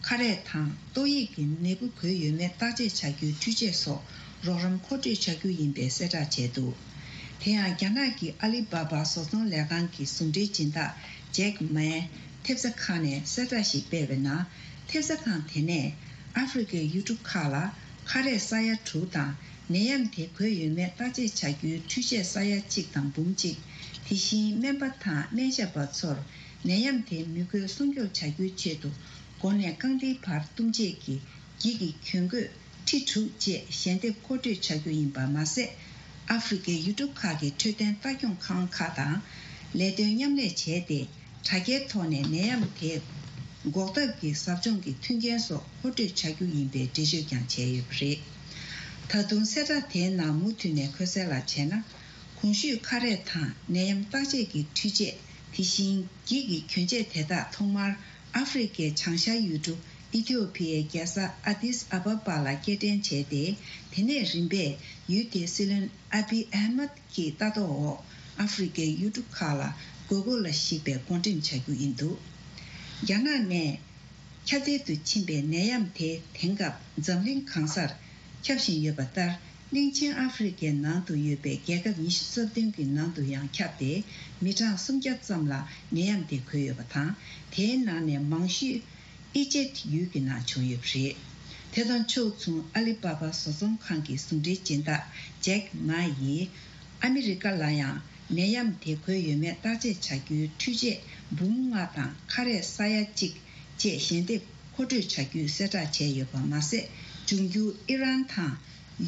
ཁ་རས་དང་ཏོག་དབྱིབས་ཀྱི་ནད་འབུ་འགོས་ཡོད་མེད་བརྟག་དཔྱད་བྱ་རྒྱུའི་འཕྲུལ་ཆས་སོགས་རོགས་རམ་མཁོ་སྤྲོད་བྱ་རྒྱུ་ཡིན་པའི་གསལ་བསྒྲགས་བྱས་འདུག་དེ་ཡང་རྒྱ་ནག་གི་ཨ་ལི་བྷ་བྷ་བཟོ་ཚོང་ལས་ཁང་གི་ཟུང་འབྲེལ་སྦྱིན་བདག་ཇེག་མའི་ཐེབས་རྩ་ཁང་ནས་གསལ་བསྒྲགས་ཤིག་སྤེལ་བའི་ནང་། ཐེབས་རྩ་ཁང་དེ་ནས་ཨ་ཧྥེ་རི་ཁའི་ཡུལ་གྲུ་ཁག་ལ་ཁ་རས་ས་ཡ་དྲུག་དང་། ནད་ཡམས་དེ་འགོས་ཡོད་མེད་བརྟག་དཔྱད་བྱ་རྒྱུའི་འཕྲུལ་ཆས་ས་ཡ་གཅིག་དང་འབུམ་གཅིག་དེ་བཞིན་སྨན་པ་དང་སྨན་ཞབས་པ་ཚོར་ནད་ཡམས་དེ་མི་འགོས་སྲུང་སྐྱོབ་བྱ་རྒྱུའི་ཆེད་དུ། མགོ་ནས་རྐང་མཐིལ་བར་བཏུམ་བྱེད་ཀྱི་འགྱིག་གི་གྱོན་གོས་ཁྲི་དྲུག་བཅས་ཞལ་འདེབས་མཁོ་སྤྲོད་བྱ་རྒྱུ་ཡིན་པ་མ་ཟད། ཨ་ཧྥེ་རི་ཁའི་ཡུལ་གྲུ་ཁག་གི་འཕྲོད་བསྟེན་ལྟ་སྐྱོང་ཁང་ཁག་དང་ལས་དོན་མཉམ་ལས་བྱས་ཏེ། དྲ་རྒྱའི་ཐོག་ནས་ནད་ཡམས་དེ་འགོག་ཐབས་ཀྱི་ཟབ་སྦྱོང་གི་མཐུན་རྐྱེན་སོགས་མཁོ་སྤྲོད་བྱ་རྒྱུ་ཡིན་པའི་འགྲེལ་བརྗོད་ཀྱང་བྱས་ཡོད་པ་རེད། ད་དུང་གསལ་བསྒྲགས་དེའི་ནང་མུ་མཐུད་ནས་འཁོད་གསལ་ལ་བྱས་ན། གོང་ཞུས་ཁ་རས་དང་ནད་ཡམས་བརྟག་དཔྱད་ཀྱི་འཕྲུལ་ཆས། དེ་བཞིན་འགྱིག་གི་གྱོན་ཆས་དེ་དག་ཐོག་མར་ཨ་ཧྥེ་རི་ཁའི་བྱང་ཤར་ཡུལ་གྲུ་ཨི་ཐི་ཡོ་ཕི་ཡའི་རྒྱལ་ས་ཨ་དིས་ཨ་བ་བ་ལ་སྐྱེལ་འདྲེན་བྱས་ཏེ། དེ་ནས་རིམ་པས་ཡུལ་དེའི་སྲིད་བློན་ཨ་བི་ཨ་མད་ཀྱི་ལྟ་རྟོག་འོག་ཨ་ཧྥེ་རི་ཁའི་ཡུལ་གྲུ་ཁག་ལ་དགོས་མཁོ་ལ་གཞིགས་པའི་བགོ་འགྲེམས་བྱ་རྒྱུ་ཡིན་འདུག་རྒྱ་ནག་ནས་ཁྱབ་གདལ་དུ་ཕྱིན་པའི་ནད་ཡམས་དེ་དེང་སྐབས་འཛམ་གླིང་གང་སར་ཁྱབ་བཞིན་ཡོད་པ་ལྟར། གླིང་ཆེན་ཨ་ཧྥེ་རི་ཁའི་ནང་དུ་ཡོད་པའི་རྒྱལ་ཁབ་ཉི་ཤུ་རྩ་བདུན་གྱི་ནང་དུ་ཡང་ཁྱབ་སྟེ། མི་གྲངས་སུམ་བརྒྱ་ཙམ་ལ་ནད་ཡམས་དེ་འགོས་ཡོད་པ་དང་། དེའི་ནང་ནས་མང་ཤོས་ཨི་ཇེབ་ཡུལ་གྱི་ནང་བྱུང་ཡོད་པ་རེད། དེ་དང་ཕྱོགས་མཚུངས། ཨ་ལི་པ་པ་བཟོ་ཚོང་ཁང་གི་ཟུང་འབྲེལ་སྦྱིན་བདག་ཇེག་མ་ཡིས། ཨ་མི་རི་ཀ་ལ་ཡང་ནད་ཡམས་དེ་འགོས་ཡོད་མེད་བརྟག་དཔྱད་བྱ་རྒྱུའི་འཕྲུལ་ཆས་འབུམ་ལྔ་དང་ཁ་རས་ས་ཡ་གཅིག་བཅས་ཞལ་འདེབས་མཁོ་སྤྲོད་བྱ་རྒྱུའི་གསལ་བསྒྲགས་བྱས་ཡོད་པ་མ་ཟད། འབྱུང་འགྱུར་ཨི་རན་དང་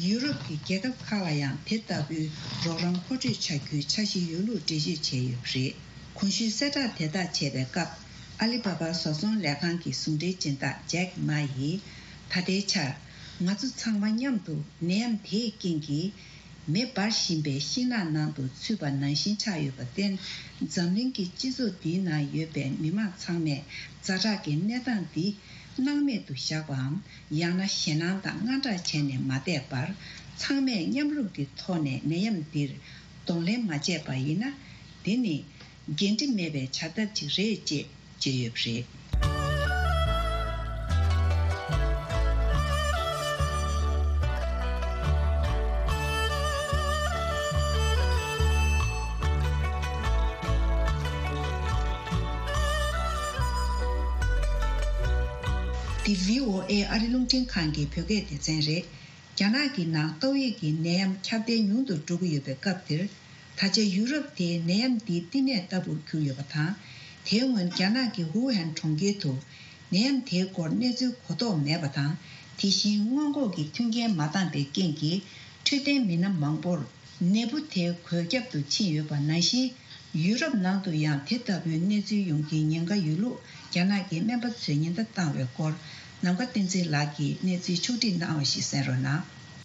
ཡུ་རོབ་ཀྱི་རྒྱལ་ཁབ་ཁག་ལ་ཡང་དེ་ལྟ་བུའི་རོགས་རམ་མཁོ་སྤྲོད་བྱ་རྒྱུའི་འཆར་གཞི་ཡོད་ལུགས་འགྲེལ་བརྗོད་བྱས་ཡོད་པ་རེད། གོང་ཞུས་གསལ་བསྒྲགས་དེ་དག་བྱས་པའི་སྐབས། ཨ་ལི་པ་པ་བཟོ་ཚོང་ལས་ཁང་གི་ཟུང་འབྲེལ་སྦྱིན་བདག་ཇེག་མ་ཡིས། ད་ལྟའི་ཆར། ང་ཚོ་ཚང་མ་མཉམ་དུ་ནད་ཡམས་དེའི་རྐྱེན་གྱིས། མེ་འབར་བཞིན་པའི་ཤིང་ནགས་ནང་དུ་ཚུད་པ་ནང་བཞིན་ཆགས་ཡོད་པར་བརྟེན། འཛམ་གླིང་གི་སྤྱི་ཚོགས་འདིའི་ནང་ཡོད་པའི་མི་མང་ཚང་མས་ཛ་དྲག་གི་གནས་སྟངས་འདི་སྣང་མེད་དུ་བཞག་པའམ། ཡང་ན་ཞེད་སྣང་དང་དངངས་སྐྲག་བྱས་ནས་མ་བསྡད་པར། ཚང་མས་མཉམ་རུབ་ཀྱི་ཐོག་ནས་ནད་ཡམས་འདིར་གདོང་ལེན་མ་བྱས་པ་ཡིན་ན། འདི་ནི་འགན་འཁྲི་མེད་པའི་བྱ་ཐབས་ཅིག་རེད་ཅེས་བརྗོད་ཡོད་པ་རེད། འདི་བྷི་ཨོ་ཨེ་ཨ་རི་རླུང་འཕྲིན་ཁང་གི་བོད་སྐད་སྡེ་ཚན་རེད། རྒྱ་ནག་གི་ནང་ཏོག་དབྱིབས་ཀྱི་ནད་ཡམས་ཁྱབ་གདལ་ཉུང་དུ་འགྲོ་གི་ཡོད་པའི་སྐབས་འདིར། ད་ཆ་ཡུ་རོབ་དེའི་ནད་ཡམས་འདིའི་བསྟི་གནས་ལྟ་བུར་གྱུར་ཡོད་པ་དང་། དེའི་སྔོན་རྒྱ་ནག་གི་ཝུ་ཧན་གྲོང་ཁྱེར་དུ་ནད་ཡམས་དེའི་སྐོར་གནས་ཚུལ་གོ་རྟོགས་མེད་པ་དང་། དེ་བཞིན་སྔོན་འགོག་གི་མཐུན་རྐྱེན་མ་འདང་པའི་རྐྱེན་གྱིས། འཕྲོད་བསྟེན་མི་སྣ་མང་པོར་ནད་འབུ་དེ་འགོས་ཁྱབ་ཏུ་ཕྱིན་ཡོད་པ་ནང་བཞིན། ཡུ་རོབ་ནང་དུ་ཡང་དེ་ལྟ་བུའི་གནས་ཚུལ་ཡོང་རྒྱུའི་ཉེན་ཁ་ཡོད་ལུགས་རྒྱ་ནག་གི་སྨན་པ་ཚོས་ཉེན་བརྡ་བཏང་བའི་སྐོར། ནམ་མཁའ་བསྟན་འཛིན་ལགས་ཀྱིས་གནས་ཚུལ་ཕྱོགས་བསྒྲིགས་གནང་བ་ཞིག་གསན་རོགས་གནང་།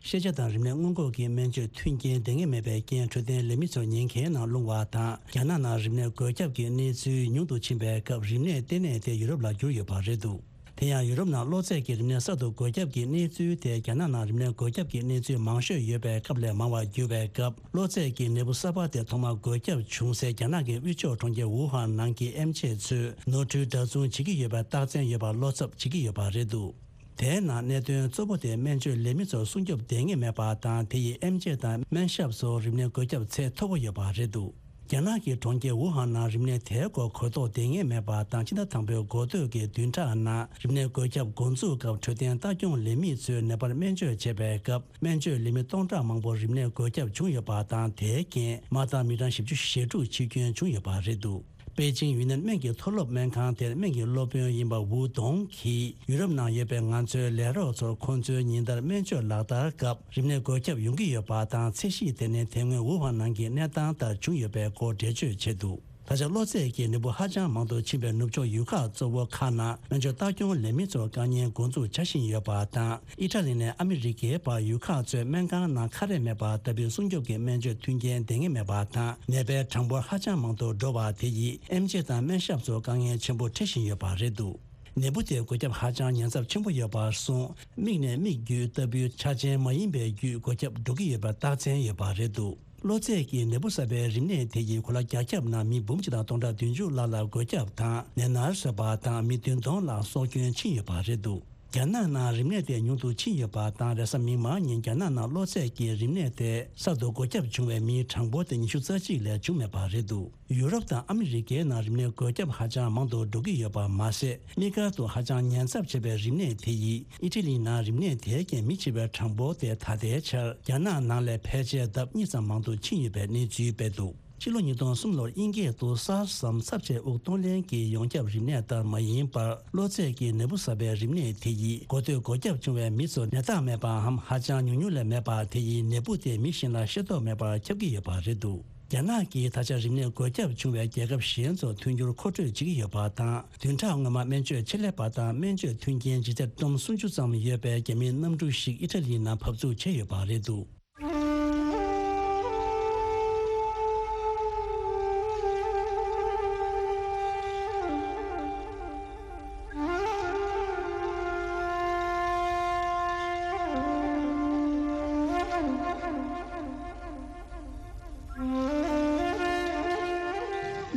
ཤེས་བྱ་དང་རིམས་ནད་སྔོན་འགོག་གི་སྨན་བཅོས་མཐུན་རྐྱེན་ལྡན་ངེས་མེད་པའི་རྐྱེན། འཕྲོད་བསྟེན་ལས་མི་ཚོ་ཉེན་ཁའི་ནང་ལྷུང་བ་དང་། རྒྱ་ནག་ནང་རིམས་ནད་འགོས་ཁྱབ་ཀྱི་གནས་ཚུལ་ཉུང་དུ་ཕྱིན་པའི་སྐབས། རིམས་ནད་ལྟེ་གནས་དེ་ཡུ་རོབ་ལ་བསྒྱུར་ཡོད་པ་རེད་འདུག་དེ་ཡང་ཡུ་རོབ་ནང་གློ་ཚད་ཀྱི་རིམས་ནད་གསར་དུ་འགོས་ཁྱབ་ཀྱི་གནས་ཚུལ་དེ་རྒྱ་ནག་ནང་རིམས་ནད་འགོས་ཁྱབ་ཀྱི་གནས་ཚུལ་མང་ཤོས་ཡོད་པའི་སྐབས་ལས་མང་བར་གྱུར་བའི་སྐབས། གློ་ཚད་ཀྱི་ནད་འབུ་གསར་པ་དེ་ཐོག་མར་འགོས་ཁྱབ་བྱུང་སའི་རྒྱ་ནག་གི་དབུས་ཕྱོགས་གྲོང་ཁྱེར་ཝུ་ཧན་ནང་གི་ཨེམ་ཆི་ཚོས་ནོར་འཁྲུལ་འདྲ་མཚུངས་བྱེད་ཀྱི་ཡོད་པའི་རྟགས་མཚན་ཡོད་པར་བློ་འཚབ་བྱེད་ཀྱི་ཡོད་པ་རེད་འདུག་དེའི་ནང་གནད་དོན་གཙོ་བོ་དེ་སྨན་བཅོས་ལས་མི་ཚོར་སྲུང་སྐྱོབ་ལྡང་ངེས་མེད་པ་དང་། དེ་ཡིས་ཨེམ་ཆི་དང་སྨན་ཞབས་སོགས་རིམས་ནད་འགོས་ཁྱབ་ཚད་མཐོ་པོ་ཡོད་པ་རེད་འདུག་རྒྱ་ནག་གི་གྲོང་ཁྱེར་ཝུ་ཧན་ནང་རིམས་ནད་དེའི་སྐོར་གོ་རྟོགས་ལྡང་ངེས་མེད་པ་དང་། ཕྱི་ཟླ་དང་པོའི་འགོ་སྟོད་ཀྱི་བདུན་ཕྲག་ནང་རིམས་ནད་འགོས་ཁྱབ་འགོ་འཛུགས་སྐབས། འཕྲོད་བསྟེན་ལྟ་སྐྱོང་ལས་མི་ཚོས་ནད་པར་སྨན་བཅོས་བྱས་པའི་སྐབས། སྨན་བཅོས་ལས་མི་སྟོང་ཕྲག་མང་པོར་རིམས་ནད་འགོས་ཁྱབ་བྱུང་ཡོད་པ་དང་། དེའི་རྐྱེན་མ་དང་མི་གྲངས་བཞི་བཅུ་ཞེ་དྲུག་འཆི་སྐྱོན་བྱུང་ཡོད་པ་རེད་འདུག་པེ་ཅིང་ཡུན་ནན་སྨན་གྱི་མཐོ་སློབ་སྨན་ཁང་དེར་སྨན་གྱི་སློབ་དཔོན་ཡིན་པ་ཝུ་དོང་གིས། ཡུ་རོབ་ནང་ཡོད་པའི་ང་ཚོའི་ལས་རོགས་ཚོར་ཁོང་ཚོའི་ཉིན་ལྟར་སྨན་བཅོས་ལག་བསྟར་སྐབས། རིམས་ནད་འགོས་ཁྱབ་ཡོང་གི་ཡོད་པ་དང་། ཚད་གཞི་དེ་ནི་དེ་སྔོན་ཝུ་ཧན་ནང་གི་གནས་སྟངས་ལྟར་བྱུང་ཡོད་པའི་སྐོར་འགྲེལ་བརྗོད་བྱས་འདུག་ད་ཆ་གློ་ཚད་ཀྱི་ནད་འབུ་ཧ་ཅང་མང་དུ་ཕྱིན་པའི་ནུབ་ཕྱོགས་ཡུལ་ཁག་གཙོ་བོ་ཁག་ནང་སྨན་བཅོས་ལྟ་སྐྱོང་ལས་མི་ཚོར་དཀའ་ངལ་འགོ་འཛུགས་བྱ་བཞིན་ཡོད་པ་དང་། ཨི་ཊ་ལི་ནས་ཨ་མི་རི་ཀའི་བར་ཡུལ་ཁག་ཚོའི་སྨན་ཁང་ནང་ཁ་རས་མེད་པ་ལྟ་བུའི་སྲུང་སྐྱོབ་ཀྱི་སྨན་བཅོས་མཐུན་རྐྱེན་ལྡན་ངེས་མེད་པ་དང་། ནད་པའི་གྲངས་འབོར་ཧ་ཅང་མང་དུ་འགྲོ་བ་དེ་ཡིས་ཨེམ་ཆི་དང་སྨན་ཞབས་ཚོར་དཀའ་ངལ་ཆེན་པོ་འཕྲད་བཞིན་ཡོད་པ་རེད་འདུག་ནད་འབུ་དེ་འགོས་ཁྱབ་ཧ་ཅང་ཉེན་ཚབས་ཆེན་པོ་ཡོད་པར་སོང་། མིག་ནས་མིག་བརྒྱུད་ལྟ་བུའི་ཆ་ཅན་མ་ཡིན་པའི་བརྒྱུད་འགོས་ཁྱབ་འགྲོ་གི་ཡོད་པའི་རྟགས་མཚན་ཡོད་པ་རེད་འདུག་གློ་ཚད་ཀྱི་ནད་འབུ་གསར་པའི་རིམས་ནད་དེ་ཡིས་གོ་ལ་རྒྱ་ཁྱབ་ནང་མི་འབུམ་གཅིག་དང་སྟོང་ཕྲག་བདུན་ཅུ་ལྷག་ལ་འགོས་ཁྱབ་དང་ནད་མནར་བཟོས་པ་དང་། མི་བདུན་སྟོང་ལྷག་སྲོག་སྐྱོན་ཕྱིན་ཡོད་པ་རེད་འདུག་རྒྱ་ནག་ནང་རིམས་ནད་དེ་ཉུང་དུ་ཕྱིན་ཡོད་པ་དང་། རེས་གཟའ་མིག་དམར་ཉིན་རྒྱ་ནག་ནང་གློ་ཚད་ཀྱི་རིམས་ནད་དེ་གསར་དུ་འགོས་ཁྱབ་བྱུང་བའི་མིའི་གྲངས་འབོར་དེ་ཉི་ཤུ་རྩ་གཅིག་ལས་བྱུང་མེད་པ་རེད་འདུག་ཡུ་རོབ་དང་ཨ་མི་རི་ཀའི་ནང་རིམས་ནད་འགོས་ཁྱབ་ཧ་ཅང་མང་དུ་འགྲོ་གི་ཡོད་པ་མ་ཟད། དམིགས་བཀར་དུ་ཧ་ཅང་ཉེན་ཚབས་ཆེ་བའི་རིམས་ནད་དེ་ཡིས་ཨི་ཊ་ལི་ནང་རིམས་ནད་དེའི་རྐྱེན་མི་འཆི་བའི་གྲངས་འབོར་དེ་ད་ལྟའི་ཆར་རྒྱ་ནག་ནང་ལས་ཕལ་ཆེར་ལྡབ་གཉིས་ཙམ་མང་དུ་ཕྱིན་ཡོད་པའི་གནས་ཚུལ་སྤེལ་འདུག་ཕྱི་ལོ་ཉིས་སྟོང་གསུམ་ལོར་དབྱིན་སྐད་དུ་སཱར་སམ་ཚབས་ཆེའི་དབུགས་གཏོང་ལེན་གྱི་ཡོངས་ཁྱབ་རིམས་ནད་ལྟར་མ་ཡིན་པར། གློ་ཚད་ཀྱི་ནད་འབུ་གསར་པའི་རིམས་ནད་དེ་ཡིས་འགོ་སྟོད་འགོས་ཁྱབ་བྱུང་བའི་མི་ཚོར་ནད་རྟགས་མེད་པའམ་ཧ་ཅང་ཉུང་ཉུང་ལས་མེད་པ་དེ་ཡིས་ནད་འབུ་དེ་མི་གཞན་ལ་ཤེས་རྟོགས་མེད་པར་ཁྱབ་ཀྱི་ཡོད་པ་རེད་འདུག་རྒྱ་ནག་གིས་ད་ཆ་རིམས་ནད་འགོས་ཁྱབ་བྱུང་བའི་རྒྱལ་ཁབ་གཞན་ཚོར་མཐུན་འགྱུར་མཁོ་སྤྲོད་བྱེད་ཀྱི་ཡོད་པ་དང་། བདུན་ཕྲག་སྔོན་མ་སྨན་བཅོས་ཆེད་ལས་པ་དང་སྨན་བཅོས་མཐུན་རྐྱེན་ལྗིད་ཚད་ཏོན་སུམ་ཅུ་ཙམ་ཡོད་པའི་རྒྱ་མིའི་གནམ་གྲུ་ཞིག་ཨི་ཊ་ལིའི་ནང་བབས་ཚུགས་བྱས་ཡོད་པ་རེད་འདུག།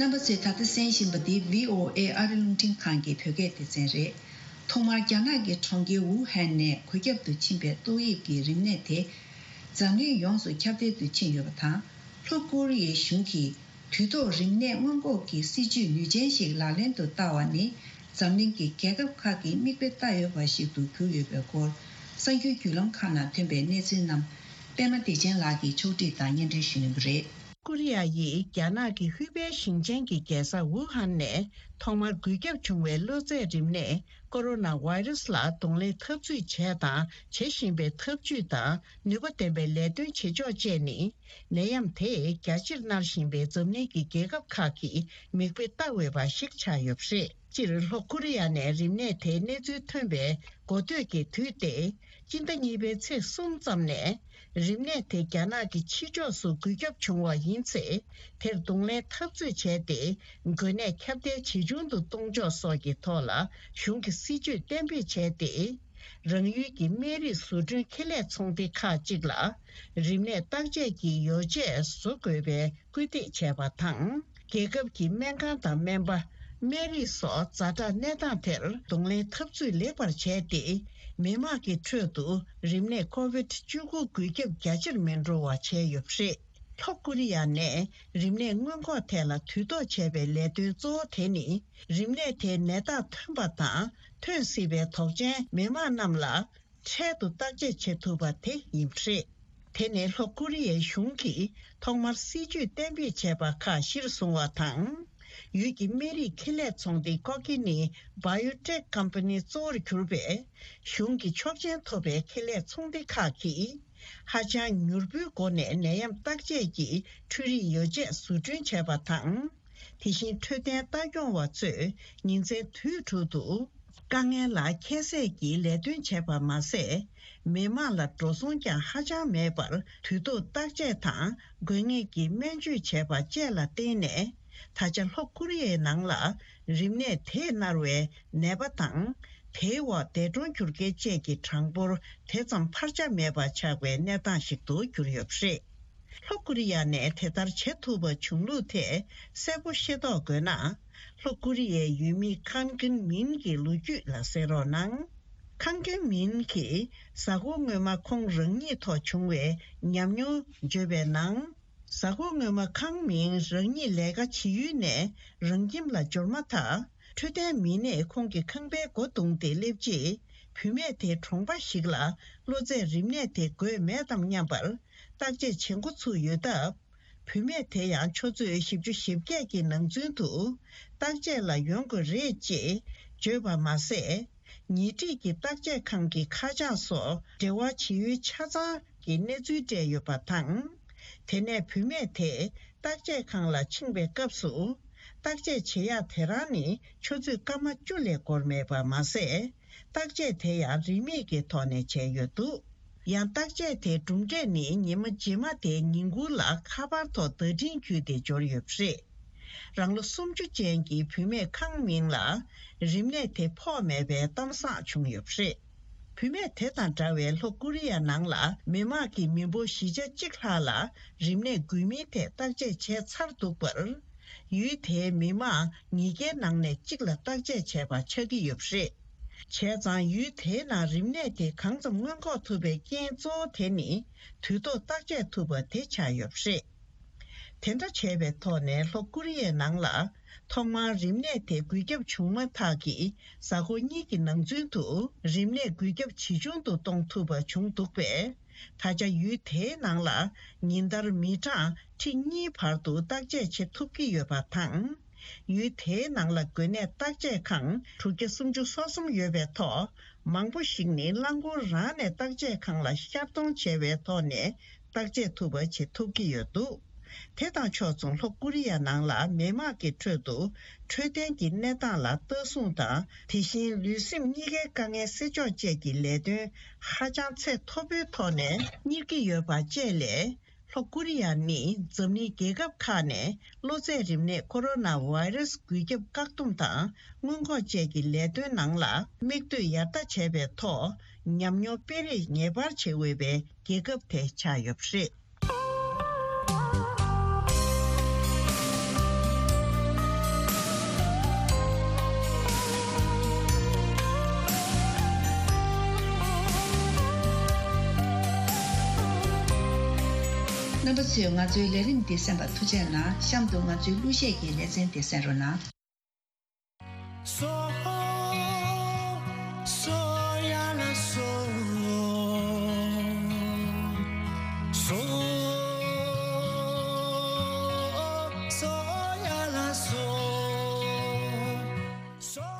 རྣམ་པ་ཚོས་ད་ལྟ་གསན་བཞིན་པ་འདི་བྷི་ཨོ་ཨེ་ཨ་རི་རླུང་འཕྲིན་ཁང་གི་བོད་སྐད་སྡེ་ཚན་རེད། ཐོག་མར་རྒྱ་ནག་གི་གྲོང་ཁྱེར་ཝུ་ཧན་ནས་འགོས་ཁྱབ་ཏུ་ཕྱིན་པའི་ཏོག་དབྱིབས་ཀྱི་རིམས་ནད་དེ་འཛམ་གླིང་ཡོངས་སུ་ཁྱབ་གདལ་དུ་ཕྱིན་ཡོད་པ་དང་། ལྷོ་ཀོ་རི་ཡའི་གཞུང་གིས་དུས་ཐོག་རིམས་ནད་སྔོན་འགོག་གི་སྲིད་ཇུས་ནུས་ཅན་ཞིག་ལག་ལེན་དུ་བསྟར་བ་ནི། འཛམ་གླིང་གི་རྒྱལ་ཁབ་ཁག་གིས་མིག་དཔེ་ལྟ་འོས་པ་ཞིག་ཏུ་གྱུར་ཡོད་པའི་སྐོར། གསར་འགྱུར་བརྒྱུད་ལམ་ཁག་ནང་ཐོན་པའི་གནས་ཚུལ་རྣམས། པད་མ་བདེ་ཆེན་ལགས་ཀྱིས་ཕྱོགས་སྒྲིག་དང་སྙན་སྒྲོན་ཞུ་གནང་གི་རེད། ཀོ་རི་ཡ་ཡིས་རྒྱ་ནག་གི་ཧུའུ་པེ་ཞིང་ཆེན་གྱི་རྒྱལ་ས་ཝུ་ཧན་ནས་ཐོག་མར་འགོས་ཁྱབ་བྱུང་བའི་གློ་ཚད་རིམས་ནད་ཀོ་རོ་ན་ཝའི་རུ་སི་ལ་གདོང་ལེན་འཐབ་རྩོད་བྱས་དང་བྱེད་བཞིན་པའི་ཐབས་ཇུས་དང་ནུས་པ་ལྡན་པའི་ལས་དོན་བྱེད་ཕྱོགས་བཅས་ནི། ནད་ཡམས་དེས་རྒྱ་ཆེར་མནར་བཞིན་པའི་འཛམ་གླིང་གི་རྒྱལ་ཁབ་ཁག་གིས་མིག་དཔེ་ལྟ་འོས་པ་ཞིག་ཆགས་ཡོད་པ་རེད། སྤྱིར་ལྷོ་ཀོ་རི་ཡ་ནས་རིམས་ནད་དེའི་གནས་ཚུལ་ཐོན་པའི་འགོ་སྟོད་ཀྱི་དུས་ཏེ། སྤྱི་ཟླ་གཉིས་པའི་ཚེས་གསུམ་ཙམ་ནས། རིམས་ནད་དེ་རྒྱ་ནག་གི་ཕྱི་ཕྱོགས་སུ་འགོས་ཁྱབ་བྱུང་བ་ཡིན་ཚེ། དེར་གདོང་ལེན་འཐབ་རྩོད་བྱས་ཏེ། འགོས་ནད་ཁྱབ་གདལ་ཇེ་ཆུང་དུ་གཏོང་ཕྱོགས་སོགས་ཀྱི་ཐོག་ལ་གཞུང་གི་སྲིད་ཇུས་གཏན་འབེབས་བྱས་ཏེ། རང་ཡུལ་གྱི་སྨན་རིགས་བཟོ་སྐྲུན་ཁེ་ལས་ཚོང་སྡེ་ཁག་ཅིག་ལ་རིམས་ནད་བརྟག་དཔྱད་ཀྱི་ཡོ་བྱད་བཟོ་དགོས་པའི་སྐུལ་འདེད་བྱས་པ་དང་། རྒྱལ་ཁབ་ཀྱི་སྨན་ཁང་དང་སྨན་པ། སྨན་རིགས་སོགས་ཛ་དྲག་གནས་སྟངས་དེར་གདོང་ལེན་འཐབ་རྩོད་ལེགས་པར་བྱས་ཏེ། མི་དམངས་ཀྱི་ཁྲོད་དུ་རིམས་ནད་ཀོ་བིད་བཅུ་དགུ་འགོས་ཁྱབ་རྒྱ་ཆེར་མི་འགྲོ་བ་བྱས་ཡོད་པ་རེད། ལྷོ་ཀོ་རི་ཡ་ནས་རིམས་ནད་སྔོན་འགོག་ཐད་ལ་དུས་ཐོག་བྱས་པའི་ལས་དོན་གཙོ་བོ་དེ་ནི། རིམས་ནད་དེའི་ནད་རྟགས་ཐོན་པ་དང་ཐོན་སྲིད་པའི་དོགས་ཅན་མི་དམངས་རྣམས་ལ། འཕྲལ་དུ་བརྟག་དཔྱད་བྱེད་ཐུབ་པ་དེ་ཡིན་པ་རེད། དེ་ནི་ལྷོ་ཀོ་རི་ཡའི་གཞུང་གིས་ཐོག་མར་སྲིད་ཇུས་གཏན་འབེབས་བྱས་པ་ཁག་གཞིར་བཟུང་བ་དང་། ཡུལ་གྱི་སྨན་རིགས་ཁེ་ལས་ཚོང་སྡེ་ཀོ་ཀི་ནི་བྷ་ཡོ་ཊེག་ཀམ་པ་ནི་གཙོ་བོར་གྱུར་པའི་གཞུང་གི་ཆོག་མཆན་ཐོབ་པའི་ཁེ་ལས་ཚོང་སྡེ་ཁག་གིས། ཧ་ཅང་མྱུར་པོའི་སྒོ་ནས་ནད་ཡམས་བརྟག་དཔྱད་ཀྱི་འཕྲུལ་རིག་ཡོ་བྱད་བཟོ་སྐྲུན་བྱས་པ་དང་། དེ་བཞིན་འཕྲོད་བསྟེན་ལྟ་སྐྱོང་བ་ཚོས་ཉིན་མཚན་དུས་དྲུག་ཏུ་དཀའ་ངལ་ལ་ཁྱད་བསད་ཀྱིས་ལས་དོན་བྱས་པ་མ་ཟད། མི་དམངས་ལ་འགྲོ་སོང་ཀྱང་ཧ་ཅང་མེད་པར་དུས་ཐོག་བརྟག་དཔྱད་དང་དགོས་ངེས་ཀྱི་སྨན་བཅོས་བྱས་པ་བཅས་ལ་བརྟེན་ནས། ད་ཆ་ལྷོ་ཀོ་རི་ཡའི་ནང་ལ་རིམས་ནད་དེས་མནར་བའི་ནད་པ་དང་། དེའི་འོག་འདས་གྲོངས་གྱུར་མཁན་བཅས་ཀྱི་གྲངས་འབོར་དེ་ཙམ་འཕར་ཆ་མེད་པ་ཆགས་པའི་གནས་སྟངས་ཤིག་ཏུ་གྱུར་ཡོད་པ་རེད། ལྷོ་ཀོ་རི་ཡ་ནས་དེ་ལྟར་བྱེད་ཐུབ་པ་བྱུང་ལུགས་ཐད་གསལ་པོ་ཤེས་རྟོགས་དགོས་ན། ལྷོ་ཀོ་རི་ཡའི་ཡུལ་མི་ཁང་ཀེན་མིན་གྱི་ལོ་རྒྱུས་ལ་གསན་རོགས་གནང་། ཁང་ཀེན་མིན་གྱིས་གཟའ་འཁོར་སྔོན་མ་ཁོང་རང་ཉིད་ཐོག་བྱུང་བའི་ཉམས་མྱོང་བརྗོད་པའི་ནང་། གཟའ་འཁོར་སྔོན་མ་ཁང་མིན་རང་ཉིད་ལས་ཀ་བྱེད་ཡུལ་ནས་རང་ཁྱིམ་ལ་འབྱོར་མ་ཐག་འཕྲོད་བསྟེན་མི་སྣས་ཁོང་གི་ཁང་པའི་སྒོ་བརྡུངས་ཏེ་སླེབས་རྗེས། བུད་མེད་དེ་གྲོང་པ་ཞིག་ལ་གློ་ཚད་རིམས་ནད་དེ་འགོས་མེད་དམ་སྙམ་པར་བརྟག་དཔྱད་བྱེད་འགོ་ཚུགས་ཡོད་སྟབས། བུད་མེད་དེ་ཡང་ཆུ་ཚོད་བཞི་བཅུ་ཞེ་བརྒྱད་ཀྱི་ནང་ཚུན་དུ་བརྟག་དཔྱད་ལ་ཡོང་དགོས་རེད་ཅེས་བརྗོད་པ་མ་ཟད། ཉེ་འཁྲིས་ཀྱི་བརྟག་དཔྱད་ཁང་གི་ཁ་བྱང་སོགས་འབྲེལ་བ་བྱེད་ཡུལ་ཆ་ཚང་གི་གནས་ཚུལ་སྤྲད་ཡོད་པ་དང་། དེ་ནས་བུད་མེད་དེ་བརྟག་དཔྱད་ཁང་ལ་ཕྱིན་པའི་སྐབས་སུ། བརྟག་དཔྱད་བྱེད་ཡག་དེ་རང་ནི་ཆུ་ཚོད་སྐར་མ་བཅུ་ལས་འགོར་མེད་པ་མ་ཟད། བརྟག་དཔྱད་དེ་ཡང་རིན་མེད་ཀྱི་ཐོག་ནས་བྱས་ཡོད་འདུག། ཡང་བརྟག་དཔྱད་དེའི་གྲུབ་འབྲས་ནི་ཉི་མ་རྗེས་མ་དེའི་ཉིན་གུང་ལ་ཁ་པར་ཐོག་བརྡ་འཕྲིན་བརྒྱུད་དེ་འབྱོར་ཡོད་པ་རེད། རང་ལོ་སུམ་ཅུ་ཅན་གྱི་བུད་མེད་ཁང་མིང་ལ་རིམས་ནད་དེ་ཕོག་མེད་པའི་གཏམ་བཟང་བྱུང་ཡོད་པ་རེད། བུད་མེད་དེ་དང་འདྲ་བའི་ལྷོ་ཀོ་རི་ཡ་ནང་ལ་མི་དམངས་ཀྱི་མི་འབོར་བཞི་ཆ་གཅིག་ལྷག་ལ་རིམས་ནད་འགོས་མིན་ཐད་བརྟག་དཔྱད་བྱས་ཚར་འདུག་པར། ཡུལ་དེའི་མི་དམངས་ཉིས་བརྒྱའི་ནང་ནས་གཅིག་ལ་བརྟག་དཔྱད་བྱས་པ་ཆགས་ཀྱི་ཡོད་པ་རེད། བྱས་ཙང་ཡུལ་དེའི་ནང་རིམས་ནད་དེ་གང་ཙམ་སྔོན་འགོག་ཐུབ་པའི་རྐྱེན་གཙོ་བོ་དེ་ནི་དུས་ཐོག་བརྟག་དཔྱད་ཐུབ་པ་དེ་ཆགས་ཡོད་པ་རེད། དེ་འདྲ་བྱས་པའི་ཐོག་ནས་ལྷོ་ཀོ་རི་ཡའི་ནང་ལ་ཐོག་མར་རིམས་ནད་དེ་འགོས་ཁྱབ་བྱུང་མ་ཐག་གི་གཟའ་འཁོར་གཉིས་ཀྱི་ནང་ཚུན་དུ་རིམས་ནད་འགོས་ཁྱབ་ཇེ་ཆུང་དུ་གཏོང་ཐུབ་པ་བྱུང་འདུག་པས། ད་ཆ་ཡུལ་དེའི་ནང་ལ་ཉིན་ལྟར་མི་གྲངས་ཁྲི་གཉིས་བར་དུ་བརྟག་དཔྱད་བྱེད་ཐུབ་ཀྱི་ཡོད་པ་དང་། ཡུལ་དེའི་ནང་ལ་འགོས་ནད་བརྟག་དཔྱད་ཁང་དྲུག་བརྒྱ་སུམ་ཅུ་སོ་གསུམ་ཡོད་པའི་ཐོག་མང་པོ་ཞིག་ནི་རླངས་འཁོར་རང་ནས་བརྟག་དཔྱད་ཁང་ལ་ཤར་གཏོང་བྱས་པའི་ཐོག་ནས་བརྟག་དཔྱད་ཐུབ་པ་བྱེད་ཐུབ་ཀྱི་ཡོད་འདུག། དེ་དང་ཕྱོགས་མཚུངས་ལྷོ་ཀོ་རི་ཡ་ནང་ལ་མི་དམངས་ཀྱི་ཁྲོད་དུ་འཕྲོད་བསྟེན་གྱི་གནས་སྟངས་ལ་ལྟ་སྲུང་དང་། དེ་བཞིན་ལུས་སེམས་གཉིས་ཀའི་དཀའ་ངལ་སེལ་ཕྱོགས་བཅས་ཀྱི་ལས་དོན་ཧ་ཅང་ཚད་མཐོ་པོའི་ཐོག་ནས་གཉེར་གྱི་ཡོད་པ་བཅས་ལས། ལྷོ་ཀོ་རི་ཡ་ནི་འཛམ་གླིང་རྒྱལ་ཁབ་ཁག་ནས་གློ་ཚད་རིམས་ནད་ཀོ་རོ་ན་བྷ་ཡི་རུ་སི་འགོས་ཁྱབ་བཀག་སྡོམ་དང་སྔོན་འགོག་བཅས་ཀྱི་ལས་དོན་ནང་ལ་མིག་ལྟོས་ཡར་ལྟ་བྱས་པའི་ཐོག་ཉམས་མྱོང་སྤེལ་རེས་ངེས་པར་བྱེད་འོས་པའི་རྒྱལ་ཁབ་དེ་ཆགས་ཡོད་པ་རེད། རྣམ་པ་ཚོས་ང་ཚོའི་ལས་རིམ་འདི་གསན་པར་ཐུགས་རྗེ་གནང་། གཤམ་དུ་ང་ཚོའི་གླུ་གཞས་ཀྱི་ལེ་ཚན་འདི་གསན་རོགས་གནང་། སོ། སོ་ཡ་ལ་སོ། སོ། སོ་ཡ་ལ་སོ།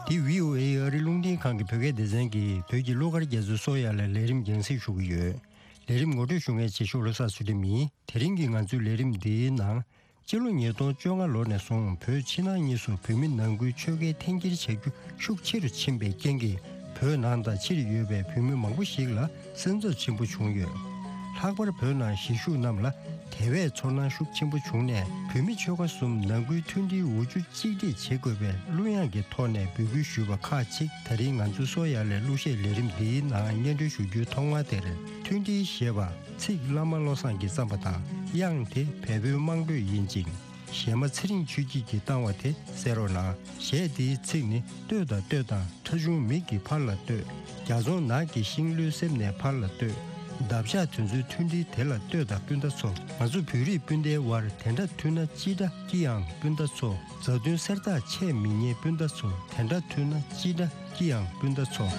འདི་བྷི་ཨོ་ཨེ་ཨ་རི་རླུང་འཕྲིན་ཁང་གི་བོད་སྐད་སྡེ་ཚན་གྱི་བོད་ཀྱི་གླུ་གར་རྒྱ་མཚོའི་སོ་ཡ་ལ་ལས་རིམ་རྒྱང་སྲིང་ཞུ་གི་ཡོད། ལས་རིམ་ངོ་སྤྲོད་ཞུ་མཁན་བྱེད་ཤོག་བློ་བཟང་ཚུལ་ཁྲིམས་ཡིན། དེ་རིང་གི་ང་ཚོའི་ལས་རིམ་འདིའི་ནང་། སྤྱི་ལོ་ཉིས་སྟོང་བཅོ་ལྔ་ལོ་ནས་བཟུང་བོད་ཕྱི་ནང་གཉིས་སུ་བོད་མི་ནང་ཁུལ་ཆོལ་ཁའི་འཐེན་འཁྱེར་བྱ་རྒྱུ་ཤུགས་ཆེ་རུ་ཕྱིན་པའི་རྐྱེན་གྱིས། བོད་ནང་དང་ཕྱིར་ཡོད་པའི་བོད་མི་མང་པོ་ཞིག་ལ་སེམས་འཚབ་ཆེན་པོ་བྱུང་ཡོད། ལྷག་པར་བོད་ནང་གཞིས་བཞུགས་རྣམས་ལ་དེ་བས་ཚོར་སྣང་ཤུགས་ཆེན་པོ་བྱུང་ནས། བོད་མི་ཆོལ་ཁ་གསུམ་ནང་ཁུལ་མཐུན་སྒྲིལ་འོ་ཆུ་གཅིག་སྒྲིལ་བྱེད་དགོས་པའི་གླུ་དབྱངས་ཀྱི་ཐོག་ནས་འབོད་སྐུལ་ཞུས་པ་ཁག་ཅིག་ད་རིང་ང་ཚོའི་སོ་ཡ་ལའི་གླུ་གཞས་ལས་རིམ་འདིའི་ནང་སྙན་སྒྲོན་ཞུ་རྒྱུའི་ཐོག་མ་དེར། མཐུན་སྒྲིལ་ཞེས་པ། ཚིག་བླ་མ་བློ་བཟང་གིས་བརྩམས་པ་དང་། དབྱངས་དེ་བལ་པོའི་དམངས་བོད་ཡིན་ཅིང་། གཞས་མ་ཚེ་རིང་ཆོས་སྐྱིད་ཀྱིས་བཏང་བ་དེ་གསན་རོགས་གནང་། གཞས་འདིའི་ཚིག་ནི། ལྟོས་དང་ལྟོས་དང་ཁྲ་ཆུང་མིག་གི་ཕར་ལ་ལྟོས། རྒྱ་རྫོང་ནགས་ཀྱི་ཤིང་ལོའི་གསེབ་ནས་ཕར་ལ་ལྟོས། འདབ་ཆགས་དེ་ཚོའི་མཐུན་སྒྲིལ་དེ་ལ་ལྟོས་དང་སྤུན་ཟླ་ཚོ། ང་ཚོ་བོད་རིགས་སྤུན་ཟླའི་དབར་དེ་འདྲ་མཐུན་ན་ཅི་འདྲ་སྐྱིད་ཨང་སྤུན་ཟླ་ཚོ། མཛའ་མཐུན་གསེར་ཐག་ཆད་མི་ཉན་སྤུན་ཟླ་ཚོ། དེ་འདྲ་མཐུན་ན་ཅི་འདྲ་སྐྱིད་ཨང་སྤུན་ཟླ་ཚོ།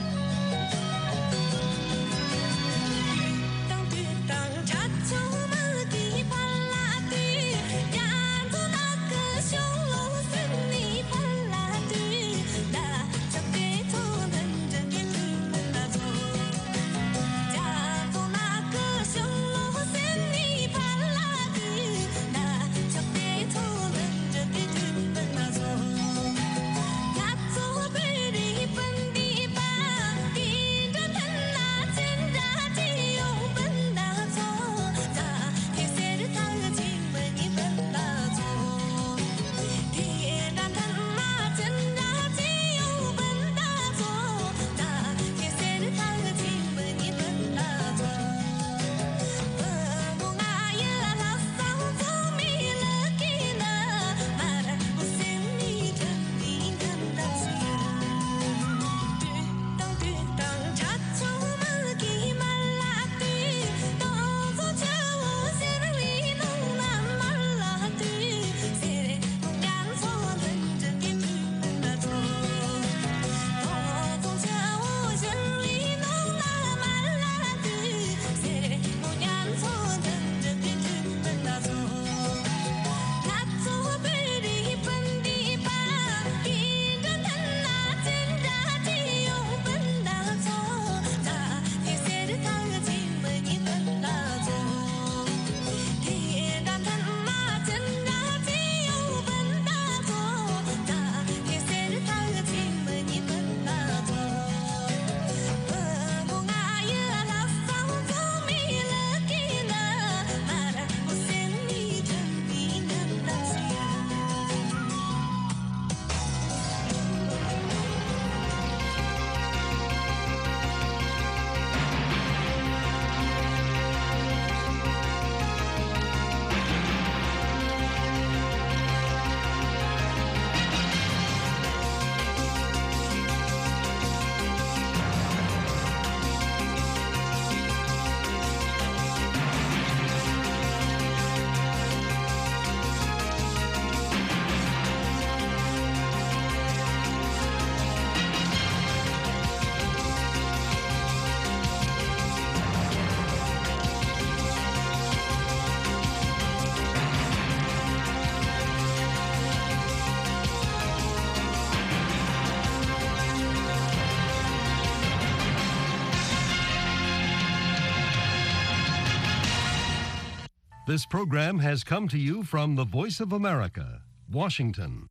This program has come to you from the Voice of America, Washington.